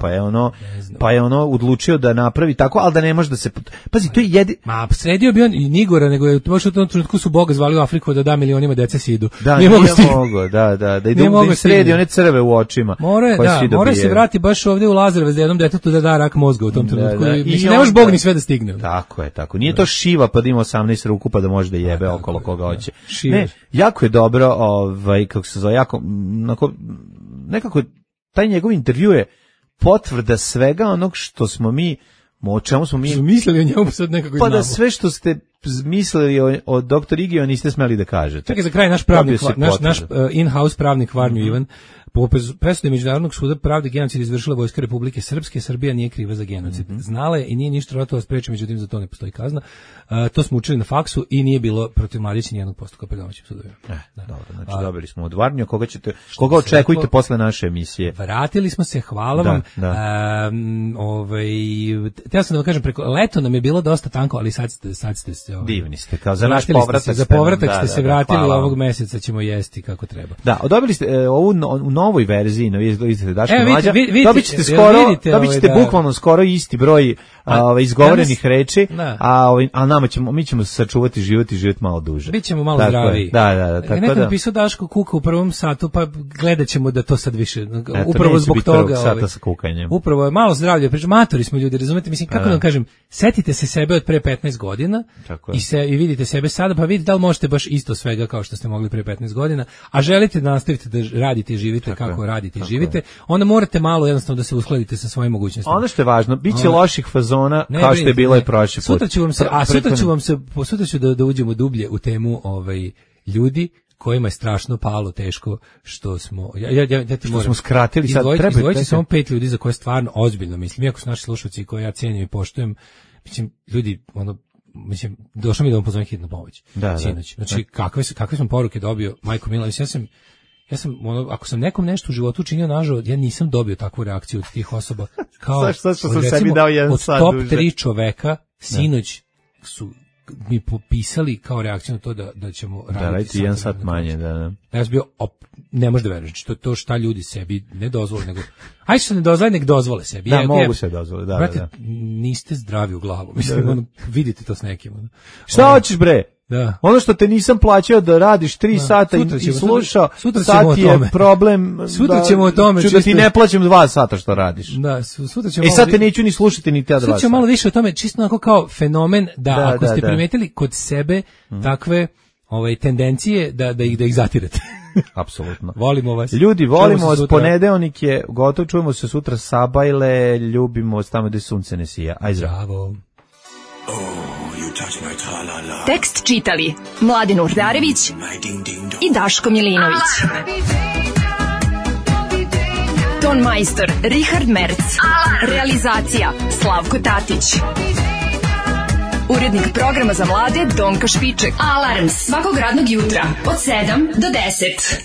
pa je ono odlučio da napravi tako, ali da ne može da se... Pazi, to je Ma, sredio bi on i Nigora, nego je baš u tom trenutku su Boga zvali u Afriku da da milionima dece sidu. Da, nije mogo, da im sredi one crve u očima. Mora se vrati baš ovdje u Lazarevac da jednom detetu da rak mozga u tom trenutku. Mislim, ne može Bog ni sve da stigne. Tako je. Nije to Šiva pa da ima 18 ruku pa da može da jebe okolo koga hoće. Ne, jako je dobro, kako se zove, jako, nekako, taj njegov intervju je potvrda svega onog što smo mi, o čemu smo mi... mislili o njemu sad nekako pa da sve što ste mislili o Dr. Igiju niste smeli da kažete. Čekaj, za kraj naš pravnik, naš in-house pravnik Varnju Ivan, po presudi Međunarodnog suda pravde genocid izvršila Vojska Republike Srpske, Srbija nije kriva za genocid. Znala je i nije ništa ratova spreči, međutim za to ne postoji kazna. To smo učili na faksu i nije bilo protiv Mladića nijednog postupka pred domaćim sudovima. Dobro, znači dobili smo od Varnju, koga očekujete posle naše emisije? Vratili smo se, hvala vam. Teo sam da vam kažem, preko leto nam je bilo dosta tanko, ali sad ste se... Divni ste, kao za naš povratak. Za povratak ste se vratili, ovog meseca ćemo jesti kako treba. Da, dobili ste ovu novoj verziji, vidite Daško Mlađa, dobit ćete bukvalno skoro isti broj izgovorenih reči, a mi ćemo sačuvati život i život malo duže. Bićemo malo zdraviji. Da. Neko napisao Daško kuka u prvom satu, pa gledat ćemo da to sad više, upravo zbog toga. Sata sa kukanjem. Upravo je malo zdravlje, matori smo ljudi, razumete, mislim, kako da vam kažem, setite se sebe od pre 15 godina i vidite sebe sada, pa vidite da li možete baš isto svega kao što ste mogli pre 15 godina, a želite da nastavite da radite i živite kako radite i živite, onda morate malo jednostavno da se uskladite sa svojim mogućnostima. Ono što je važno, bit će loših fazona kao što je bilo i prošli put. Sutra ću da uđemo dublje u temu ljudi kojima je strašno palo teško što smo što smo skratili sad izdvojiti samo 5 ljudi za koje stvarno ozbiljno mislim, iako su naši slušalci koje ja cijenim i poštujem, mislim, ljudi, došlo mi da vam pozovem hitnu pomoć sinoć. Znači, kakve sam poruke dobio, majko mila, mislim, ja sam ako sam nekom nešto u životu učinio nažalost, ja nisam dobio takvu reakciju od tih osoba. Kao što sam sebi dao jedan sat top 3 čoveka sinoć su mi popisali kao reakciju na to da ćemo raditi jedan sat manje. Da. Ja sam bio, ne možeš da veruješ, to šta ljudi sebi ne dozvole, nego ajde što ne dozvole, nek dozvole sebi. Da, mogu se dozvoliti, da. Brate, niste zdravi u glavu, mislim, vidite to s nekim. Šta hoćeš, bre? Da. Ono što te nisam plaćao da radiš 3 sata i slušao, sad je problem. Sutra ćemo o tome. Ću da ti ne plaćam 2 sata što radiš. Da, sutra ćemo. Sad te neću ni slušati ni te 2 sata. Sutra ćemo malo više o tome, čisto onako kao fenomen da ako ste primetili kod sebe takve tendencije da ih zatirate. Apsolutno. Volimo vas. Ljudi, volimo vas, ponedeljnik je gotov, čujemo se sutra Sabajle, ljubimo vas tamo gde sunce ne sija. Aj zdravo. Tekst čitali Mladen Urdarević i Daško Milinović. Ton majstor Richard Merc. Realizacija Slavko Tatić. Urednik programa za mlade Donka Špiček. Alarms svakog radnog jutra od 7 do 10.